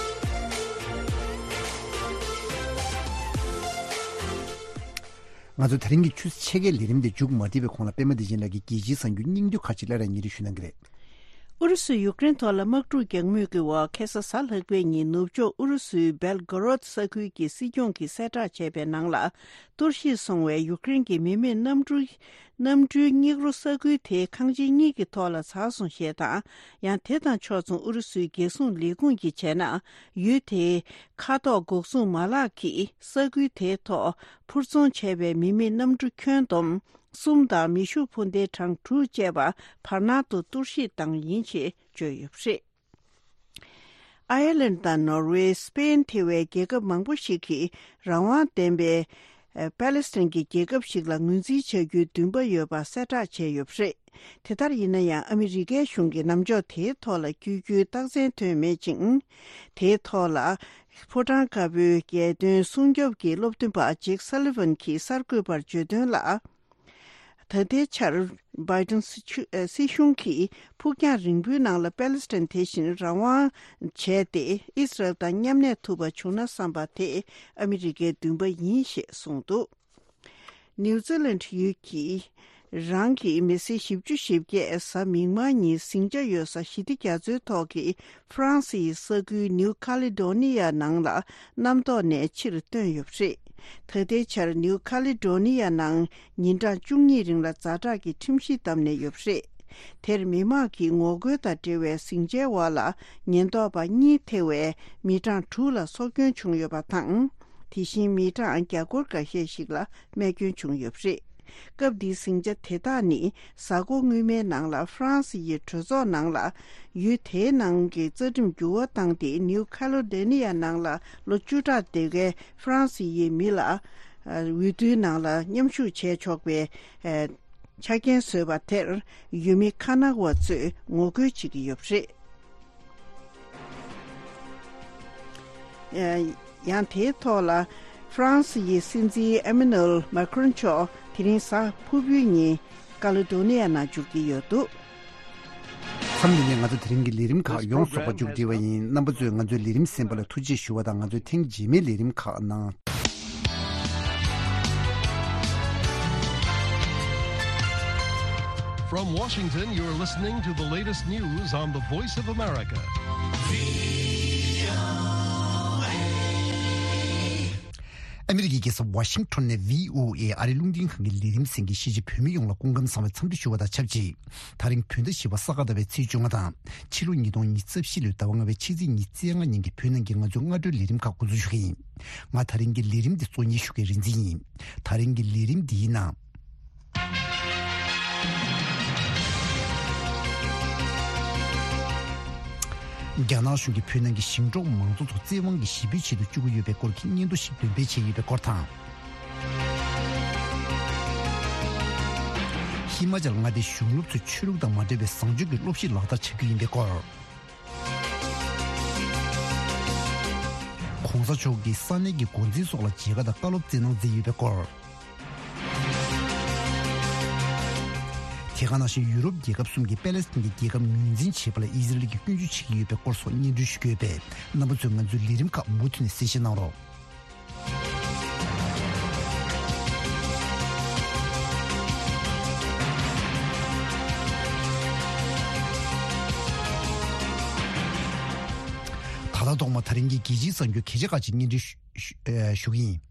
ང་ཚོ་དེ་རིང་གི་ཆུ་ཚོད་ཕྱེད་ཀའི་ལས་རིམ་དེ་མཇུག་མ་སྒྲིལ་བའི་གོང་ལ་པད་མ་བདེ་ཆེན་ལགས་ཀྱིས་རྒྱལ་སྤྱིའི་གསར་འགྱུར་སྙིང་བསྡུས་ཁག་ཅིག་སླར་ཡང་སྙན་སྒྲོན་ཞུ་གནང་གི་རེད། ཨུ་རུ་སུས་ཡུཀ་རེན་ཐོག་ལ་དམག་འཁྲུག་རྒྱག་མུས་ཀྱི་འོག་ཁ་སང་གཟའ་ལྷག་པའི་ཉིན་ནུབ་ཕྱོགས་ཨུ་རུ་སུའི་སྦེལ་གོ་རོད་ས་ཁུལ་གྱི་སྲིད་སྐྱོང་གིས་གསལ་བསྒྲགས་བྱས་པའི་ནང་ལ། གཏོར་བཤིག་སོང་བའི་ཡུཀ་རེན་གྱི་མི་མེད་གནམ་གྲུ། གནམ་གྲུའི་སྙིགས་རོ་ས་ཁུལ་དེའི་ཁང་ཆེན་གཉིས་ཀྱི་ཐོག་ལ་ཚར་སོང་ཞེས་དང་། ཡང་དེ་དང་ཕྱོགས་མཚུངས་ཨུ་རུ་སུའི་རྒྱལ་སྲུང་ལས་ཁུངས་ཀྱིས་བྱས་ན། ཡུལ་དེའི་མཁའ་ཐོག་འགོག་སྲུང་མ་ལག་གིས་ས་ཁུལ་དེའི་ཐོག་འཕུར་འཚོང་བྱས་པའི་མི་མེད་གནམ་གྲུ་ཁྱོན་བསྡོམས་གསུམ་དང་མེ་ཤུགས་འཕུར་མདེལ་གྲངས་དྲུག་བཅས་པ་བར་སྣང་དུ་གཏོར་བཤིག་བཏང་ཡིན་ཞེས་བརྗོད་ཡོད་པ་རེད། ཨའི་ལན་དང་ནོར་ཝེ། སྤེན་ཐེ་བའི་རྒྱལ་ཁབ་མང་པོ་ཞིག་གིས་རང་དབང་ལྡན་པའི་ཨ་པ་ལེ་སི་ཐན་གྱི་རྒྱལ་ཁབ་ཞིག་ལ་ངོས་འཛིན་བྱ་རྒྱུའི་འདུན་པ་ཡོད་པ་གསལ་བསྒྲགས་བྱས་ཡོད་པ་རེད། དེ་ལྟར་ཡིན་ན་ཡང་ཨ་མི་རི་ཀའི་གཞུང་གིས་ནམ་ཕྱོགས་དེའི་ཐོག་ལ་བསྐྱོད་རྒྱུའི་རྟགས་མཚན་ཐོན་མེད་ཅིང་། དེའི་ཐོག་ལ་ཕོ་བྲང་དཀར་པོའི་རྒྱལ་དོན་སྲུང་སྐྱོབ་ཀྱི་སློབ་སྟོན་པ་ཇེག་སཱ་ལི་ཝན་གྱིས་གསར་འགོད་པར་བརྗོད་དོན་ལ། ད་ལྟའི་ཆར་བྷའི་ཏིན་སྲིད་ཆུ་ཨ་སྲིད་གཞུང་གིས་ཕུགས་རྒྱང་རིང་པོའི་ནང་ལ་པེ་ལེ་སི་ཐན་དེ་བཞིན་རང་དབང་བྱས་ཏེ་ཨི་སི་རལ་དང་མཉམ་གནས་ཐུབ་པ་བྱུང་ན་བསམ་པ་དེ་ཨ་མི་རི་ཀའི་འདུན་པ་ཡིན་ཞེས་གསུངས་འདུག་ནིའུ་ཛི་ལན་ཡུལ་གྱིས་རང་གི་མི་སེར་བཞི་བཅུ་ཞེ་བརྒྱད་གཟའ་མིག་དམར་ཉིན་ཟིང་ཆ་ཡོད་ས་ཞི་བདེ་རྒྱ་མཚོའི་ཐོག་གི་ཧྥ་རན་སི་ཡི་ས་ཁུལ་ནིའུ་ཁ་ལེ་ཌོ་ནི་ཡ་ནང་ལ་གནམ་ཐོག་ནས་ཕྱིར་བཏོན་ཡོད་པ་རེད། ད་ལྟའི་ཆར་ནིའུ་ཁ་ལེ་ཌོ་ནི་ཡ་ནང་ཉིན་གྲངས་བཅུ་གཉིས་རིང་ལ་ཛ་དྲག་གི་ཁྲིམས་གཞི་བཏབ་ནས་ཡོད་པ་རེད། དེར་མི་མང་གི་ངོ་རྒོལ་དང་འབྲེལ་བའི་ཟིང་ཆའི་འོག་ལ་ཉེན་རྟོག་པ་གཉིས་ཐེ་བའི་མི་གྲངས་དྲུག་ལ་སྲོག་སྐྱོན་བྱུང་ཡོད་པ་དང་། དེ་བཞིན་མི་གྲངས་བརྒྱ་སྐོར་འགའ་ཤས་ཤིག་ལ་རྨས་སྐྱོན་བྱུང་ཡོད་པ་རེད། སྐབས་འདིའི་ཟིང་ཆ་དེ་དག་ནི་གཟའ་འཁོར་སྔོན་མའི་ནང་ལ་ཧྥ་རན་སི་ཡི་གྲོས་ཚོགས་ནང་ལ་ཡུལ་དེའི་ནང་གི་རྩ་ཁྲིམས་འགྱུར་བ་བཏང་སྟེ་ནིའུ་ཁ་ལོ་ཌེ་ནི་ཡ་ནང་ལ་ལོ་བཅུ་ཕྲག་སྡོད་མཁན་ཧྥ་རན་སི་ཡི་མི་ལ་འོས་བསྡུའི་ནང་ལ་མཉམ་ཞུགས་བྱས་ཆོག་པའི་ ཆ་རྐྱེན་བཟོས་པ་དེར་ཡུལ་མི་ཁ་ནག་པ་ཚོས་ངོ་རྒོལ་བྱེད་ཀྱི་ཡོད་པ་རེད། ཡང་དེའི་ཐོག་ལ་ཧྥ་རན་སི་ཡི་སྲིད་འཛིན་ཨེ་མེ་ནུ་ཨེལ་མཱ་ཁི་རོན་མཆོག་དེ་རིང་གཟའ་ཕུར་བུའི་ཉིན་ཀ་ལེ་དོ་ནི་ཡ་ནང་འབྱོར་གྱི་ཡོད་འདུག་མཚམས་འདི་ནས་ང་ཚོ་དེ་རིང་གི་ལས་རིམ་ཁག་ཡོངས་རྫོགས་པ་མཇུག་སྒྲིལ་བ་ཡིན། རྣམ་པ་ཚོས་ང་ཚོའི་ལས་རིམ་གསན་པ་ལ་ཐུགས་རྗེ་ཞུ་བ་དང་། ང་ཚོའི་ཐེངས་རྗེས་མའི་ལས་རིམ་ཁག་ནང་། From Washington, you're listening to the latest news on the Voice of America. ཨ་མི་རི་ཀའི་རྒྱལ་ས་ཝ་ཤིང་ཊོན་ནས་བྷི་ཨོ་ཨེ་ཨ་རིའི་རླུང་འཕྲིན་ཁང་གི་ལས་རིམ་གསན་མཁན་གཞིས་བྱེས་བོད་མི་ཡོངས་ལ་སྐུ་ཁམས་བཟང་བའི་འཚམས་འདྲི་ཞུ་བ་དང་ཆབས་ཅིག་དེ་རིང་བོད་ཟླ་བཞི་པ་ས་ག་ཟླ་བའི་ཚེས་བཅོ་ལྔ་དང་། ཕྱི་ལོ་ཉིས་སྟོང་ཉི་ཤུ་རྩ་བཞི་ལོའི་ཟླ་བ་ལྔ་པའི་ཕྱི་ཚེས་ཉི་ཤུ་རྩ་ལྔ་ཉིན་གྱི་བོད་ནང་གི་ང་ཚོའི་སྔ་དྲོའི་ལས་རིམ་ཁག་འགོ་འཛུགས་ཞུ་གི་ཡིན། ང་དེ་རིང་གི་ལས་རིམ་འདི་གཙོ་གཉེར་ཞུ་མཁན་རིན་འཛིན་ཡིན། དེ་རིང་གི་ལས་རིམ་འདིའི་ནང་། རྒྱ་ནག་གཞུང་གིས་བོད་ནང་གི་ཞིང་འབྲོག་མང་ཚོགས་ཚོ་བཙན་དབང་གིས་གཞིས་སྤོས་བྱེད་དུ་བཅུག་གི་ཡོད་པའི་སྐོར་གྱི་སྙན་ཐོ་ཞིག་འདོན་སྤེལ་བྱས་ཡོད་པའི་སྐོར་དང་། ཧི་མ་ཅལ་མངའ་སྡེའི་གཞུང་སློབ་ཚོས་ཆོས་ལུགས་དང་མ་འབྲེལ་བའི་བཟང་སྤྱོད་ཀྱི་སློབ་གཞི་ལག་བསྟར་བྱ་རྒྱུ་ཡིན་པའི་སྐོར། ༸གོང་ས་མཆོག་གིས་ས་གནས་ཀྱི་འགོ་འཛིན་སོགས་ལ་མཇལ་ཁ་དང་བཀའ་སློབ་སྩལ་གནང་མཛད་ཡོད་པའི་སྐོར། དེ་ག་ནང་བཞིན་ཡུ་རོབ་རྒྱལ་ཁབ་གསུམ་གྱིས་པེ་ལེ་སི་ཐན་གྱི་རྒྱལ་ཁབ་ངོས་འཛིན་བྱེད་པ་ལ་ཨི་ཟི་རལ་གྱིས་སྐྱོན་བརྗོད་བྱེད་ཀྱི་ཡོད་པའི་སྐོར་སོགས་སྙན་སྒྲོན་ཞུ་གི་ཡོད་པས། རྣམ་པ་ཚོས་ང་ཚོའི་ལས་རིམ་ཁག་མུ་མཐུད་ནས་གསན་བཞེས་གནང་རོགས། ད་ལྟ་ཐོག་མ་དེ་རིང་གི་རྒྱལ་སྤྱིའི་གསར་འགྱུར་གལ་ཆེ་ཁག་ཅིག་སྙན་སྒྲོན་ཞུ་ཞུ་ཨེ་ཞུ་གི་ཡིན།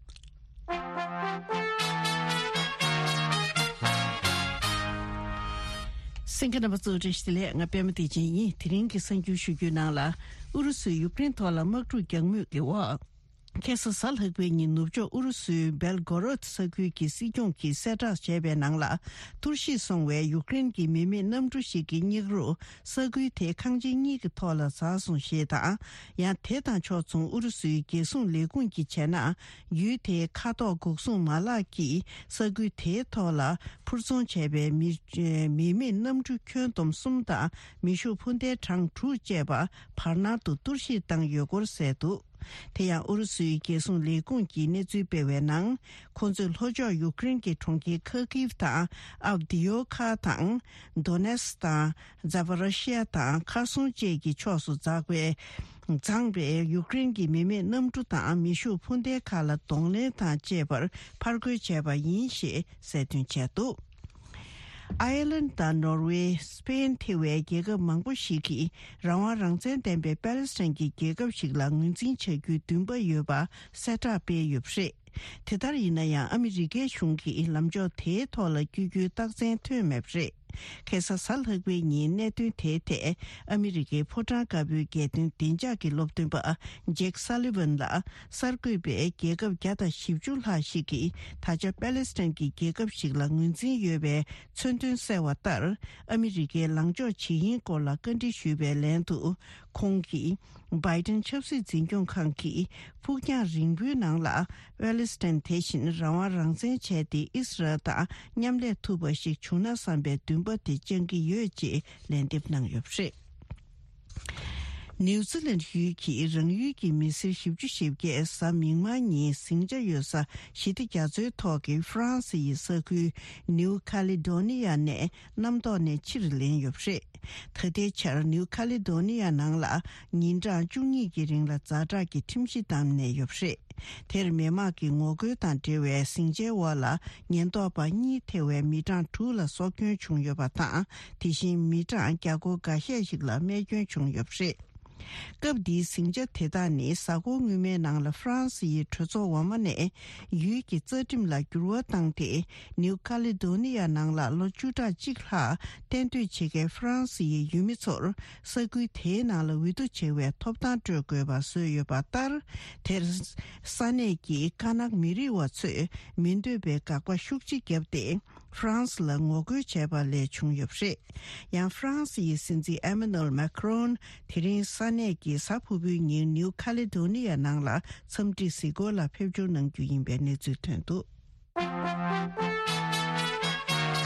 གསན་མཁན་རྣམ་པ་ཚོ་བཀྲ་ཤིས་བདེ་ལེགས། ང་པད་མ་བདེ་ཆེན་ཡིན། དེ་རིང་གི་གསར་འགྱུར་ཞུ་རྒྱུའི་ནང་ལ། ཨུ་རུ་སུས་ཡུཀ་རེན་ཐོག་ལ་དམག་འཁྲུག་རྒྱག་མུས་ཀྱི་འོག་ཁ་སང་གཟའ་ལྷག་པའི་ཉིན་ནུབ་ཕྱོགས་ཨུ་རུ་སུའི་སྦེལ་གོ་རོད་ས་ཁུལ་གྱི་སྲིད་སྐྱོང་གིས་གསལ་བསྒྲགས་བྱས་པའི་ནང་ལ། འཐོར་ཞིག་སོང་བའི་ཡུཀ་རེན་གྱི་མི་མེད་གནམ་གྲུ་ཞིག་གི་སྙེག་རུ། ས་ཁུལ་དེའི་ཁང་ཆེན་གཉིས་ཀྱི་ཐོག་ལ་འཛགས་སོང་ཞེས་དང་། ཡང་དེ་དང་ཕྱོགས་མཚུངས་ཨུ་རུ་སུའི་རྒྱལ་སྲུང་ལས་ཁུངས་ཀྱིས་བྱས་ན། ཡུལ་དེའི་མཁའ་ཐོག་འགོག་སྲུང་མ་ལག་གིས་ས་ཁུལ་དེའི་ཐོག་ལ་འཕུར་འཚོང་བྱས་པའི་མི་མི་མེད་གནམ་གྲུ་ཁྱོན་བསྡོམས་གསུམ་དང་མེ་ཤུགས་འཕུར་མདེལ་གྲངས་དྲུག་བཅས་པ་བར་སྣང་དུ་གཏོར་བཤིག་བཏང་ཡོད་སྐོར་གསལ་འདུག་དེ་ཡང་ཨུ་རུ་སུའི་རྒྱལ་སྲུང་ལས་ཁུངས་ཀྱིས་གནས་ཚུལ་སྤེལ་བའི་ནང་། ཁོང་ཚོས་ལྷོ་ཕྱོགས་ཡུཀ་རེན་གྱི་གྲོང་ཁྱེར་ཁ་ཁིབ་དང་ཨབ་དི་ཡོ་ཁ་དང་། དོ་ནེ་སི་དང་། ཛ་པ་རོ་ཤི་ཡ་དང་ཁར་སོང་བཅས་ཀྱི་ཕྱོགས་སུ་འཛེགས་པའི། འཛེགས་པའི་ཡུཀ་རེན་གྱི་མི་མེད་གནམ་གྲུ་དང་མེ་ཤུགས་འཕུར་མདེལ་ཁག་ལ་གདོང་ལེན་དང་བཅས་པར་ཕར་རྒོལ་བྱས་པ་ཡིན་ཞེས་གསལ་སྟོན་བྱས་འདུག་ཨའི་ལན་དང་ནོར་ཝེ། སི་པེན་ཐེ་བའི་རྒྱལ་ཁབ་མང་པོ་ཞིག་གིས་རང་དབང་རང་བཙན་ལྡན་པའི་པེ་ལེ་སི་ཐན་གྱི་རྒྱལ་ཁབ་ཞིག་ལ་ངོས་འཛིན་བྱ་རྒྱུའི་འདུན་པ་ཡོད་པ་གསལ་བསྒྲགས་སྤེལ་ཡོད་པ་རེད། དེ་ལྟར་ཡིན་ན་ཡང་ཨ་མི་རི་ཀའི་གཞུང་གིས་ལམ་ཕྱོགས་དེའི་ཐོག་ལ་བསྐྱོད་རྒྱུའི་རྟགས་མཚན་ཐོན་མེད་པ་རེད། ཁ་སང་གཟའ་ལྷག་པའི་ཉིན་གནད་དོན་དེའི་ཐད་ཨ་མི་རི་ཀའི་ཕོ་བྲང་དཀར་པོའི་རྒྱལ་དོན་བདེ་འཇགས་ཀྱི་སློབ་སྟོན་པ་ཇེག་སཱ་ལི་ཝན་ལ། གསར་འགོད་པས་རྒྱལ་ཁབ་བརྒྱ་དང་བཞི་བཅུ་ལྷག་ཞིག་གིས་ད་ཆ་པེ་ལེ་སི་ཐན་གྱི་རྒྱལ་ཁབ་ཞིག་ལ་ངོས་འཛིན་ཡོད་པའི་མཚོན་དོན་གསལ་བ་ལྟར། ཨ་མི་རི་ཀའི་ལངས་ཕྱོགས་ཇི་ཡིན་སྐོར་ལ་བཀའ་འདྲི་ཞུས་པའི་ལན་དུ། ཁོང་གིས། བྷའི་ཏིན་ཆབ་སྲིད་འཛིན་སྐྱོང་ཁང་གིས་ཕུགས་རྒྱང་རིང་པོའི་ནང་ལ་པེ་ལེ་སི་ཐན་དེ་བཞིན་རང་དབང་རང་བཙན་བྱས་ཏེ་ཨི་སི་རལ་དང་མཉམ་ལས་ཐུབ་པ་ཞིག་བྱུང་ན་བསམ་པའི་འདུན་པ་དེ་བཅངས་ཀྱི་ཡོད་ཅེས་ལན་འདེབས་གནང་ཡོད་པ་རེད། ནིའུ་ཛི་ལན་ཡུལ་གྱིས་རང་ཡུལ་གྱི་མི་སེར་བཞི་བཅུ་ཞེ་བརྒྱད་གཟའ་མིག་དམར་ཉིན་ཟིང་ཆ་ཡོད་ས་ཞི་བདེ་རྒྱ་མཚོའི་ཐོག་གི་ཧྥ་རན་སི་ཡི་ས་ཁུལ་ནིའུ་ཁ་ལི་ཌོ་ནི་ཡ་ནས་གནམ་ཐོག་ནས་ཕྱིར་ལེན་ཡོད་པ་རེད། ད་ལྟའི་ཆར་ནིའུ་ཁ་ལི་ཌོ་ནི་ཡ་ནང་ལ་ཉིན་གྲངས་བཅུ་གཉིས་ཀྱི་རིང་ལ་ཛ་དྲག་གི་ཁྲིམས་གཞི་བསྡམས་ནས་ཡོད་པ་རེད། དེར་མི་མང་གི་ངོ་རྒོལ་དང་འབྲེལ་བའི་ཟིང་ཆའི་འོག་ལ་ཉེན་རྟོག་པ་གཉིས་ཐེ་བའི་མི་གྲངས་དྲུག་ལ་སྲོག་སྐྱོན་བྱུང་ཡོད་པ་དང་། དེ་བཞིན་མི་གྲངས་བརྒྱ་སྐོར་འགའ་ཤས་ཤིག་ལ་རྨས་སྐྱོན་བྱུང་ཡོད་པ་རེད། སྐབས་འདིའི་ཟིང་ཆ་དེ་དག་ནི་གཟའ་འཁོར་སྔོན་མའི་ནང་ལ་ཧྥ་རན་སི་ཡི་གྲོས་ཚོགས་འོག་མ་ནས་ཡུལ་གྱི་རྩ་ཁྲིམས་ལ་འགྱུར་བ་བཏང་སྟེ། ནིའུ་ཁ་ལི་ཌོ་ནི་ཡ་ནང་ལ་ལོ་བཅུ་ཕྲག་གཅིག་ལྷག་གཏན་སྡོད་བྱེད་མཁན་ཧྥ་རན་སི་ཡི་ཡུལ་མི་ཚོར་ས་ཁུལ་དེའི་ནང་ལ་འོས་བསྡུ་བྱེད་པའི་ཐོབ་ཐང་སྤྲོད་དགོས་པ་བཟོས་ཡོད་པ་ལྟར། དེར་ས་གནས་ཀྱི་ཀ་ནག་མི་རིགས་པ་ཚོས་མི་འདོད་པའི་དགག་པ་ཤུགས་ཆེ་བརྒྱབ་སྟེ། ཧྥ་རན་སི་ལ་ངོ་རྒོལ་བྱས་པ་ལས་བྱུང་ཡོད་པ་རེད། ཡང་ཧྥ་རན་སི་ཡི་སྲིད་འཛིན་ཨེ་མ་ནུ་ཨེལ་མཱ་ཁི་རོན་དེ་རིང་ས་གནས་ཀྱི་གཟའ་ཕུར་བུའི་ཉིན་ནིའུ་ཁ་ལི་ཌོ་ནི་ཡ་ནང་ལ་འཚམས་འདྲི་གཟིགས་སྐོར་ལ་ཕེབས་འབྱོར་གནང་རྒྱུ་ཡིན་པའི་གནས་ཚུལ་ཐོན་འདུག་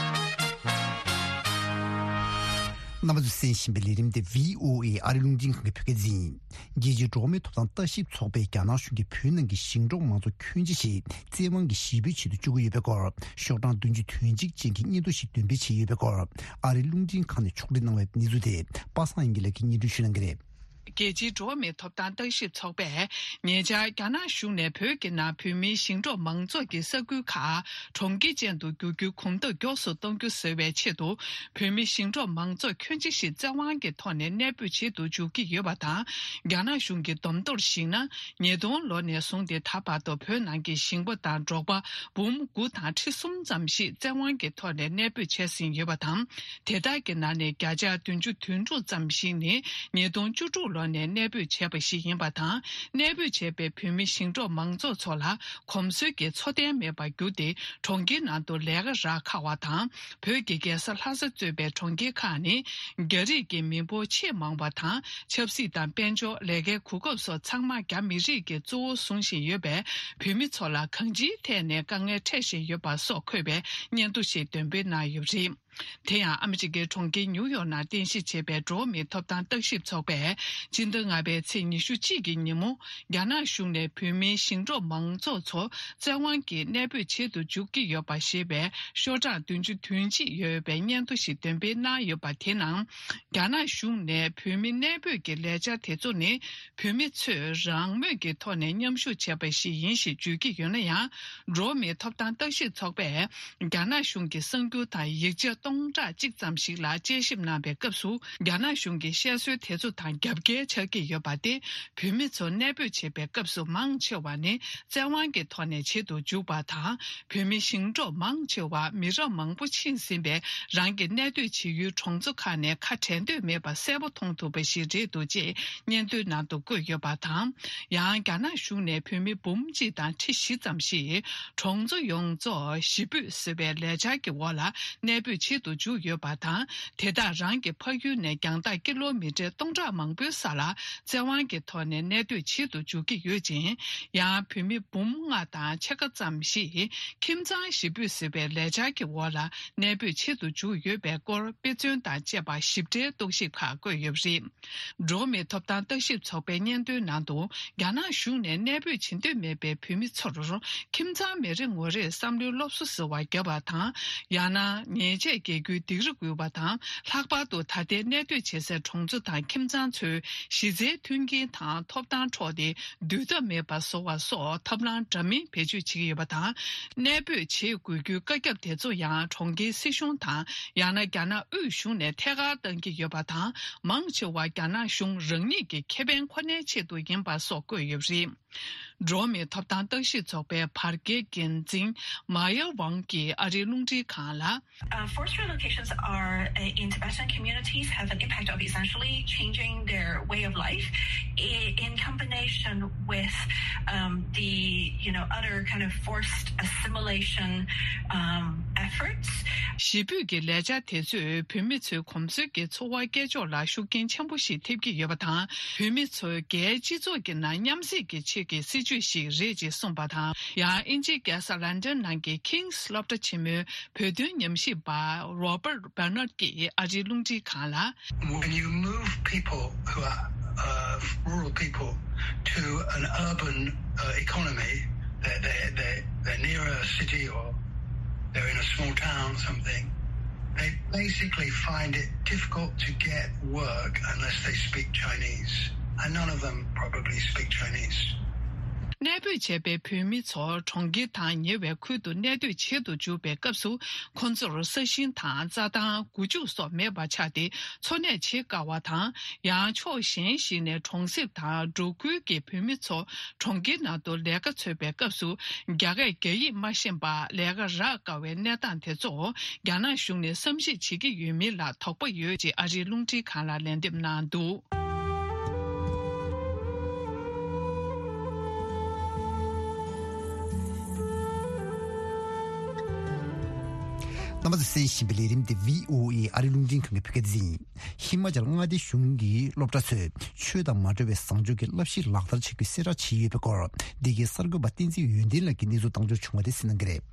རྣམ་པ་ཚོས་གསན་བཞིན་པའི་ལས་རིམ་དེ་བྷི་ཨོ་ཨེ་ཨ་རི་རླུང་འཕྲིན་ཁང་གི་བོད་སྐད་སྡེ་ཡིན། རྒྱལ་སྤྱིའི་འགྲོ་བ་མིའི་ཐོབ་ཐང་ལྟ་ཞིབ་ཚོགས་པས་རྒྱ་ནག་གཞུང་གིས་བོད་ནང་གི་ཞིང་འབྲོག་མང་ཚོགས་ཁྱོན་ཆེ་ཞིག་བཙན་དབང་གིས་ཞེ་ཕུད་བྱེད་དུ་བཅུག་གི་ཡོད་པའི་སྐོར། ཤོག་གྲངས་བདུན་ཅུ་དོན་གཅིག་ཅན་གྱི་སྙན་ཐོ་ཞིག་འདོན་སྤེལ་བྱས་ཡོད་པའི་སྐོར། ཨ་རིའི་རླུང་འཕྲིན་ཁང་ནས་ཕྱོགས་སྒྲིག་གནང་བའི་གནས་ཚུལ་དེ་པ་སངས་དབྱངས་སྐྱིད་ལགས་ཀྱིས་སྙན་སྒྲོན་ཞུ་གནང་གི་རེད། རྒྱལ་སྤྱིའི་འགྲོ་བ་མིའི་ཐོབ་ཐང་ལྟ་ཞིབ་ཚོགས་པས་ཉེ་ཆར་རྒྱ་ནག་གཞུང་ནས་བོད་ཀྱི་ནང་བོད་མིའི་ཞིང་འབྲོག་མང་ཚོགས་ཀྱི་ས་ཁུལ་ཁག་གྲོང་ཁྱེར་ཅན་དུ་བསྒྱུར་རྒྱུའི་གོམ་སྟབས་མགྱོགས་སུ་གཏོང་རྒྱུ་བཟོ་བའི་ཆེད་དུ། བོད་མི་ཞིང་འབྲོག་མང་ཚོགས་ཁྱོན་ཆེ་ཞིག་བཙན་དབང་གི་ཐོག་ནས་གནས་སྤོས་བྱེད་དུ་འཇུག་གི་ཡོད་པ་དང་། རྒྱ་ནག་གཞུང་གི་བསྡོམས་ཐོར་གཞིགས་ན། ཉིས་སྟོང་ལོ་ནས་བཟུང་སྟེ་ད་བར་དུ་བོད་ནང་གི་ཞིང་པ་དང་འབྲོག་པ་འབུམ་དགུ་དང་ཁྲི་གསུམ་ཙམ་ཞིག་བཙན་དབང་གི་ཐོག་ནས་གནས་སྤོས་བྱས་ཟིན་ཡོད་པ་དང་། དེ་དག་གི་ནང་ནས་བརྒྱ་ཆ་བདུན་ཅུ་དོན་དྲུག་ཙམ་ཞིག་ནི་ཉིས་སྟོང་བཅུ་དྲུག་ལོ་ནས་གནས་སྤོས་བྱས་པ་ཞིག་ཡིན་པ་དང་། གནས་སྤོས་བྱས་པའི་བོད་མི་ཞིང་འབྲོག་མང་ཚོགས་ཚོ་ལ་གོམས་སྲོལ་གྱི་འཚོ་རྟེན་མེད་པར་གྱུར་ཏེ། གྲོང་ཁྱེར་ནང་དུ་ལས་ཀ་རག་ཁག་པ་དང་། བོད་ཀྱི་རྒྱལ་ས་ལྷ་ས་གཙོས་པའི་གྲོང་ཁྱེར་ཁག་ནི་རྒྱ་རིགས་ཀྱི་མི་འབོར་ཆེས་མང་བ་དང་། ཆབ་སྲིད་དང་དཔལ་འབྱོར། ལས་ཀའི་གོ་སྐབས་སོགས་ཚང་མ་རྒྱ་མི་རིགས་ཀྱིས་གཙོ་བོ་བཟུང་བཞིན་ཡོད་པས། བོད་མི་ཚོ་ལ་གང་ཅིའི་ཐད་ནས་དཀའ་ངལ་འཕྲད་བཞིན་ཡོད་པ་སོགས་འཁོད་པའི་སྙན་ཐོ་ཞིག་འདོན་སྤེལ་གནང་ཡོད་པ་རེད། དེ་ཡང་ཨ་མི་རི་ཀའི་གྲོང་ཁྱེར་ཉིའུ་ཡོག་ནང་རྟེན་གཞི་བྱས་པའི་འགྲོ་བ་མིའི་ཐོབ་ཐང་བརྟག་ཞིབ་ཚོགས་པས་སྤྱི་ཟླ་ལྔ་པའི་ཚེས་ཉི་ཤུ་གཅིག་གི་ཉིན་མོ། རྒྱ་ནག་གཞུང་ནས་བོད་མིའི་ཞིང་འབྲོག་མང་ཚོགས་ཚོ་བཙན་དབང་གིས་གནས་སྤོས་བྱེད་དུ་འཇུག་གི་ཡོད་པ་ཞེས་པའི་ཤོག་གྲངས་བདུན་ཅུ་དོན་གཅིག་ཡོད་པའི་སྙན་ཐོ་ཞིག་འདོན་སྤེལ་གནང་ཡོད་པ་དེའི་ནང་། རྒྱ་ནག་གཞུང་ནས་བོད་མི་གནས་སྤོས་ཀྱི་ལས་འཆར་དེ་ཚོ་ནི་བོད་མི་ཚོས་རང་མོས་ཀྱི་ཐོག་ནས་མཉམ་ཞུགས་བྱས་པ་ཞིག་ཡིན་ཞེས་བརྗོད་ཀྱི་ཡོད་ན་ཡང་། འགྲོ་བ་མིའི་ཐོབ་ཐང་བརྟག་ཞིབ་ཚོགས་པས། རྒྱ་ནག་གཞུང་གི་གསར་འགྱུར་དང་ཡིག་ཆ་སྟོང་ཕྲག་གཅིག་ཙམ་ཞིག་ལ་དཔྱད་ཞིབ་གནང་བའི་སྐབས་སུ། རྒྱ་ནག་གཞུང་གི་བཤད་སྲོལ་དེ་ཚོ་དང་རྒྱབ་འགལ་ཆགས་ཀྱི་ཡོད་པ་སྟེ། བོད་མི་ཚོ་གནས་སྤོས་བྱེད་པའི་སྐབས་སུ་མང་ཆེ་བ་ནི་བཙན་དབང་གི་ཐོག་ནས་བྱེད་དུ་འཇུག་པ་དང་། བོད་མི་ཞིང་འབྲོག་མང་ཆེ་བ་མི་རབས་མང་པོ་ཕྱིན་ཟིན་པའི་རང་གི་གནས་སྡོད་བྱེད་ཡུལ་གྲོང་ཚོ་ཁག་ནས་ཁ་བྲལ་འདོད་མེད་པ་གསལ་པོ་མཐོང་ཐུབ་པ་ཞིག་རེད་འདུག་ཅེས་སྙན་ཐོའི་ནང་དུ་བཀོད་ཡོད་པ་དང་། ཡང་རྒྱ་ནག་གཞུང་ནས་བོད་མི་འབུམ་གཅིག་དང་ཁྲི་བཞི་ཙམ་ཞིག་གྲོང་ཚོ་ཡོངས་རྫོགས་ཞི་སྤོས་ཟེར་བའི་ལས་འཆར་གྱི་འོག་ལ་གནས་སྤོས་བྱེད་དུ་འཇུག་ཡོད་པ་དང་། དེ་དག་རང་གི་ཕ་ཡུལ་ནས་རྒྱང་ཐག་ཀི་ལོ་མི་ཊར་སྟོང་ཕྲག་མང་པོའི་ས་ལ་བཙན་དབང་གི་ཐོག་ནས་གནས་སྡོད་བྱེད་དུ་འཇུག་གི་ཡོད་ཅིང་། ཡང་བོད་མི་འབུམ་ལྔ་དང་ཕྱེད་ཀ་ཙམ་ཞིག་ཁྱིམ་ཚང་ཞི་སྤོས་ཟེར་བའི་ལས་འཆར་གྱི་འོག་ལ་གནས་སྤོས་བྱེད་དུ་འཇུག་ཡོད་པའི་སྐོར་དཔེ་མཚོན་དང་བཅས་པ་ཞིབ་ཕྲའི་རྟོག་ཞིབ་ཁག་བཀོད་ཡོད་པ་རེད། འགྲོ་བ་མིའི་ཐོབ་ཐང་བརྟག་ཞིབ་ཚོགས་པའི་སྙན་ཐོའི་ནང་དུ། རྒྱ་ནག་གཞུང་ནས་གནས་སྤོས་བྱེད་འདོད་མེད་པའི་བོད་མི་ཚོར་ཁྱིམ་ཚང་མེད་རེ་ངོ་རེར་བསམ་བློའི་སློབ་གསོ་ཟེར་བ་བརྒྱབ་པ་དང་། ཡང་ན་ཉེས་ཆད་འགེལ་རྒྱུའི་སྡིགས་ར་འགུལ་བ་དང་། ལྷག་པར་དུ་ད་ལྟའི་གནས་སྡོད་བྱེད་སའི་གྲོང་ཚོ་དང་ཁྱིམ་ཚང་ཚོའི་གཞི་རྩའི་མཐུན་རྐྱེན་དང་ཐོབ་ཐང་འཕྲོག་སྟེ། སྡུད་ཐབས་མེད་པ་བཟོ་བ་སོགས་ཐབས་ལམ་འདྲ་མིན་བེད་སྤྱོད་བྱེད་ཀྱི་ཡོད་པ་དང་། གནས་སྤོས་བྱེད་དགོས་རྒྱུའི་བཀའ་ཁྱབ་དེ་ཚོ་ཡང་གྲོང་ཁྱེར་སྲིད་གཞུང་དང་། ཡང་ན་རྒྱ་ནག་དབུས་གཞུང་ནས་ཐད་ཀར་གཏང་གི་ཡོད་པ་དང་། མང་ཆེ་བ་རྒྱ་ནག་གཞུང་རང་ཉིད་ཀྱི་ཁེ་ཕན་ཁོ་ནའི་ཆེད་དུ་ཡིན་པ་སོགས་བཀོད་ཡོད་པ་རེད། འགྲོ་བ་མིའི་ཐོབ་ཐང་བརྟག་ཞིབ་ཚོགས་པའི་བར་བརྒལ་འགན་འཛིན་མ་ཡ་ཝང་གིས་ཨ་རིའི་རླུང་འཕྲིན་ཁང་ལ། Uh, forced relocations are, uh, in Tibetan communities have an impact of essentially changing their way of life i- in combination with, um, the, you know, other kind of forced assimilation, um, efforts. ཞི་སྤོས་ཀྱི་ལས་འཆར་དེ་ཚོས་བོད་མི་ཚོའི་གོམས་སྲོལ་གྱི་འཚོ་བ་སྐྱེལ་ཕྱོགས་ལ་ཤུགས་རྐྱེན་ཆེན་པོ་ཞིག་ཐེབས་ཀྱི་ཡོད་པ་དང་། བོད་མི་ཚོའི་སྒེར་སྤྱི་ཚོགས་ཀྱི་ནང་མཉམ་བསྲེས་ཀྱི་ཆེད་ཀྱི་སྲིད་ཇུས་ཤིག་རེད་ཅེས་གསུངས་པ་དང་། ཡང་དབྱིན་ཇིའི་རྒྱལ་ས་ལན་ཌན་ནང་གི་King's སློབ་གྲྭ་ཆེན་མོའི་བོད་དོན་ཉམས་ཞིབ་པ་Robert Bernard ཀྱིས་ཨ་རིའི་རླུང་འཕྲིན་ཁང་ལ། When you move people who are, uh, rural people to an urban, uh, economy, they're, they're, they're, they're near a city or they're in a small town or something, they basically find it difficult to get work unless they speak Chinese. And none of them probably speak Chinese. གནས་སྤོས་བྱས་པའི་བོད་མི་ཚོ་གྲོང་ཁྱེར་དང་ཉེ་བའི་ཁུལ་དུ་གནས་སྡོད་བྱེད་དུ་འཇུག་པའི་སྐབས་སུ། ཁོ་ཚོར་ས་ཞིང་དང་རྩྭ་ཐང་། སྒོ་ཕྱུགས་སོགས་མེད་པ་ཆགས་ཏེ། འཚོ་གནས་བྱེད་དཀའ་བ་དང་། ཡང་ཕྱོགས་གཞན་ཞིག་ནས་གྲོང་གསེབ་དང་འབྲོག་ཁུལ་གྱི་བོད་མི་ཚོ་གྲོང་ཁྱེར་ནང་དུ་ལས་ཀ་འཚོལ་བའི་སྐབས་སུ། རྒྱ་སྐད་རྒྱ་ཡིག་མ་ཤེས་པར་ལས་ཀ་རག་དཀའ་བའི་གནས་སྟངས་དེ་ཚོ་རྒྱ་ནག་གཞུང་ནས་བསམ་གཞིག་བྱེད་ཀྱི་ཡོད་མིན་ལ་དོགས་པ་ཡོད་ཅེས་ཨ་རིའི་རླུང་འཕྲིན་ཁང་ལ་ལན་འདེབས་གནང་འདུག། རྣམ་པ་ཚོས་གསན་བཞིན་པའི་ལས་རིམ་དེ་བྷི་ཨོ་ཨེ་ཨ་རིའི་རླུང་འཕྲིན་ཁང་གི་བོད་སྐད་སྡེ་ཡིན། ཧི་མ་ཅལ་མངའ་སྡེ་གཞུང་གིས་སློབ་གྲྭ་ཚོས་ཆོས་དང་མ་འབྲེལ་བའི་བཟང་སྤྱོད་ཀྱི་བསླབ་གཞི་ལག་བསྟར་བྱེད་རྒྱུའི་གསལ་བསྒྲགས་བྱས་ཡོད་པའི་སྐོར། འདི་གའི་གསར་འགོད་པ་བསྟན་འཛིན་ཡོན་ཏན་ལགས་ཀྱིས་གནས་ཚུལ་བཏང་འབྱོར་བྱུང་བ་དེ་གསན་གནང་གི་རེད།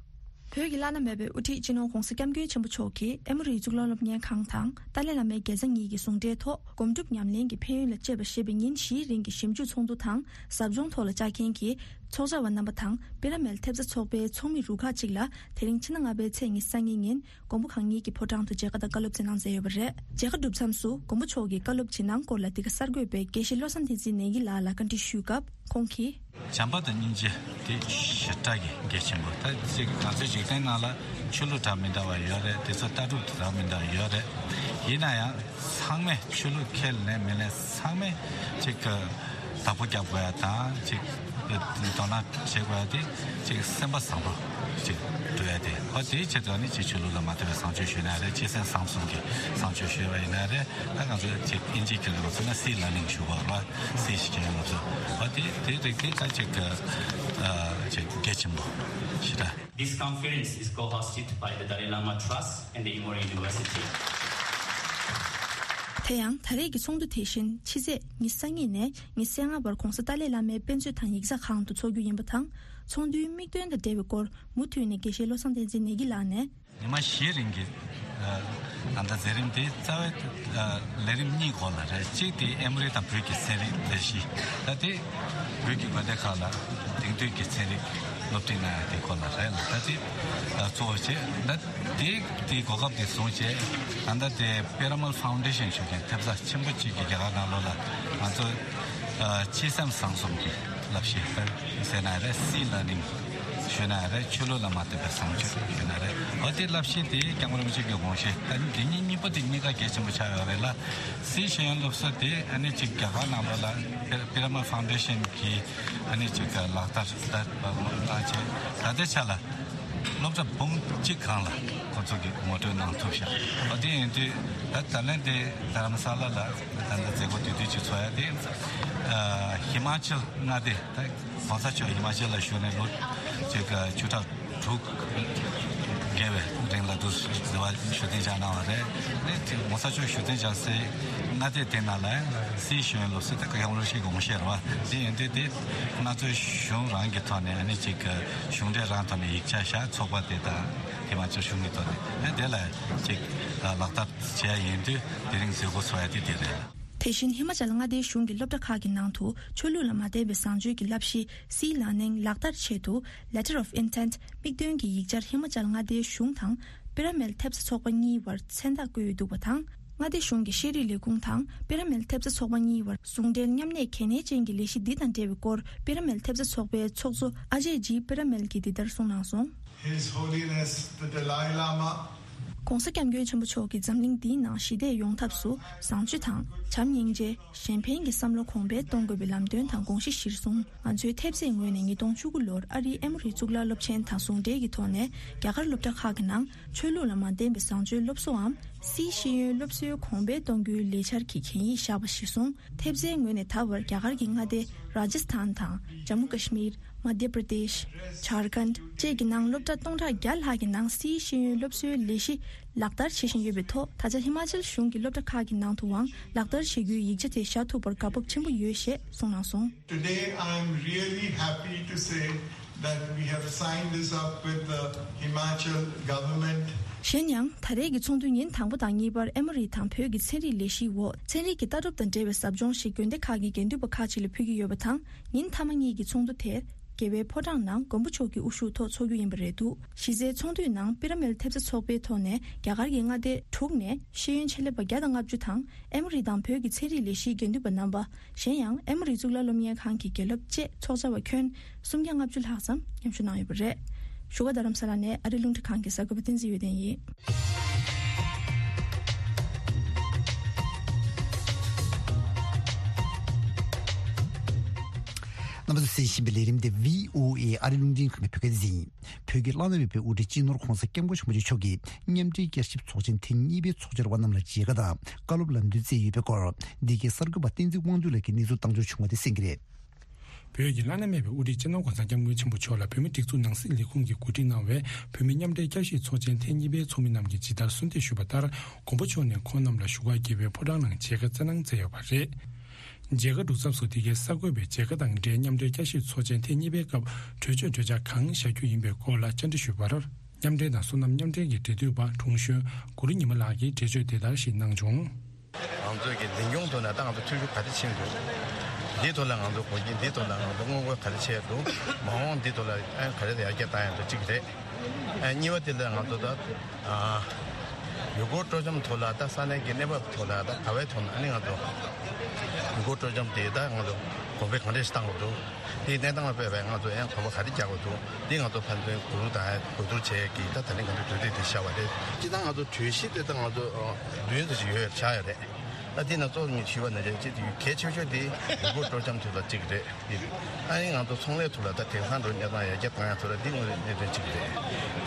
བོད་ཀྱི་བླ་ན་མེད་པའི་དབུ་ཁྲིད་སྤྱི་ནོར་༧གོང་ས་༧སྐྱབས་མགོན་ཆེན་པོ་མཆོག་གིས་ཨེ་མོ་རིའི་གཙུག་ལག་སློབ་གཉེར་ཁང་དང་ཏཱ་ལའི་བླ་མའི་དགེ་རྩ་གཉིས་ཀྱི་ཟུང་འབྲེལ་ཐོག་སྒོམ་སྒྲུབ་ཉམས་ལེན་གྱི་ཕན་ཡོན་ལ་དཔྱད་པ་ཞེས་པའི་ཉིན་བཞིའི་རིང་གི་ཞིབ་འཇུག་ཚོགས་འདུ་དང་ཟབ་སྦྱོང་ཐོག་ལ་བཅར་མཁན་གྱི་ཚོགས་བཅར་བ་རྣམ་པ་དང་པེ་ར་མལ་ཐེབས་རྩ་ཚོགས་པའི་ཚོགས་མི་རུ་ཁག་ཅིག་ལ་དེ་རིང་ཕྱི་ཟླ་ལྔ་པའི་ཚེས་ཉི་ཤུ་རྩ་གཉིས་ཉིན་མགོན་པོ་གང་ཉིད་ཀྱི་ཕོ་བྲང་དུ་མཇལ་ཁ་དང་བཀའ་སློབ་སྩལ་གནང་མཛད་ཡོད་པ་རེད། མཇལ་ཁ་གྲུབ་མཚམས་སུ་མགོན་པོ་མཆོག་གིས་བཀའ་སློབ་ཇི་གནང་སྐོར་ལ་འདི་ག་གསར་འགོད་པས་དགེ་བཤེས་བློ་བཟང་བསྟན་འཛིན་ནེ་གི་ལགས་ལ་བཀའ་འདྲི་ཞུས་སྐབས་ཁོང་གིས། བྱམས་པ་དང་སྙིང་རྗེ་དེ་ཞེ་དྲག་གི་གལ་ཆེན་པོ། ད་ཅིག་ང་ཚོའི་འཇིག་རྟེན་ནང་ལ་ཆོས་ལུགས་འདྲ་མི་འདྲ་བ་ཡོད་རེད། དེ་ཚོ་ལྟ་གྲུབ་འདྲ་མི་འདྲ་ཡོད་རེད། ཡིན་ན་ཡང་ཚང་མས་ཆོས་ལུགས་ཁས་ལེན་མི་ལེན་ཚང་མས་ཅིག་བདག་པོ་རྒྱབ་དགོས་ཡ་དང་ཅིག་དོ་སྣང་བྱེད་དགོས་ཡ་དེ་ཅིག་སེམས་པ་བཟང་པོ་ཅིག་འགྲོ་ཡ་དེ། ཧོ་དེའི་ཆེད་དུ་ནི་ཅིག་ཆོས་ལུགས་ལ་མ་ལྟོས་པའི་བཟང་སྤྱོད་ཞུས་ན་རེད། སྤྱི་སེམས་བཟང་གསུམ་གྱི་བཟང་སྤྱོད་ཞུས་པ་ཡིན་ན་རེད། ད་ང་ཚོ་ཅིག་ཨིན་ཇིའི་སྐད་ལ་ཚོ་ན་སི་ལར་ནིང་ཞུ་བ་རེད། སི་ཞིག་ཡོད་ལ་ཚོ་ཧོ་དེ་དེ་རིགས་དེ་ད་ཅིག་ཅིག་གལ་ཆེན་པོ་ཞེ་དྲག This conference is co-hosted by the Dalai Lama Trust and the Emory University. དེ་ཡང་ད་རེས་ཀྱི་ཚོགས་འདུ་དེ་བཞིན་ཕྱི་ཚེས་ཉི་ཤུ་རྩ་གཉིས་ནས་ཉི་ཤུ་རྩ་ལྔ་བར་༧གོང་ས་ཏཱ་ལའི་བླ་མའི་དཔེ་མཛོད་དང་ཡིག་ཚགས་ཁང་དུ་འཚོགས་རྒྱུ་ཡིན་པ་དང་། ཚོགས་འདུའི་དམིགས་དོན་དང་འབྲེལ་བའི་སྐོར་མུ་མཐུད་ནས་དགེ་བཤེས་བློ་བཟང་བསྟན་འཛིན་ནེ་གི་ལགས་ནས། ཉི་མ་བཞིའི་རིང་གི་ད་ལྟ་མཛད་རིམ་དེ་རྩ་བའི་ལས་རིམ་གཉིས་སྐོར་ལ་རེད། གཅིག་དེ་ཨེ་མོ་རི་དང་བོད་ཀྱི་ཚན་རིག་ལས་གཞི། ད་དེ་བོད་ཀྱི་དགོན་སྡེ་ཁག་ལ་དེང་དུས་ཀྱི་ཚན་རིག་སློབ་ཁྲིད་གནང་ཡ་དེ་སྐོར་ལ་རེད་ལ། ད་དེ་གཙོ་བོ་བྱས། ད་དེ་དེའི་གོ་སྐབས་དེ་བཟུང་བྱས། ད་ལྟ་དེ་པེ་ར་མལ་ཕའུན་ཌེ་ཤན་ཞུ་མཁན་ཐེབས་རྩ་ཆེན་པོ་གཅིག་གིས་རྒྱ་གར་ནང་ལོགས་ལ་ང་ཚོ་སྤྱི་སེམས་བཟང་གསུམ་གྱི་བསླབ་གཞི་ཟེར་ན་རེད། སི་ལར་ནིང་ཞུས་ན་རེད། ཆོས་ལུགས་ལ་མ་ལྟོས་པའི་བཟང་སྤྱོད་ཞུས་ན་རེད། འོ་དེ་བསླབ་གཞི་དེ་སྐྱབས་མགོན་རིན་པོ་ཆེ་གི་དགོངས་གཞི། ད་འདི་གཉིས་གཉིས་པོ་དེ་གཉིས་ཀ་གལ་ཆེན་པོ་ཆགས་ཡོད་རེད་ལ། སི་ཤེས་ཡོན་སློབ་གསོ་དེ་ཨ་ནི་ཅིག་རྒྱ་གར་ནང་ལོགས་ལ་པི་ར་མལ་ཕའུན་ཌེ་ཤན་གྱིས་ཨ་ནི་ཅིག་ལག་བསྟར་ད་གནང་བྱས། ད་ལྟའི་ཆ་ལ་སློབ་གྲྭ་འབུམ་གཅིག་སྒང་ལ་ཁོ་ཚོ་གིས་ངོ་སྤྲོད་གནང་ཐུབ་ཤག་འོ་དེ་ཡིན་དུས་ད་ད་ལན་དེ་རྡ་རམ་ས་ལ་ལ་ད་ལྟ་མཛད་སྒོ་དེ་དུས་ཅིག་ཚོགས་ཡ་དེ་ཧི་མ་ཅལ་མངའ་སྡེ། ད་༧གོང་ས་མཆོག་ཧི་མ་ཅལ་ལ་བཞུགས་ནས་ལོ་ཅིག་བཅུ་ཕྲག་དྲུག་བརྒལ་བའི་རིང་ལ་འདུག་ཟེར་བ་བཞུགས་གདན་འཇགས་གནང་བ་རེད། ཨ་ནི་༧གོང་ས་མཆོག་བཞུགས་གདན་འཇགས་སའི་མངའ་སྡེ་དེ་ནང་ལ་སི་ཤེས་ཡོན་སློབ་གསོ་དེ་སྐབས་རིང་ཞིག་དགོངས་བཞེས་རེད་བ། དེ་ཡིན་དུས་དེ་ང་ཚོའི་གཞུང་རང་གི་ཐོག་ནས་ཨ་ནི་ཅིག་གཞུང་འབྲེལ་རང་ཐོག་ནས་ཡིག་ཆ་བཞག་ཚོགས་པ་དེ་དང་ཧི་མ་ཅལ་གཞུང་གི་ཐོག་ནས་ཨ་ནི་དེ་ལ་ཅིག་ལག་བསྟར་བྱས་ཡིན་དུས་དེ་རིང་མཛད་སྒོ་ཚོགས་ཡ་དེ་དེ་རེད། དེ་བཞིན་ཧི་མ་ཅལ་མངའ་སྡེའི་གཞུང་གི་སློབ་གྲྭ་ཁག་གི་ནང་དུ་ཆོས་ལུགས་ལ་མ་ལྟོས་པའི་བཟང་སྤྱོད་ཀྱི་བསླབ་གཞི་སི་ལར་ནིང་ལག་བསྟར་ཆེད་དུ་Letter of Intent དམིགས་འདུན་གྱི་ཡིག་ཆར་ཧི་མ་ཅལ་མངའ་སྡེའི་གཞུང་དང་པེ་ར་མལ་ཐེབས་རྩ་ཚོགས་པ་གཉིས་བར་མཚན་རྟགས་བཀོད་ཡོད་འདུག་པ་དང་། མངའ་སྡེ་གཞུང་གི་ཤེས་རིག་ལས་ཁུངས་དང་པེ་ར་མལ་ཐེབས་རྩ་ཚོགས་པ་གཉིས་བར་ཟུང་འབྲེལ་མཉམ་གནས་གལ་གནད་ཅན་གྱི་ལས་གཞི་འདི་དང་འབྲེལ་བའི་སྐོར་པེ་ར་མལ་ཐེབས་རྩ་ཚོགས་པའི་ཚོགས་གཙོ་ཨ་ཇེ་ཇི་པེ་ར་མལ་གྱིས་འདི་ལྟར་གསུངས་གནང་སོང་། His Holiness the Dalai Lama. ༧གོང་ས་༧སྐྱབས་མགོན་ཆེན་པོ་མཆོག་གིས་འཛམ་གླིང་འདིའི་ནང་ཞི་བདེ་ཡོང་ཐབས་སུ་བཟང་སྤྱོད་དང་བྱམས་སྙིང་རྗེ། གཞན་ཕན་གྱི་བསམ་བློ་གོང་འཕེལ་གཏོང་དགོས་པའི་ལམ་སྟོན་དང་དགོངས་གཞི་གཞིར་བཟུང་། ང་ཚོའི་ཐེབས་རྩའི་ངོས་ནས་ཉིས་སྟོང་བཅུ་དགུ་ལོར་ཨ་རིའི་ཨེ་མོ་རི་གཙུག་ལག་སློབ་ཆེན་དང་ཟུང་འབྲེལ་གྱི་ཐོག་ནས་རྒྱ་གར་སློབ་གྲྭ་ཁག་གི་ནང་ཆོས་ལུགས་ལ་མ་བརྟེན་པའི་བཟང་སྤྱོད་སློབ་གསོའམ་སི་ཤེས་ཡོན་སློབ་གསོའི་གོང་འཕེལ་གཏོང་རྒྱུའི་ལས་འཆར་གྱི་གན་ཡིག་བཞག་པ་གཞིར་བཟུང་། ཐེབས་རྩའི་ངོས་ནས་ད་བར་རྒྱ་གར་གྱི་མངའ་སྡེ་རཱ་ཇ་སི་ཐན་དང་ཇམ་མུ་ཀ་ཤི་མིར། མ་དྷྱ་པྲ་དེཤ། ཇར་ཁན་བཅས་ཀྱི་ནང་སློབ་གྲྭ་སྟོང་ཕྲག་བརྒྱ་ལྷག་གི་ནང་སི་ཤེས་ཡོན་སློབ་གསོའི་ལས་གཞི་ལག་བསྟར་བྱེད་བཞིན་ཡོད་པའི་ཐོག་ད་ཆ་ཧི་མ་ཅལ་གཞུང་གི་སློབ་གྲྭ་ཁག་གི་ནང་དུའང་ལག་བསྟར་བྱེད་རྒྱུའི་ཡིག་ཆ་དེ་བཞག་ཐུབ་པར་དགའ་སྤོབས་ཆེན་པོ་ཡོད་ཞེས་གསུངས་གནང་སོང་། Today, I am really happy to say that we have signed this up with the Himachal government. གཞན་ཡང་ད་རེས་ཀྱི་ཚོགས་འདུའི་ཉིན་དང་པོ་དང་གཉིས་པར་ཨེ་མོ་རི་དང་བོད་ཀྱི་ཚན་རིག་ལས་གཞིའི་འོག་ཚན་རིག་གི་ལྟ་གྲུབ་དང་འབྲེལ་བའི་ཟབ་སྦྱོང་ཞིག་དགོན་སྡེ་ཁག་གི་དགེ་འདུན་པ་ཁག་ཅིག་ལ་ཕུལ་གྱི་ཡོད་པ་དང་། ཉིན་མཐའ་མ་གཉིས་ཀྱི་ཚོགས་འདུ་དེ་རྒྱལ་བའི་ཕོ་བྲང་ནང་མགོན་པོ་མཆོག་གི་དབུ་བཞུགས་ཐོག་འཚོགས་རྒྱུ་ཡིན་པ་རེད་འདུག་གཞི་རྩའི་ཚོགས་འདུའི་ནང་པི་ར་མལ་ཐེབས་རྩ་ཚོགས་པའི་ཐོག་ནས་རྒྱ་གར་གྱི་མངའ་སྡེ་དྲུག་ནས་ཤེས་ཡོན་ཆེད་ལས་པ་བརྒྱ་དང་ལྔ་བཅུ་དང་ཨེ་མོ་རི་དང་བོད་ཀྱི་ཚན་རིག་ལས་གཞིའི་དགེ་འདུན་པ་རྣམ་པ། གཞན་ཡང་ཨེ་མོ་རི་གཙུག་ལག་སློབ་གཉེར་ཁང་གི་དགེ་སློབ་བཅས་ཚོགས་བཅར་བ་ཁྱོན་སུམ་བརྒྱ་ལྔ་བཅུ་ལྷག་ཙམ་མཉམ་ཞུགས་གནང་ཡོད་པ་རེད། བཞུགས་སྒར་རྡ་རམ་ས་ལ་ནས་ཨ་རི་རླུང་འཕྲིན་ཁང་གི་གསར་འགོད་པ་བསྟན་འཛིན་འོད་ལྡན་ཡིན། རྣམ་པ་ཚོས་གསན་བཞིན་པའི་ལས་རིམ་འདི་བྷི་ཨོ་ཨེ་ཨ་རི་རླུང་འཕྲིན་ཁང་གི་བོད་སྐད་སྡེ་ཚན་ཡིན། བོད་ཀྱི་བླ་ན་མེད་པའི་དབུ་ཁྲིད་སྤྱི་ནོར་༧གོང་ས་༧སྐྱབས་མགོན་ཆེན་པོ་མཆོག་གིས་མཉམ་འབྲེལ་བསྐྱར་ཞིབ་ཚོགས་ཆེན་ཐེངས་གཉིས་པའི་ཚོགས་བཅར་བ་རྣམས་ལ་མཇལ་ཁ་དང་བཀའ་སློབ་ལམ་སྟོན་སྩལ་ཡོད་པའི་སྐོར། འདི་གའི་གསར་འགོད་པ་བསྟན་འཛིན་དབང་འདུས་ལགས་ཀྱིས་གནས་ཚུལ་བཏང་འབྱོར་བྱུང་བ་དེ་གསན་གྱི་རེད། བོད་ཀྱི་བླ་ན་མེད་པའི་དབུ་ཁྲིད་སྤྱི་ནོར་༧གོང་ས་༧སྐྱབས་མགོན་ཆེན་པོ་མཆོག་ལ་བོད་མིའི་སྒྲིག་འཛུགས་ནང་སྲིད་ལས་ཁུངས་ཀྱིས་གོ་སྒྲིག་གནང་བའི་བོད་མི་མཉམ་འབྲེལ་བསྐྱར་ཞིབ་ཚོགས་ཆེན་ཐེངས་གཉིས་པའི་ཚོགས་མི་རྣམས་ཀྱིས་ཇི་ལྟར་གསོལ་འདེབས་ཞུས་པ་ལྟར། མགོན་པོ་མཆོག་ནས་ཁོང་རྣམས་ལ་བཞུགས་སྒར་རྒྱལ་བའི་ཕོ་བྲང་ནང་མཇལ་ཁ་བསྩལ་གནང་མཛད་ཡོད་པ་རེད། མཇལ་ཁ་གྲུབ་མཚམས་སུ་འདི་གའི་གསར་འགོད་པས་མཇལ་ཁ་དང་འབྲེལ་མཉམ་འབྲེལ་བསྐྱར་ཞིབ་ཚོགས་ཆེན་ཐེངས་གཉིས་པའི་སྐབས་གྲོས་ཆོད་གྲོས་འཆར་གང་བཞག་རྒྱུ་ཡིན་པའི་སྐོར་ལ་བཅར་འདྲི་ཞུས་པར། མཉམ་འབྲེལ་དང་སོ་ནམ་མཉམ་འབྲེལ་གྱི་འབྲེལ་མཐུད་པ་དྲུང་གཞོན་གུ་རུ་ཉི་མ་ལགས་ཀྱིས་འགྲེལ་བརྗོད་དེ་ལྟར་ཞིག་གནང་བྱུང་། ང་ཚོའི་གི་འཛིན་སྐྱོང་ཐོག་ནས་ད་ང་ཚོ་ཐུགས་ཤུགས་ག་རེ་ཕྱིན་འདུག་འདིའི་ཐོག་ལ་ང་ཚོ་གོ་རྒྱུ་འདིའི་ཐོག་ལ་ང་ཚོ་སྔོན་འགོག་ག་རེ་བྱས་འདུག་མ་འོངས་འདིའི་ཐོག་ལ་ཨ་ག་རེ་ཡར་རྒྱས་བཏང་ཡ་འདུག་གཅིག་རེད། ཨ་གཉིས་པ་དེ་ལ་ང་ཚོ་ད་ཨ་ཡུལ་སྐོར་སྤྲོ་འཆམ་ཐོག་ལ་ད་ས་གནས་ཀྱི་གནས་བབ་ཐོག་ལ་ད་ག་བའི་ཐོག་ནས་ཨ་ནི་ང་ཚོ་ཡུལ་སྐོར་སྤྲོ་འཆམ་དེ་ད་ང་ཚོ་གོང་འཕེལ་གང་འདྲ་ཞིག་བཏང་དགོས་འདུག་དེའི་གནས་སྟངས་ལ་དཔག་པའི་ང་ཚོ་ཡང་གོམ་པ་ག་རེ་རྒྱག་དགོས་འདུག་འདི་ང་ཚོ་ཕན་ཚུན་གོ་བསྡུར་དང་གོ་བསྡུར་བྱས་ཀྱི་ད་ད་ནི་ང་ཚོ་གྲོས་འདེབས་དེ་བཞག་པ་རེད། སྤྱིར་བཏང་ང་ཚོ་གྲོས་གཞི་དེ་ད་ང་ཚོ་ཨ་བདུན་ཙམ་ཞིག་ཡོད་ཆགས་ཡོད་རེད། ད་དེ་ནང་གཙོ་བོ་ཞུས་པ་ནང་བཞིན་གཅིག་དེ་གལ་ཆེ་ཤོས་དེ་ཡུལ་སྐོར་སྤྲོ་འཆམ་ཐོག་ལ་གཅིག་རེད། དེ་ཨ་ནི་ང་ཚོ་ཚོང་ལས་ཐོག་ལ་ད་དེང་སང་འགྲོ་གནས་སྟངས་ཡར་རྒྱས་བཏང་ཡ་ཐོག་ལ་འདི་དངོས་གནས་གནད་དོན་གཅིག་རེད།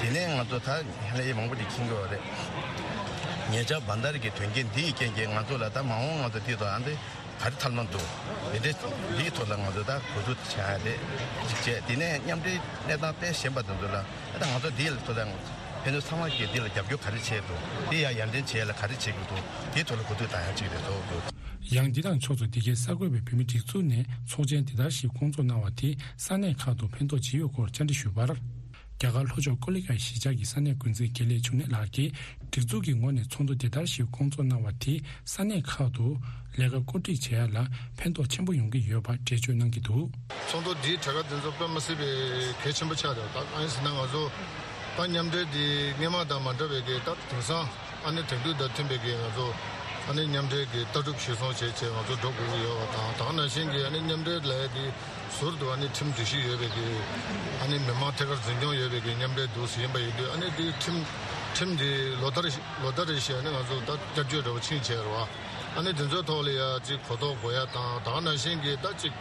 དེ་ནས་ང་ཚོ་ད་ཧ་ལས་མང་པོ་ཅིག་མཁྱེན་གྱི་ཡོད་རེད། ཉེ་ཆར་བན་དར་གྱི་དོན་རྐྱེན་འདི་ཡི་རྐྱེན་གྱིས་ང་ཚོ་ལ་ད་མ་འོངས་ང་ཚོ་འདི་དང་ཨ་འདི་ག་རེ་ཐབས་ལམ་འདུག་འདི་འདྲའི་འདིའི་ཐོག་ལ་ང་ཚོ་ད་གོ་བསྡུར་བྱ་ཡ་རེད། གཅིག་བྱས་དེ་ནས་མཉམ་འབྲེལ་གནས་སྟངས་དཔེ་གཞན་པ་དེ་ཚོ་ལ་ད་ང་ཚོ་འདིའི་ཐོག་ལ་ཕན་ཚུན་ཚང་མ་གིས་འདི་ལ་རྒྱབ་སྐྱོར་ག་རེ་བྱས་འདུག་འདི་ཡང་ཡར་འདོན་བྱེད་ཡ་ལ་ག་རེ་བྱེད་དགོས་འདུག་འདིའི་ཐོག་ལ་གོ་བསྡུར་བཏང་ཡ་གཅིག་རེད་འདུག་ཡང་འདི་དང་ཕྱོགས་མཚུངས་འདི་གའི་གསར་འགོད་པས་བོད་མིའི་སྒྲིག་འཛུགས་ནས་ཚོགས་ཆེན་འདི་ལྟར་ཞིག་སྐོང་ཚོགས་གནང་བ་དེས་ས་གནས་ཁག་ཏུ་ཕན་ཐོགས་ཇི་ཡོད་སྐོར་བཅར་འདྲི་ཞུས་པར། རྒྱ་གར་ལྷོ་ཕྱོགས་ཀོ་ལི་གྷལ་གཞིས་ཆགས་ཀྱི་ས་གནས་འགོ་འཛིན་དགེ་ལེགས་འབྱུང་གནས་ལགས་ཀྱིས་སྒྲིག་འཛུགས་ཀྱི་ངོས་ནས་ཚོགས་འདུ་འདི་ལྟར་ཞིག་སྐོང་ཚོགས་གནང་བ་དེས་ས་གནས་ཁག་ཏུ་ལས་ཀ་བཀོད་སྒྲིག་བྱེད་ཡ་ལ་ཕན་ཐོགས་ཆེན་པོ་ཡོང་གི་ཡོད་པ་འགྲེལ་བརྗོད་གནང་གི་འདུག་ཚོགས་འདུ་འདིའི་གྲས་ཀ་འདི་ཚོ་དཔེ་མ་སྲིད་པའི་གལ་ཆེན་པོ་ཆགས་འདུག་ད་ཨ་ནི་ཟེར་ན་ང་ཚོ་ད་མཉམ་འབྲེལ་འདི་སྔོན་མ་དང་མ་འདྲ་བའི་གི་ད་དེང་སང་ཨ་ནི་དེང་དུས་དང་མཐུན་པའི་གི་ང་ཚོ་ཨ་ནི་མཉམ་འབྲེལ་གི་ལྟ་གྲུབ་གཞིར་བཟུང་བྱས་བྱས་ང་ཚོ་འགྲོ་དགོས་ཀྱི་ཡོད་པ་དང་། ད་ག་ནང་བཞིན་གི་ཨ་ནི་མཉམ་འབྲེལ་ལས་འདི་ཟུར་དུ་ཨ་ནི་ཁྲིམས་སྒྲིག་གཞི་ཡོད་པའི་གི་ཨ་ནི་མི་མང་ཐད་ཀར་འཛིན་སྐྱོང་ཡོད་པའི་གི་མཉམ་འབྲེལ་འདུག་ཟེར་ཡིན་པ་ཡིན་དུས། ཨ་ནི་འདི་ཁྲིམས་ཁྲིམས་འདི་ལོ་ལྟར་ལོ་ལྟར་རེ་བཞིན་ཨ་ནི་ང་ཚོ་ད་བསྐྱར་བཅོས་འདྲ་བོ་ཕྱིན་བྱས་རེད་བ། ཨ་ནི་དེ་ཚོའི་ཐོག་ལ་ཡ་གཅིག་གོ་རྟོགས་དགོས་ཡ་དང་། ད་ག་ནང་བཞིན་གི་ད་གཅིག་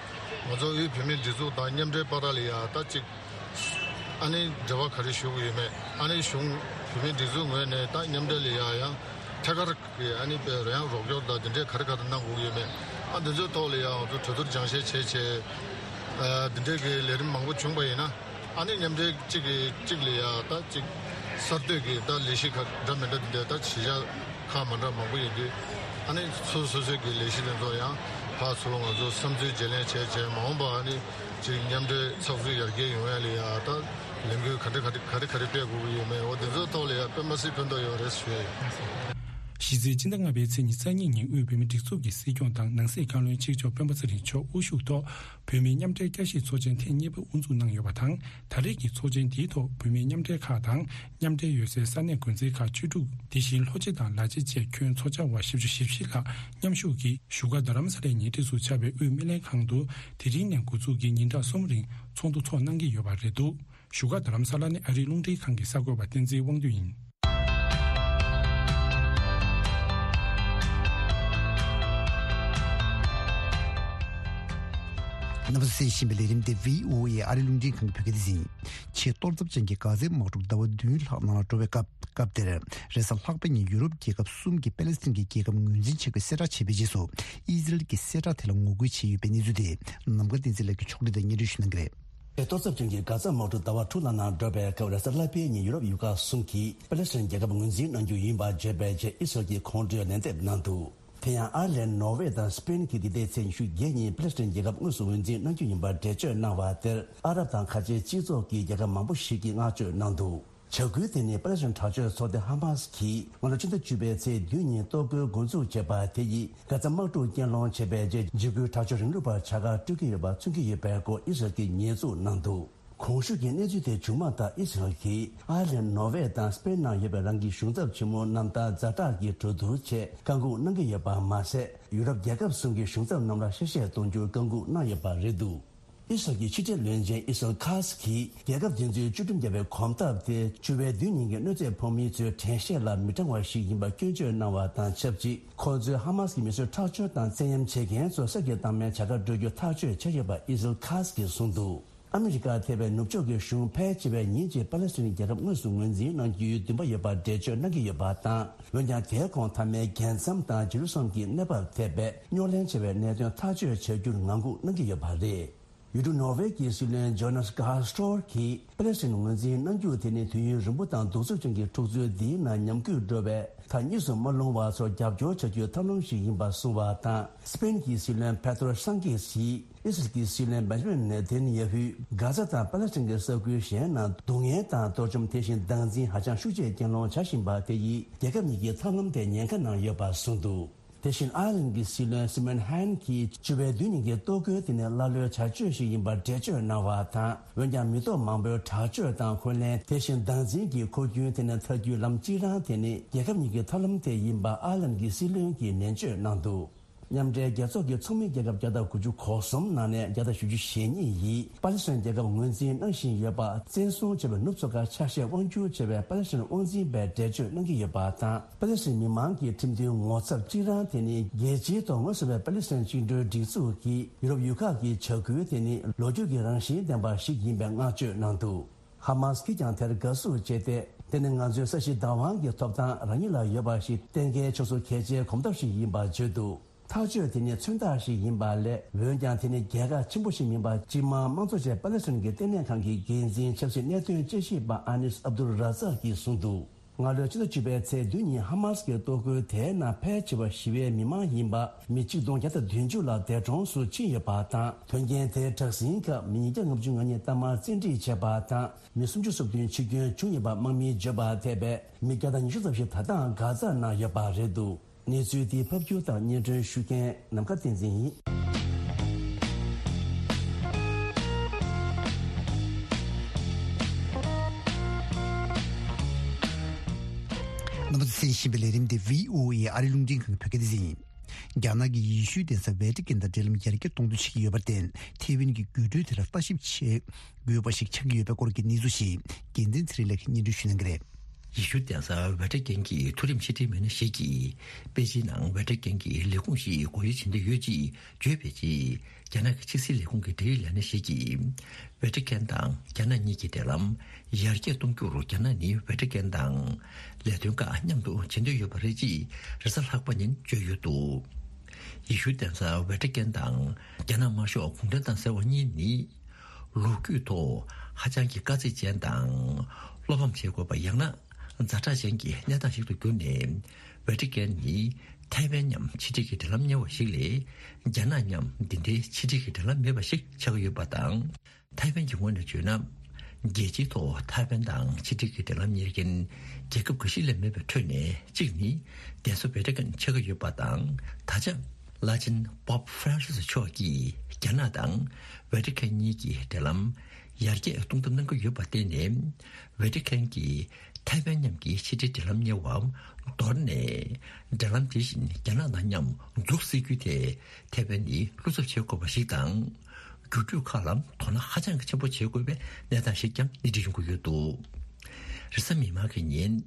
ང་ཚོ་དབུས་བོད་མིའི་སྒྲིག་འཛུགས་དང་མཉམ་འབྲེལ་བར་ལ་ཡ་ད་གཅིག་ཨ་ནི་འབྲེལ་བ་ག་རེ་ཞུ་གི་ཡོད་མེད། ཨ་ནི་གཞུང་བོད་མིའི་སྒྲིག་འཛུགས་ངོས་ནས་ད་མཉམ་འབྲེལ་ལ་ཡ་ཡང་ཐད་ཀར་གི་ཨ་ནི་དཔེ་རོལ་དབྱངས་རོགས་སྐྱོར་དང་དེ་འདྲའི་ག་རེ་ག་རེ་གནང་དགོས་ཀྱི་ཡོད་མེད། ཨ་འདི་ཚོའི་ཐོག་ལ་ཡང་ང་ཚོ་གྲོས་བསྡུར་སྦྱང་བཤད་བྱས་བྱས། ཨ་འདི་འདྲའི་གི་ལས་རིམ་མང་པོ་བྱུང་པ་ཡིན་ན། ཨ་ནི་མཉམ་འབྲེལ་གཅིག་གི་གཅིག་ལ་ཡ་ད་གཅིག་གསར་གཏོད་ཀྱི་ད་ལས་གཞི་ཁག་འདྲ་མི་འདྲ་འདི་འདྲ་ད་གཞིས་ཆགས་ཁག་མ་འདྲ་མང་པོ་ཡོད་དུས། ཨ་ནི་སོ་སོ་སོའི་གི་ལས་གཞི་དེ་ཚོ་ཡང་ཕར་ཚུར་ང་ཚོ་བསམ་ཚུལ་བརྗེ་ལེན་བྱས་བྱས། མ་འོངས་པ་ཨ་ནི་གཅིག་མཉམ་འབྲེལ་ཚགས་ཚུད་ཡར་རྒྱས་ཡོང་ཡ་ལ་ཡ་ད་ལས་འགུལ་ག་འདྲ་ག་འདྲ་ག་རེ་ག་རེ་སྤེལ་དགོས་ཀྱི་ཡོད་མེད། འོ་དེ་ཚོའི་ཐོག་ལ་ཡ་དཔེ་མ་སྲིད་ཕན་ཐོགས་ཡོད་རེད་ཞུ་ཡ་ཡིན། གཞི་རྩའི་སྤྱི་ཟླ་ལྔ་པའི་ཚེས་ཉི་ཤུ་རྩ་གཉིས་ཉིན་དབུས་བོད་མིའི་སྒྲིག་འཛུགས་ཀྱི་སྲིད་སྐྱོང་དང་ནང་སྲིད་བཀའ་བློན་གཅིག་ལྕོགས་སྤེན་པ་ཚེ་རིང་མཆོག་དབུ་བཞུགས་ཐོག་བོད་མིའི་མཉམ་འབྲེལ་བསྐྱར་ཞིབ་ཚོགས་ཆེན་ཐེངས་གཉིས་པ་དབུ་འཛུགས་གནང་ཡོད་པ་དང་། ད་རེས་ཀྱི་ཚོགས་ཆེན་འདིའི་ཐོག་བོད་མིའི་མཉམ་འབྲེལ་ཁག་དང་མཉམ་འབྲེལ་ཡོད་སའི་ས་གནས་འགོ་འཛིན་ཁག་བཅུ་དྲུག་དེ་བཞིན་ལྷོ་སྤྱི་དང་ལ་སྤྱི་བཅས་ཁྱོན་ཚོགས་བཅར་བ་བཞི་བཅུ་ཞེ་བཞི་ལྷག་མཉམ་ཞུགས་ཀྱིས་བཞུགས་སྒར་རྡ་རམ་ས་ལའི་ཉེ་འཁྲིས་སུ་ཆགས་པའི་དབུས་སྨན་ལྷན་ཁང་དུ་དེ་རིང་ནས་འགོ་འཛུགས་ཀྱིས་ཉིན་གྲངས་གསུམ་རིང་ཚོགས་འདུ་འཚོགས་གནང་གི་ཡོད་པ་རེད་འདུག་བཞུགས་སྒར་རྡ་རམ་ས་ལ་ནས་ཨ་རིའི་རླུང་འཕྲིན་ཁང་གི་གསར་འགོད་པ་བསྟན་འཛིན་དབང་འདུས་ཡིན། རྣམ་པ་ཚོས་གསན་བཞིན་པའི་ལས་རིམ་དེ་བྷི་ཨོ་ཨེ་ཨ་རིའི་རླུང་འཕྲིན་ཁང་གི་བོད་སྐད་སྡེ་ཚན་ཡིན། ཆེས་གཏོར་ཚབས་ཅན་གྱི་གྷ་ཛའི་དམག་འཁྲུག་ཟླ་བ་བདུན་ལྷག་ནང་ལ་འགྲོ་བའི་སྐབས་སྐབས་དེར། རེས་གཟའ་ལྷག་པའི་ཉིན་ཡུ་རོབ་རྒྱལ་ཁབ་གསུམ་གྱིས་པེ་ལེ་སི་ཐན་གྱི་རྒྱལ་ཁབ་ངོས་འཛིན་བྱེད་དགོས་གསལ་བསྒྲགས་བྱས་པའི་རྗེས་སུ། ཨི་ཟི་རལ་གྱིས་གསལ་བསྒྲགས་དེ་ལ་ངོ་རྒོལ་བྱས་ཡོད་པའི་གནས་ཚུལ་དེ། ནམ་མཁའ་བསྟན་འཛིན་ལགས་ཀྱིས་ཕྱོགས་སྒྲིག་དང་སྙན་སྒྲོན་ཞུ་གནང་གི་རེད། གཏོར་ཚབས་ཅན་གྱི་གྷ་ཛ་དམག་འཁྲུག་ཟླ་བ་དྲུག་ལྷག་ནང་འགྲོ་བའི་སྐབས། རེས་གཟའ་ལྷག་པའི་ཉིན་ཡུ་རོབ་ཡུལ་ཁག་གསུམ་གྱིས་པེ་ལེ་སི་ཐན་རྒྱལ་ཁབ་ངོས་འཛིན་གནང་རྒྱུ་ཡིན་པ་བརྗོད་པའི་རྗེས། ཨི་སི་རལ་གྱིས་ཁོང་ཁྲོའི་ལན་འདེབས་གནང་འདུག་དེ་ཡང་ཨར་ལན། ནོར་ཝེ་དང་སི་པེན་གྱིས་འདི་ཟླའི་ཚེས་ཉི་ཤུ་བརྒྱད་ཉིན་པེ་ལེ་སི་ཐན་རྒྱལ་ཁབ་དངོས་སུ་ངོས་འཛིན་གནང་རྒྱུ་ཡིན་པར་འགྲེལ་བརྗོད་གནང་བ་དེར། ཨ་རབ་དང་ཁ་ཆེའི་སྤྱི་ཚོགས་ཀྱི་རྒྱལ་ཁབ་མང་པོ་ཞིག་གིས་བསྔགས་བརྗོད་གནང་འདུག་བྱ་འགུལ་དེ་ནི་པེ་ལེ་སི་ཐན་དྲག་སྤྱོད་ཚོགས་སྡེ་ཧ་མ་སི་གིས་སྔ་ལོ་ཕྱི་ཟླ་བཅུ་པའི་ཚེས་བདུན་ཉིན་གཏོར་རྒོལ་འགོ་འཛུགས་བྱས་པ་དེ་ཡིས་གྷ་ཛ་དམག་འཁྲུག་རྐྱེན་སློང་བྱས་པའི་རྗེས། འཇིགས་སྐུལ་དྲག་སྤྱོད་རིང་ལུགས་པར་བྱ་དགའ་སྤྲོད་ཀྱི་ཡོད་པ་མཚོན་གྱི་ཡོད་པའི་སྐོར་ཨི་སི་རལ་གྱིས་ཉེས་འཛུགས་གནང་འདུག་གོང་ཞུས་ཀྱི་གནས་ཚུལ་དེ་བྱུང་མ་ཐག་ཨི་སི་རལ་གྱིས་ཨར་ལན། ནོར་ཝེ་དང་སི་པེན་ནང་ཡོད་པའི་རང་གི་གཞུང་ཚབ་ཆེན་མོ་རྣམས་དང་ཛ་དྲག་གི་གྲོས་བསྡུར་ཆེད་བཀའ་འགུག་གནང་གི་ཡོད་པ་མ་ཟད། ཡུ་རོབ་རྒྱལ་ཁབ་གསུམ་གྱི་གཞུང་ཚབ་རྣམས་ལ་ཤ་ཤེད་གཏོང་རྒྱུར་བཀའ་འགུག་གནང་ཡོད་པ་རེད་འདུག་ཨི་སི་རལ་གྱི་ཕྱི་འབྲེལ་བློན་ཆེན་ཨི་སི་རལ་ཁཱ་སི་གིས་རྒྱལ་ཁབ་དེ་ཚོའི་བཅའ་ཁྲིམས་འགལ་བའི་གོམ་སྟབས་དེ་བཅུ་པའི་བདུན་ཉིན་གྱི་གནོད་འཚེ་ཕོག་མི་ཚོའི་དྲན་ཤེས་ལ་མི་དྲང་བ་ཞིག་ཡིན་པ་སྐྱོན་བརྗོད་གནང་བ་དང་ཆབས་ཅིག་ཁོ་ཚོས་ཧ་མ་སི་གི་མི་གསོད་ཁྲག་སྦྱོར་དང་བཙན་གཡེམ་བྱེད་མཁན་ཚོ་གསེར་གྱི་རྟགས་མའི་བྱ་དགའ་སྤྲོད་རྒྱུ་ཐག་གཅོད་བྱས་ཡོད་པ་ཨི་སི་རལ་ཁཱ་སི་གིས་གསུངས་འདུག་ཨ་མི་རི་ཀ་ཐེ་བའི་ནུབ་ཕྱོགས་ཀྱི་གཞུང་ཕལ་ཆེ་བས་ཉིན་གཅིག་པ་ལེ་སི་ཐན་རྒྱལ་ཁབ་དངོས་སུ་ངོས་འཛིན་གནང་རྒྱུའི་འདུན་པ་ཡོད་པར་འགྲེལ་བརྗོད་གནང་གི་ཡོད་པ་དང་། འོན་ཀྱང་དེའི་གོང་མཐའ་མའི་རྒྱལ་མཚམས་དང་ཇེ་རུ་སཱ་ལེམ་གྱི་གནས་བབ་ཐེ་བའི་རྙོག་གླེང་ཆེ་བའི་གནད་དོན་ཐག་གཅོད་བྱ་རྒྱུར་ངང་སྒུག་གནང་གི་ཡོད་པ་རེད། ཡུལ་གྲུ་ནོར་ཝེ་གྱི་སྲིད་བློན་ཇོ་ནཱས་གྷར་སྟོར་གྱིས་པ་ལེ་སི་ཐན་ངོས་འཛིན་གནང་རྒྱུ་དེ་ནི་དུས་ཡུན་རིང་པོ་དང་གདུག་རྩུབ་ཅན་གྱི་འཁྲུག་རྩོད་འདིའི་ནང་ཉམས་རྒུད་འགྲོ་བའི་མཐའ་གཉིས་སུ་མ་ལྷུང་བ་སོགས་རྒྱབ་སྐྱོར་བྱ་རྒྱུའི་ཐབས་ལམ་ཞིག་ཡིན་པ་གསུངས་པ་དང་། སི་པེན་གྱི་སྲིད་བློན་པེ་ཏྲོ་སང་ཆེས་ཀྱིས་ཨི་སི་རལ་གྱི་སྲིད་བློན་བེན་ཇ་མིན་ནེ་ཐན་ཡ་ཧུས་གྷ་ཛ་དང་པ་ལེ་སི་ཐན་གྱི་ས་ཁུལ་གཞན་ནང་སྡུག་བསྔལ་དང་གཏོར་བཅོམ་དེ་བཞིན་སྟངས་འཛིན་ཧ་ཅང་ཤུགས་ཆེ་རྐྱེན་སློང་བྱ་བཞིན་པ་དེ་ཡིས་རྒྱལ་ཁབ་གཉིས་ཀྱི་ཐབས་ལམ་དེ་ཉེན་ཁ་ནང་ཡོད་པ་གསུངས་འདུག་དེ་བཞིན་ཨའི་ལན་གྱི་སྲིད་བློན་སི་མོན་ཧན་གྱིས་བཅུ་པའི་བདུན་ཉིན་གྱི་གཏོར་རྒོལ་དེ་ནི་ཀླ་ཀློའི་བྱ་སྤྱོད་ཞིག་ཡིན་པར་འགྲེལ་བརྗོད་གནང་བ་དང་། འོན་ཀྱང་མི་ཐོག་མང་པོའི་དྲག་སྤྱོད་དང་འཁོན་ལན། དེ་བཞིན་སྟངས་འཛིན་གྱི་འཁོར་རྒྱུན་དེ་ནི་ཐར་རྒྱུའི་ལམ་གཅིག་རང་དེ་ནི་རྒྱལ་ཁབ་གཉིས་ཀྱི་ཐབས་ལམ་དེ་ཡིན་པ་ཨའི་ལན་གྱི་སྲིད་བློན་གྱིས་ནན་བརྗོད་གནང་འདུག་མཉམ་འབྲེལ་རྒྱལ་ཚོགས་ཀྱི་ཚོགས་མི་རྒྱལ་ཁབ་བརྒྱ་དང་དགུ་བཅུ་གོ་གསུམ་ནང་ནས་བརྒྱ་དང་བཞི་བཅུ་ཞེ་གཉིས་ཡིས་པ་ལི་སི་ཐན་རྒྱལ་ཁབ་ངོས་འཛིན་གནང་བཞིན་ཡོད་པ་བཙན་བཟུང་བྱས་པའི་ནུབ་ཚོ་ཁ་ཆ་ཤས་དབང་སྒྱུར་བྱས་པའི་པ་ལི་སི་ཐན་དབང་འཛིན་པས་འགྲེལ་བརྗོད་གནང་གི་ཡོད་པ་དང་། པ་ལི་སི་ཐན་མི་མང་གི་ཁྲིམས་མཐུན་ངོ་ཚབ་གཅིག་རང་དེ་ནི་རྒྱལ་སྤྱིའི་ཐོག་ངོས་བཟུང་བའི་པ་ལི་སི་ཐན་བཅིངས་འགྲོལ་སྒྲིག་འཛུགས་ཀྱིས་ཡུ་རོབ་ཡུལ་ཁག་གི་བྱ་འགུལ་དེ་ནི་ལོ་རྒྱུས་ཀྱི་རང་བཞིན་ལྡན་པ་ཞིག་ཡིན་པའི་བསྔགས་བརྗོད་གནང་འདུག་ཧ་མཱས་ཀྱིས་ཀྱང་དེར་དགའ་བསུ་བྱས་ཏེ། དེ་ནི་ང་ཚོའི་ས་གཞི་བདག་དབང་གི་ཐོབ་ཐང་རང་ཉིད་ལ་ཡོད་པ་ཞིག་གཏན་འཁེལ་ཆོག་སོ་གལ་ཆེའི་གོམ་སྟབས་ཤིག་ཡིན་པ་བརྗོད་འདུག་ཐག་གཅོད་དེ་ནི་མཚོན་རྟགས་ཤིག་ཡིན་པ་ལས། འོན་ཀྱང་དེ་ནི་རྒྱལ་ཁ་ཆེན་པོ་ཞིག་མིན་པ། སྤྱི་དམངས་དམངས་གཙོ་ཅན་པ་ལེ་སི་ཐན་གྱི་ལྟེ་གནས་ཁང་གི་འགན་འཛིན་ཆབ་སྲིད་གནད་དོན་དཔྱད་ཞིབ་པ་ཨ་ནིས་ཨབ་དུལ་ར་ཛག་གིས་གསུངས་འདུག་སྔ་ལོའི་ཕྱི་ཟླ་བཅུ་པའི་ཚེས་བདུན་ཉིན་ཧ་མཱས་ཀྱི་གཏོར་རྒོལ་དེའི་ནང་ཕལ་ཆེ་བ་ཞི་བའི་མི་མང་ཡིན་པ། མི་གཅིག་སྟོང་བརྒྱ་དང་བདུན་ཅུ་ལ་འདས་གྲོངས་སུ་ཕྱིན་ཡོད་པ་དང་། དོན་རྐྱེན་དེའི་དྲག་ཟིང་སྐབས་མི་ཉིས་བརྒྱ་ལྔ་བཅུ་ང་གཉིས་གཏའ་མར་བཙན་ཁྲིད་བྱས་པ་དང་། མི་སུམ་ཅུ་སོ་བདུན་འཆི་སྐྱོན་བྱུང་ཡོད་པ་དམག་མིས་བརྗོད་པ་ཐད་པའི་མི་བརྒྱ་དང་ཉི་ཤུ་ཙམ་ཞིག་ད་ལྟའང་གྷ་ཛ་ནང་ཡོད་པ་རེད་འདུག་གནས་ཚུལ་འདི་ཕབ་སྒྱུར་དང་སྙན་སྒྲོན་ཞུ་མཁན་ནམ་མཁའ་བསྟན་འཛིན་ཡིན། རྣམ་པ་ཚོས་གསན་བཞིན་པའི་ལས་རིམ་འདི་བྷི་ཨོ་ཨེ་ཨ་རིའི་རླུང་འཕྲིན་ཁང་གི་བོད་སྐད་སྡེ་ཚན་ཡིན། རྒྱ་ནག་གིས་ཡེ་ཤུའི་གདན་ས་ཝེ་ཏི་ཀན་དང་འབྲེལ་ལམ་ཡར་རྒྱས་གཏོང་འདོད་བྱེད་ཀྱི་ཡོད་པར་བརྟེན། ཐེ་ཝན་གྱི་རྒྱུགས་སྤྲོད་དེ་ལ་ལྟ་ཞིབ་བྱེད་དགོས་པ་ཞིག་ཆགས་ཀྱི་ཡོད་པའི་སྐོར་གྱི་གནས་ཚུལ་ཞིག་རྒྱལ་མཚན་ཚེ་རིང་ལགས་ཀྱིས་སྙན་སྒྲོན་ཞུ་གནང་གི་རེད། ཡེ་ཤུ་གདན་ས་ཝེ་ཏི་ཀན་གྱི་མཐོ་རིམ་ཕྱི་དྲིལ་མི་སྣ་ཞིག་གིས། པེ་ཅིན་ནང་ཝེ་ཏི་ཀན་གྱི་ལས་ཁུངས་ཤིག་སྒོ་དབྱེ་བྱེད་འདོད་ཡོད་ཅེས་བརྗོད་པའི་རྗེས། རྒྱ་ནག་གི་ཕྱི་སྲིད་ལས་ཁུངས་ཀྱི་འབྲེལ་ཡོད་ལས་སྣེ་ཞིག་གིས། ཝེ་ཏི་ཀན་དང་རྒྱ་ནག་གཉིས་ཀྱི་འབྲེལ་ལམ་ཡར་རྒྱས་གཏོང་རྒྱུར་རྒྱ་ནག་ནི་ཝེ་ཏི་ཀན་དང་ལས་དོན་ཁག་མཉམ་དུ་བྱེད་འདོད་ཡོད་པ་རེད་ཅེས་རེས་གཟའ་ལྷག་པ་ཉིན་བརྗོད་ཡོད་འདུག་ཡེ་ཤུ་གདན་ས་ཝེ་ཏི་ཀན་དང་རྒྱ་ནག་དམར་ཤོག་གུང་ཁྲན་ཏང་ཟེར་བ་གཉིས་ནི། ལོ་རྒྱུས་ཐོག་ཧ་ཅང་གི་དཀའ་ཚེགས་ཅན་དང་། བློ་ཕམ་བྱེད་དགོས་པ་ཡང་ན། ཛ་དྲག་ཅན་གྱི་གནས་སྟངས་ཤིག་ཏུ་གྱུར་ནས། ཝེ་ཏི་ཀན་ནི་ཐའེ་ཝན་མཉམ་ཕྱི་འབྲེལ་གྱི་འབྲེལ་ལམ་གཉེར་བ་ཞིག་ལས། རྒྱ་ནག་མཉམ་འདི་འདྲའི་ཕྱི་འབྲེལ་གྱི་འབྲེལ་ལམ་མེད་པ་ཞིག་ཆགས་ཀྱི་ཡོད་པ་དང་། ཐའེ་ཝན་གྱི་ངོས་ནས་བརྗོད་ན། རྒྱལ་སྤྱིའི་ཐོག་ཐའེ་ཝན་དང་ཕྱི་འབྲེལ་གྱི་འབྲེལ་ལམ་གཉེར་མཁན་རྒྱལ་ཁབ་འགའ་ཤས་ལས་མེད་པའི་ཁྲོད་ནས་གཅིག་ནི། གདན་ས་ཝེ་ཏི་ཀན་ཆགས་ཀྱི་ཡོད་པ་དང་། ད་ཆ་བླ་ཆེན་པོབ་ཧྥ་རན་སིས་མཆོག་གིས་རྒྱ་ནག་དང་ཝེ་ཏི་ཀན་གཉིས་ཀྱི་འབྲེལ་ལམ་ཡར་རྒྱས་གཏོང་ཐབས་གནང་གི་ཡོད་པར་བརྟེན་ནས། ཝེ་ཏི་ཀན་གྱིས་ཐའེ་ཝན་མཉམ་གྱི་ཕྱི་འབྲེལ་འབྲེལ་ལམ་གཉེར་བ་མདོར་ནས། འབྲེལ་ལམ་དེ་བཞིན་རྒྱ་ནག་དང་མཉམ་འཛུགས་སྲིད་རྒྱུ་དེ་ཐའེ་ཝན་ནི་བློ་འཚབ་བྱེད་དགོས་པ་ཞིག་དང་། རྒྱུགས་སྤྲོད་ཁག་ལ་དོ་སྣང་ཧ་ཅང་གི་ཆེན་པོ་བྱེད་དགོས་པའི་གནས་སྟངས་ཤིག་ཀྱང་སྣེ་ཁྲིད་ཡོང་གི་ཡོད་འདུག་རེས་གཟའ་མིག་དམར་གྱི་ཉིན།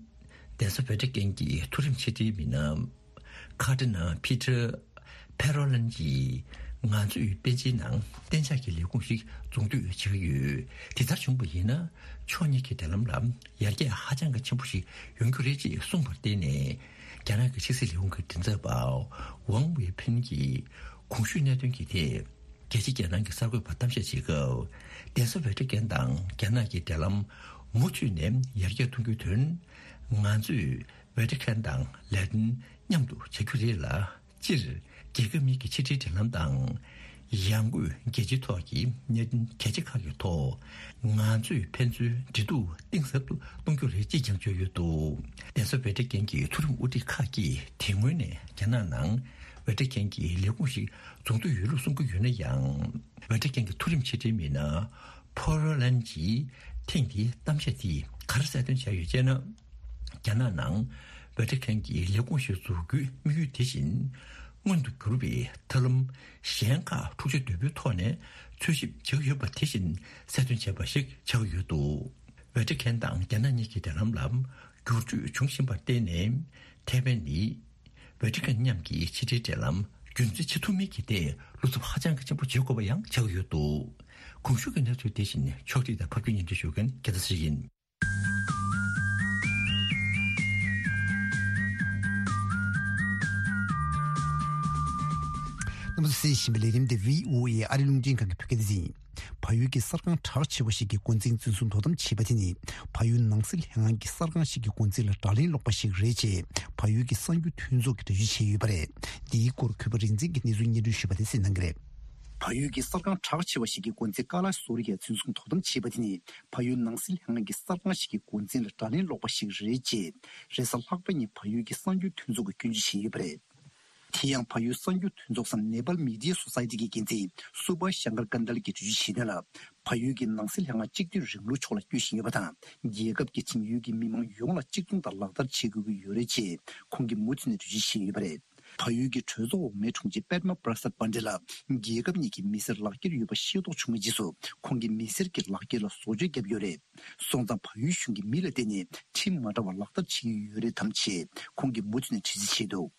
གདན་ས་ཝེ་ཏི་ཀན་གྱི་མཐོ་རིམ་ཕྱི་དྲིལ་མི་སྣ། ཁ་ཏི་ན་ཕི་ཏྲ། ཕེ་རོ་ལན་གྱིས། ང་ཚོས་པེ་ཅིན་ནང་གཏན་འཇགས་ཀྱི་ལས་ཁུངས་ཤིག་འཛུགས་འདོད་བྱེད་ཀྱི་ཡོད། དེ་ལྟར་བྱུང་བ་ཡིན་ན། ཕྱོགས་གཉིས་ཀྱི་འབྲེལ་ལམ་ལ་ཡར་རྒྱས་ཧ་ཅང་གི་ཆེན་པོ་ཞིག་ཡོང་རྒྱུ་རེད་ཅེས་གསུངས་པར་བརྟེན་ནས། རྒྱ་ནག་གི་ཕྱི་སྲིད་ལས་ཁུངས་ཀྱི་མགྲིན་ཚབ་པ་ཝང་ཝེ་ཕིན་གྱིས་གོང་ཞུས་གནད་དོན་གྱི་ཐད། རྒྱལ་སྤྱི་རྒྱལ་ནང་གི་གསར་འགོད་པར་གཏམ་བཤད་བྱེད་སྐབས། གདན་ས་ཝེ་ཏི་ཀན་དང་རྒྱ་ནག་གི་འབྲེལ་ལམ་མུ་མཐུད་ནས་ཡར་རྒྱས་གཏོང་རྒྱུའི་དོན། ང་ཚོས་ཝེ་ཏི་ཀན་དང་ལས་དོན་མཉམ་དུ་བྱ་རྒྱུ་རེད་ལ། སྤྱིར། རྒྱལ་ཁབ་གཉིས་ཀྱི་ཕྱི་འབྲེལ་འབྲེལ་ལམ་དང་། ཡང་སྒོས་རྒྱལ་སྤྱིའི་ཐོག་གི་གནད་དོན་གལ་ཆེ་ཁག་གི་ཐོག་ང་ཚོས་ཕན་ཚུན་འབྲེལ་གཏུག་གཏིང་ཟབ་ཏུ་གཏོང་རྒྱུ་རེད་ཅེས་ཀྱང་བརྗོད་ཡོད་འདུག་གདན་ས་ཝེ་ཏི་ཀན་གྱི་མཐོ་རིམ་དབུ་ཁྲིད་ཁག་གིས་དེ་སྔོན་ནས་རྒྱ་ནག་ནང་ཝེ་ཏི་ཀན་གྱི་ལས་ཁུངས་ཤིག་འཛུགས་འདོད་ཡོད་ལུགས་གསུང་གི་ཡོད་ན་ཡང་། ཝེ་ཏི་ཀན་གྱི་མཐོ་རིམ་ཕྱི་འབྲེལ་མི་སྣ་ཕོ་རོ་ལན་གྱིས་ཐེངས་འདིའི་གཏམ་བཤད་དེས་ག་རེ་གསལ་སྟོན་བྱས་ཡོད་ཅེ་ན། རྒྱ་ནག་ནང་ཝེ་ཏི་ཀན་གྱི་ལས་ཁུངས་ཤིག་འཛུགས་རྒྱུའི་དམིགས་ཡུལ་དེ་བཞིན་མངོན་དུ་གྱུར་བའི་ཐབས་ལམ་གཞན་ཁག་འཁྲུག་ཆ་དོད་པོའི་ཐོག་ནས་འཚོལ་ཞིབ་བྱེད་ཀྱི་ཡོད་པ་དེ་བཞིན་གསལ་སྟོན་བྱས་པ་ཞིག་ཆགས་ཀྱི་ཡོད་འདུག་ཝེ་ཏི་ཀན་དང་རྒྱ་ནག་གཉིས་ཀྱི་འབྲེལ་ལམ་ལ་འགྱུར་བཅོས་འབྱུང་བཞིན་པར་བརྟེན་ནས། ཐའེ་ཝན་ནི་ཝེ་ཏི་ཀན་མཉམ་གྱི་ཕྱི་འབྲེལ་འབྲེལ་ལམ་རྒྱུན་འཛིན་བྱེད་ཐུབ་མིན་གྱི་ཐད་བློ་འཚབ་ཧ་ཅང་གི་ཆེན་པོ་བྱེད་དགོས་པ་ཡང་ཆགས་ཀྱི་ཡོད་འདུག་གོང་ཞུས་ཀྱི་གནས་ཚུལ་དེ་བཞིན་ཕྱོགས་སྒྲིག་དང་ཕབ་སྒྱུར་སྙན་སྒྲོན་ཞུ་མཁན་རྒྱལ་མཚན་ཚེ་རིང་ཡིན། རྣམ་པ་ཚོས་གསན་བཞིན་པའི་ལས་རིམ་དེ་བྷི་ཨོ་ཨེ་ཨ་རིའི་རླུང་འཕྲིན་ཁང་གི་བོད་སྐད་སྡེ་ཚན་ཡིན། བལ་ཡུལ་གྱི་གསར་ཁང་གྲགས་ཆེ་བ་ཞིག་གི་འགོ་འཛིན་འཛིན་བཟུང་དོ་དམ་བྱས་པ་དེ་ནི། བལ་ཡུལ་ནང་སྲིད་ལྷན་ཁང་གི་གསར་ཁང་ཞིག་གི་འགོ་འཛིན་ལ་དགྲ་ལན་སློག་པ་ཞིག་རེད་ཅེས་བལ་ཡུལ་གྱི་གསར་འགྱུར་མཐུན་ཚོགས་ཀྱིས་འགྲེལ་བརྗོད་བྱས་ཡོད་པ་རེད། འདིའི་སྐོར་གུས་པ་རིག་འཛིན་གྱིས་གནས་ཚུལ་སྙན་སྒྲོན་ཞུས་པ་དེ་གསན་གནང་གི་རེད། བལ་ཡུལ་གྱི་གསར་ཁང་གྲགས་ཆེ་བ་ཞིག་གི་འགོ་འཛིན་ཀ་ལ་སོ་རི་ཡ་འཛིན་བཟུང་དོ་དམ་བྱས་པ་དེ་ནི། བལ་ཡུལ་ནང་སྲིད་ལྷན་ཁང་གི་གསར་ཁང་ཞིག་གི་འགོ་འཛིན་ལ་དགྲ་ལན་སློག་པ་ཞིག་རེད་ཅེས། རེས་གཟའ་ལྷག་པ་ཉིན་བལ་ཡུལ་གྱི་གསར་འགྱུར་མཐུན་ཚོགས་ཀྱིས་སྐྱོན་བརྗོད་བྱས་ཡོད་པ་རེད། དེ་ཡང་བལ་ཡུལ་གསར་འགྱུར་མཐུན་ཚོགས་སམ་Nepal Media Society གི་འགན་འཛིན་སུ་བྷ་ཤང་ཀར་ཀན་དལ་གྱིས་འགྲེལ་བརྗོད་བྱས་དོན་ལ། བལ་ཡུལ་གྱི་ནང་སྲིད་ལྷན་ཁང་གཅིག་སྡུད་རིང་ལུགས་ཕྱོགས་ལ་སྐྱོད་བཞིན་ཡོད་པ་དང་། རྒྱལ་ཁབ་ཀྱི་ཁྲིམས་ཡུལ་གྱི་མི་མང་ཡོངས་ལ་གཅིག་མཚུངས་དང་ལག་བསྟར་བྱེད་དགོས་ཀྱི་ཡོད་རེད་ཅེས་ཁོང་གིས་མུ་མཐུད་ནས་འགྲེལ་བརྗོད་བྱས་ཡོད་པ་རེད། བལ་ཡུལ་གྱི་གྲོས་ཚོགས་འོག་མའི་དྲུང་ཆེ་པད་མ་པྲ་སད་པན་ཌེ་ལ་རྒྱལ་ཁབ་གཉིས་ཀྱི་མི་སེར་ལག་འཁྱེར་ཡོད་པ་ཤེས་རྟོགས་བྱུང་བའི་རྗེས་སུ། ཁོང་གིས་མི་སེར་གྱི་ལག་འཁྱེར་ལ་བཟོ་བཅོས་བརྒྱབ་ཡོད་རེད། སོང་ཙང་བལ་ཡུལ་གཞུང་གིས་མི་ལ་བརྟེན་ནས་ཁྲིམས་མ་འདྲ་བ་ལག་བསྟར་བྱེད་ཀྱི་ཡོད་རེད་དམ་ཞེས་ཁོང་གིས་མུ་མཐུད་ནས་དྲི་རྩད་བྱས་འདུག་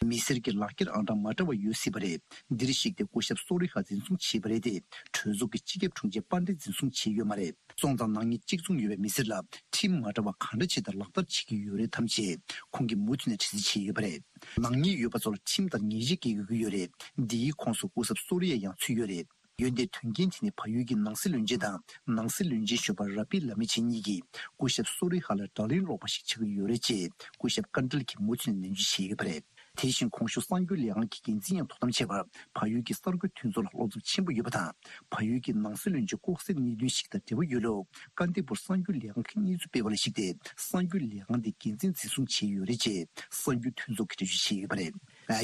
མི་སེར་གྱི་ལག་འཁྱེར་ཨང་གྲངས་མ་འདྲ་བ་ཡོད་སྲིད་པ་རེད། འདིར་གཞིགས་ཏེ་སྐུ་ཞབས་སོ་རི་ཧ་འཛིན་བཟུང་བྱས་པ་རེད་དེ། གྲོས་ཚོགས་ཀྱི་སྤྱི་ཁྱབ་དྲུང་ཆེ་པན་ཌེ་འཛིན་བཟུང་བྱས་ཡོད་མ་རེད། སོང་ཙང་ནག་ཉེས་གཅིག་མཚུངས་ཡོད་པའི་མི་སེར་ལ་ཁྲིམས་མ་འདྲ་བ་གང་འདྲ་བྱས་ཏེ་ལག་བསྟར་བྱེད་ཀྱི་ཡོད་རེད་དམ་ཞེས་ཁོང་གིས་མུ་མཐུད་ནས་དྲི་རྩད་བྱས་ཡོད་པ་རེད། ནག་ཉེས་ཡོད་པ་ཚོ་ལ་ཁྲིམས་ལྟར་ཉེས་ཆད་འགེལ་དགོས་ཀྱི་ཡོད་རེད། འདིའི་ཁོངས་སུ་སྐུ་ཞབས་སོ་རི་ཡ་ཡང་ཚུད་ཡོད་རེད། འོན་ཏེ་དོན་རྐྱེན་དེ་ནི་བལ་ཡུལ་གྱི་ནང་སྲིད་བློན་ཆེན་དང་ནང་སྲིད་བློན་ཆེན་གཞོན་པ་ར་པི་ལ་མི་ཆེན་གཉིས་ཀྱིས་སྐུ་ཞབས་སོ་རི་ཧ་ལ་དགྲ་ལན་སློག་པ་ཞིག་ཆགས་ཀྱི་ཡོད་རེད་ཅེས་སྐུ་ཞབས་ཀན་ཏལ་གྱིས་མུ་མཐུད་ནས་ནན་བརྗོད་བྱས་ཡོད་པ་རེད། དེ་བཞིན་གོང་ཞུས་གསར་འགྱུར་ལས་ཁང་གི་འགན་འཛིན་ཡང་དོ་དམ་བྱས་པར་བལ་ཡུལ་གྱི་གསར་འགྱུར་མཐུན་ཚོགས་ལ་བློ་འཚབ་ཆེན་པོ་ཡོད་པ་དང་། བལ་ཡུལ་གྱི་ནང་སྲིད་བློན་ཆེན་ལྐོག་ཟའི་གནད་དོན་ཞིག་དང་འབྲེལ་བ་ཡོད་ལུགས་ཀ་ཏི་པུར་གསར་འགྱུར་ལས་ཁང་གིས་གནས་ཚུལ་སྤེལ་བ་ལ་གཞིགས་ཏེ། གསར་འགྱུར་ལས་ཁང་དེ་འགན་འཛིན་འཛིན་བཟུང་བྱས་ཡོད་རེད་ཅེས་གསར་འགྱུར་མཐུན་ཚོགས་ཀྱིས་འགྲེལ་བརྗོད་བྱས་ཡོད་པ་རེད།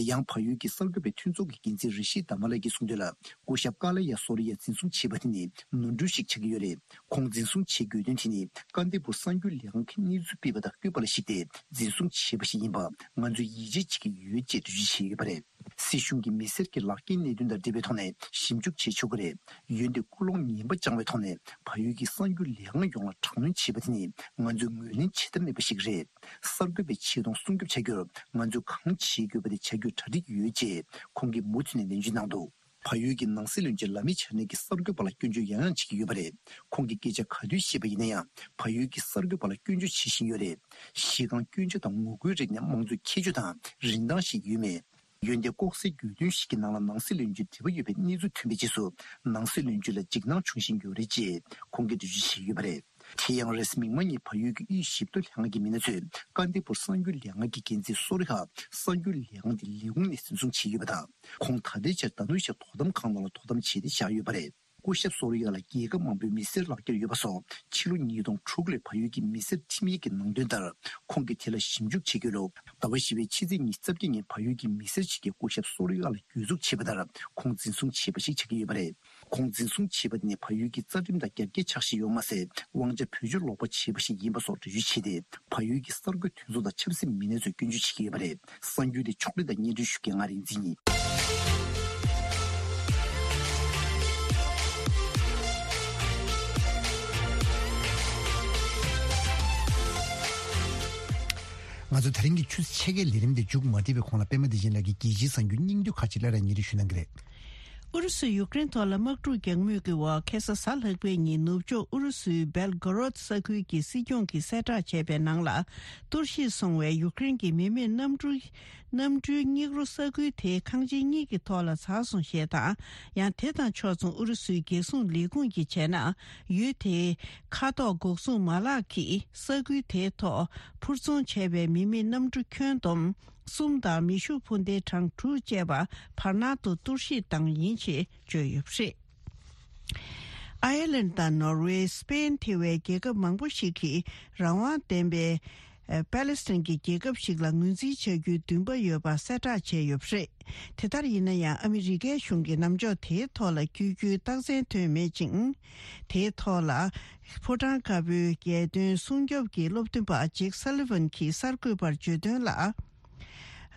ཡང་བལ་ཡུལ་གྱི་གསར་འགོད་པའི་མཐུན་ཚོགས་ཀྱི་འགན་འཛིན་རི་ཤི་དྷ་མ་ལ་གིས་གསུངས་དོན་ལ། སྐུ་ཞབས་ཀ་ལ་ཡ་སོ་རི་ཡ་འཛིན་བཟུང་བྱས་པ་དེ་ནི་ནོར་འཁྲུལ་ཞིག་ཆགས་ཀྱི་ཡོད་རེད། ཁོང་འཛིན་བཟུང་བྱེད་དགོས་དོན་དེ་ནི་ཀ་ཏི་པུར་གསར་འགྱུར་ལས་ཁང་གིས་གནས་ཚུལ་སྤེལ་བ་དང་བཀོད་པ་ལ་གཞིགས་ཏེ་འཛིན་བཟུང་བྱས་པ་ཞིག་ཡིན་པ་ང་ཚོས་ཡིད་ཆེས་བྱེད་ཀྱི་ཡོད་ཅེས་འགྲེལ་བརྗོད་བྱས་ཡོད་པ་རེད། སྲིད་གཞུང་གིས་མི་སེར་གྱི་ལག་འཁྱེར་གནད་དོན་དང་འབྲེལ་བའི་ཐོག་ནས་ཞིབ་འཇུག་བྱེད་ཆོག་གི་རེད། འོན་ཏེ་ཀུན་སློང་ངན་པ་བཅངས་པའི་ཐོག་ནས་བལ་ཡུལ་གྱི་གསར་འགྱུར་ལས་ཁང་ཡོངས་ལ་དྲག་གནོན་བྱས་པ་དེ་ནི་ང་ཚོས་ངོས་ལེན་བྱེད་ཐབས་མེད་པ་ཞིག་རེད། གསར་འགོད་པའི་ཆེ་མཐོང་སྲུང་སྐྱོབ་བྱ་རྒྱུར་ང་ཚོས་གང་བྱེད་དགོས་པ་དེ་བྱ་རྒྱུར་གྲ་སྒྲིག་ཡོད་ཅེས་ཁོང་གིས་མུ་མཐུད་ནས་ནན་བརྗོད་གནང་འདུག་བལ་ཡུལ་གྱི་ནང་སྲིད་བློན་ཆེན་ལ་མི་ཆ་ནེ་གིས་གསར་འགོད་པ་ལ་སྐྱོན་བརྗོད་ཡང་ཡང་བྱེད་ཀྱི་ཡོད་པ་རེད། ཁོང་གིས་སྐད་ཆ་ག་དུས་བཤད་པ་ཡིན་ན་ཡང་བལ་ཡུལ་གྱི་གསར་འགོད་པ་ལ་སྐྱོན་བརྗོད་བྱེད་བཞིན་ཡོད་རེད། གཞི་རྐང་སྐྱོན་ཆ་དང་ངོ་རྒོལ་རིགས་ནི་དམངས་གཙོའི་ཁྱད་ཆོས་དང་རིན་ཐང་ཞིག་ཡོད་མེད། འོན་ཏེ་ལྐོག་ཟའི་གྱོད་དོན་ཞིག་གི་ནང་ལ་ནང་སྲིད་བློན་ཆེན་འབྲེལ་བ་ཡོད་པའི་གནས་ཚུལ་ཐོན་པའི་རྗེས་སུ་ནང་སྲིད་བློན་ཆེན་ལ་འཇིགས་སྣང་བྱུང་བཞིན་ཡོད་རེད་ཅེས་ཁོང་གིས་འགྲེལ་བརྗོད་བྱས་ཡོད་པ་རེད། དེ་ཡང་རེས་མིག་དམར་ཉིན་བལ་ཡུལ་གྱི་དབུས་ཞིབ་ཐོ་ལྷན་ཁང་གི་མི་སྣ་ཚོས་ཀ་ཏི་པུར་གསར་འགྱུར་ལས་ཁང་གི་འགན་འཛིན་སོ་རི་ཧ་གསར་འགྱུར་ལས་ཁང་དེ་ལས་ཁུངས་ནས་འཛིན་བཟུང་བྱས་ཡོད་པ་དང་། ཁོང་ད་ལྟའི་ཆར་དྷ་ནུ་ཤ་དོ་དམ་ཁང་ནང་ལ་དོ་དམ་བྱས་ཏེ་བཞག་ཡོད་པ་རེད། སྐུ་ཞབས་སོ་རི་ཡ་ལ་རྒྱལ་ཁབ་མང་པོའི་མི་སེར་ལག་འཁྱེར་ཡོད་པ་སོགས་ཕྱི་ལོ་ཉིས་སྟོང་དྲུག་ལོའི་བལ་ཡུལ་གྱི་མི་སེར་ཁྲིམས་ཡིག་གི་ནང་དོན་ལྟར་ཁོང་གིས་དེ་ལ་ཞིབ་འཇུག་བྱེད་དགོས་ལུགས་ཟླ་བ་བཞི་པའི་ཕྱི་ཚེས་ཉི་ཤུ་རྩ་བརྒྱད་ཉིན་བལ་ཡུལ་གྱི་མི་སེར་ཞིག་གིས་སྐུ་ཞབས་སོ་རི་ཡ་ལ་གྱོད་འཛུགས་བྱས་པ་ལྟར་ཁོང་འཛིན་བཟུང་བྱས་པ་ཞིག་ཆགས་ཀྱི་ཡོད་པ་རེད། ཁོང་འཛིན་བཟུང་བྱས་པ་དེ་ནི་བལ་ཡུལ་གྱི་རྩ་ཁྲིམས་དང་རྒྱབ་འགལ་ཆགས་བཞིན་ཡོད་མ་ཟད། དབང་ཆ་བེད་སྤྱོད་ལོག་པ་བྱས་པ་ཞིག་ཡིན་པ་སོགས་འགྲེལ་བརྗོད་བྱས་ཏེ། བལ་ཡུལ་གྱི་གསར་འགོད་མཐུན་ཚོགས་དང་ཆབ་སྲིད་མི་སྣ་ཚོས་སྐྱོན་བརྗོད་བྱེད་ཀྱི་ཡོད་པ་རེད། གསར་འགྱུར་དེ་ཕྱོགས་སྒྲིག་དང་སྙན་སྒྲོན་ཞུ་མཁན་ང་རིག་འཛིན་ཡིན། ང་ཚོ་དེ་རིང་གི་ཆུ་ཚོད་ཕྱེད་ཀའི་ལས་རིམ་དེ་མཇུག་མ་སྒྲིལ་བའི་གོང་ལ་པད་མ་བདེ་ཆེན་ལགས་ཀྱིས་རྒྱལ་སྤྱིའི་གསར་འགྱུར་སྙིང་བསྡུས་ཁག་ཅིག་སླར་ཡང་སྙན་སྒྲོན་ཞུ་གནང་གི་རེད། ཨུ་རུ་སུས་ཡུཀ་རེན་ཐོག་ལ་དམག་འཁྲུག་རྒྱག་མུས་ཀྱི་འོག་ཁ་སང་གཟའ་ལྷག་པའི་ཉིན་ནུབ་ཕྱོགས་ཨུ་རུ་སུའི་སྦེལ་གོ་རོད་ས་ཁུལ་གྱི་སྲིད་སྐྱོང་གིས་གསལ་བསྒྲགས་བྱས་པའི་ནང་ལ། གཏོར་བཤིག་སོང་བའི་ཡུཀ་རེན་གྱི་མི་མེད་གནམ་གྲུ་གནམ་གྲུའི་སྙིགས་རོ་ས་ཁུལ་དེའི་ཁང་ཆེན་གཉིས་ཀྱི་ཐོག་ལ་འཛགས་སོང་ཞེས་དང་། ཡང་དེ་དང་ཕྱོགས་མཚུངས་ཨུ་རུ་སུའི་རྒྱལ་སྲུང་ལས་ཁུངས་ཀྱིས་བྱས་ན། ཡུལ་དེའི་མཁའ་ཐོག་འགོག་སྲུང་མ་ལག་གིས་ས་ཁུལ་དེའི་ཐོག་འཕུར་འཚོང་བྱས་པའི་མི་མེད་གནམ་གྲུ་ཁྱོན་བསྡོམས་གསུམ་དང་མེ་ཤུགས་འཕུར་མདེལ་གྲངས་དྲུག་བཅས་པ་བར་སྣང་དུ་གཏོར་བཤིག་བཏང་ཡིན་ཞེས་བརྗོད་ཡོད་པ་རེད། ཨའི་ལན་དང་ནོར་ཝེ། སི་པེན། ཐེ་བའི་རྒྱལ་ཁབ་མང་པོ་ཞིག་གིས་རང་དབང་ལྡན་པའི་ཨ་པེ་ལེ་སི་ཐན་གྱི་རྒྱལ་ཁབ་ཞིག་ལ་ངོས་འཛིན་བྱ་རྒྱུའི་འདུན་པ་ཡོད་པ་གསལ་བསྒྲགས་བྱས་ཡོད་པ་རེད། དེ་ལྟར་ཡིན་ན་ཡང་ཨ་མི་རི་ཀའི་གཞུང་གིས་ལམ་ཕྱོགས་དེའི་ཐོག་ལ་བསྐྱོད་རྒྱུའི་རྟགས་མཚན་ཐོན་མེད་ཅིང་། དེའི་ཐོག་ལ་ཕོ་བྲང་དཀར་པོའི་རྒྱལ་དོན་སྲུང་སྐྱོབ་ཀྱི་སློབ་སྟོན་པ་ཇེག་སཱ་ལི་ཝན་གྱིས་གསར་འགོད་པར་བརྗོད་དོན་ལ།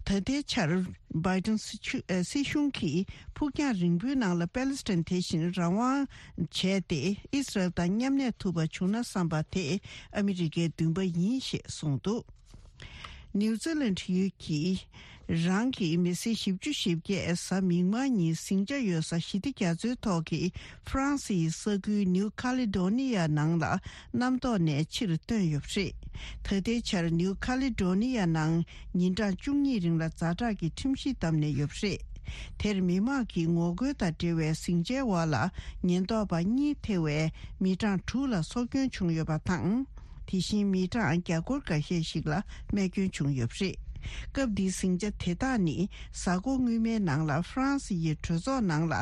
ད་ལྟའི་ཆར་བྷའི་ཏིན་སྲིད་ཆུ་ཨ་སྲིད་གཞུང་གིས་ཕུགས་རྒྱང་རིང་པོའི་ནང་ལ་པེ་ལེ་སི་ཐན་དེ་བཞིན་རང་དབང་བྱས་ཏེ་ཨིས་རལ་དང་མཉམ་གནས་ཐུབ་པ་བྱུང་ན་བསམ་པ་དེ་ཨ་མི་རི་ཀའི་འདུན་པ་ཡིན་ཞེས་གསུངས་འདུག་ནིའུ་ཛི་ལན་ཡུལ་གྱི་རང་གི་མི་སེར་བཞི་བཅུ་ཞེ་བརྒྱད་གཟའ་མིག་དམར་ཉིན་ཟིང་ཆ་ཡོད་ས་ཞི་བདེ་རྒྱ་མཚོའི་ཐོག་གི་ཧྥ་རན་སིའི་ས་ཁུལ་ནིའུ་ཁ་ལི་ཌོ་ནི་ཡ་ནང་ལ་གནམ་ཐོག་ནས་ཕྱིར་བཏོན་ཡོད་པ་རེད། ད་ལྟའི་ཆར་ནིའུ་ཁ་ལི་ཌོ་ནི་ཡ་ནང་ཉིན་གྲངས་བཅུ་གཉིས་རིང་ལ་ཛ་དྲག་གི་ཁྲིམས་གཞི་བསྡམས་ནས་ཡོད་པ་རེད། དེར་མི་མང་གིས་ངོ་རྒོལ་དང་འབྲེལ་བའི་ཟིང་ཆའི་འོག་ལ་ཉེན་རྟོག་པ་གཉིས་ཐེ་བའི་མི་གྲངས་དྲུག་ལ་སྲོག་སྐྱོན་བྱུང་ཡོད་པ་དང་། དེ་བཞིན་མི་གྲངས་བརྒྱ་སྐོར་འགའ་ཤས་ཤིག་ལ་རྨས་སྐྱོན་བྱུང་ཡོད་པ་རེད། སྐབས་འདིའི་ཟིང་ཆ་དེ་དག་ནི་གཟའ་འཁོར་སྔོན་མའི་ནང་ལ་ཧྥ་རན་སི་ཡི་གྲོས་ཚོགས་ནང་ལ་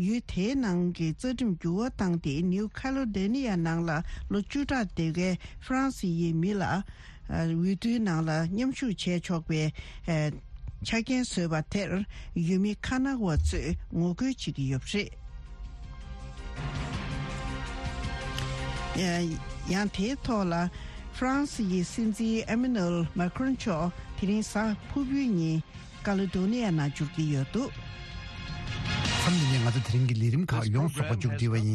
ཡུལ་དེའི་ནང་གི་རྩ་ཁྲིམས་འགྱུར་བ་བཏང་སྟེ་ནིའུ་ཁ་ལོ་ཌེ་ནི་ཡ་ནང་ལ་ལོ་བཅུ་ཕྲག་སྡོད་མཁན་ཧྥ་རན་སི་ཡི་མི་ལ། ཨ། འོས་བསྡུའི་ནང་ལ་མཉམ་ཞུགས་བྱས་ཆོག་པའི། ཨ། ཆ་རྐྱེན་བཟོས་པ་དེར་ཡུལ་མི་ཁ་ན་བ་ཚོས་ངོ་རྒོལ་བྱེད་ཀྱི་ཡོད་པ་རེད། ཨ། ཡང་དེའི་ཐོག་ལ་ཧྥ་རན་སི་ཡི་སྲིད་འཛིན་ཨེ་མེ་ནུ་ཨེལ་མཱ་ཁི་རོན་མཆོག་དེ་རིང་གཟའ་ཕུར་བུའི་ཉིན་ཀ་ལི་དོ་ནི་ཡ་ནང་འབྱོར་གྱི་ཡོད་འདུག་མཚམས་འདི་ནས་ང་ཚོ་དེ་རིང་གི་ལས་རིམ་ཁག་ཡོངས་རྫོགས་པ་མཇུག་སྒྲིལ་བ་ཡིན།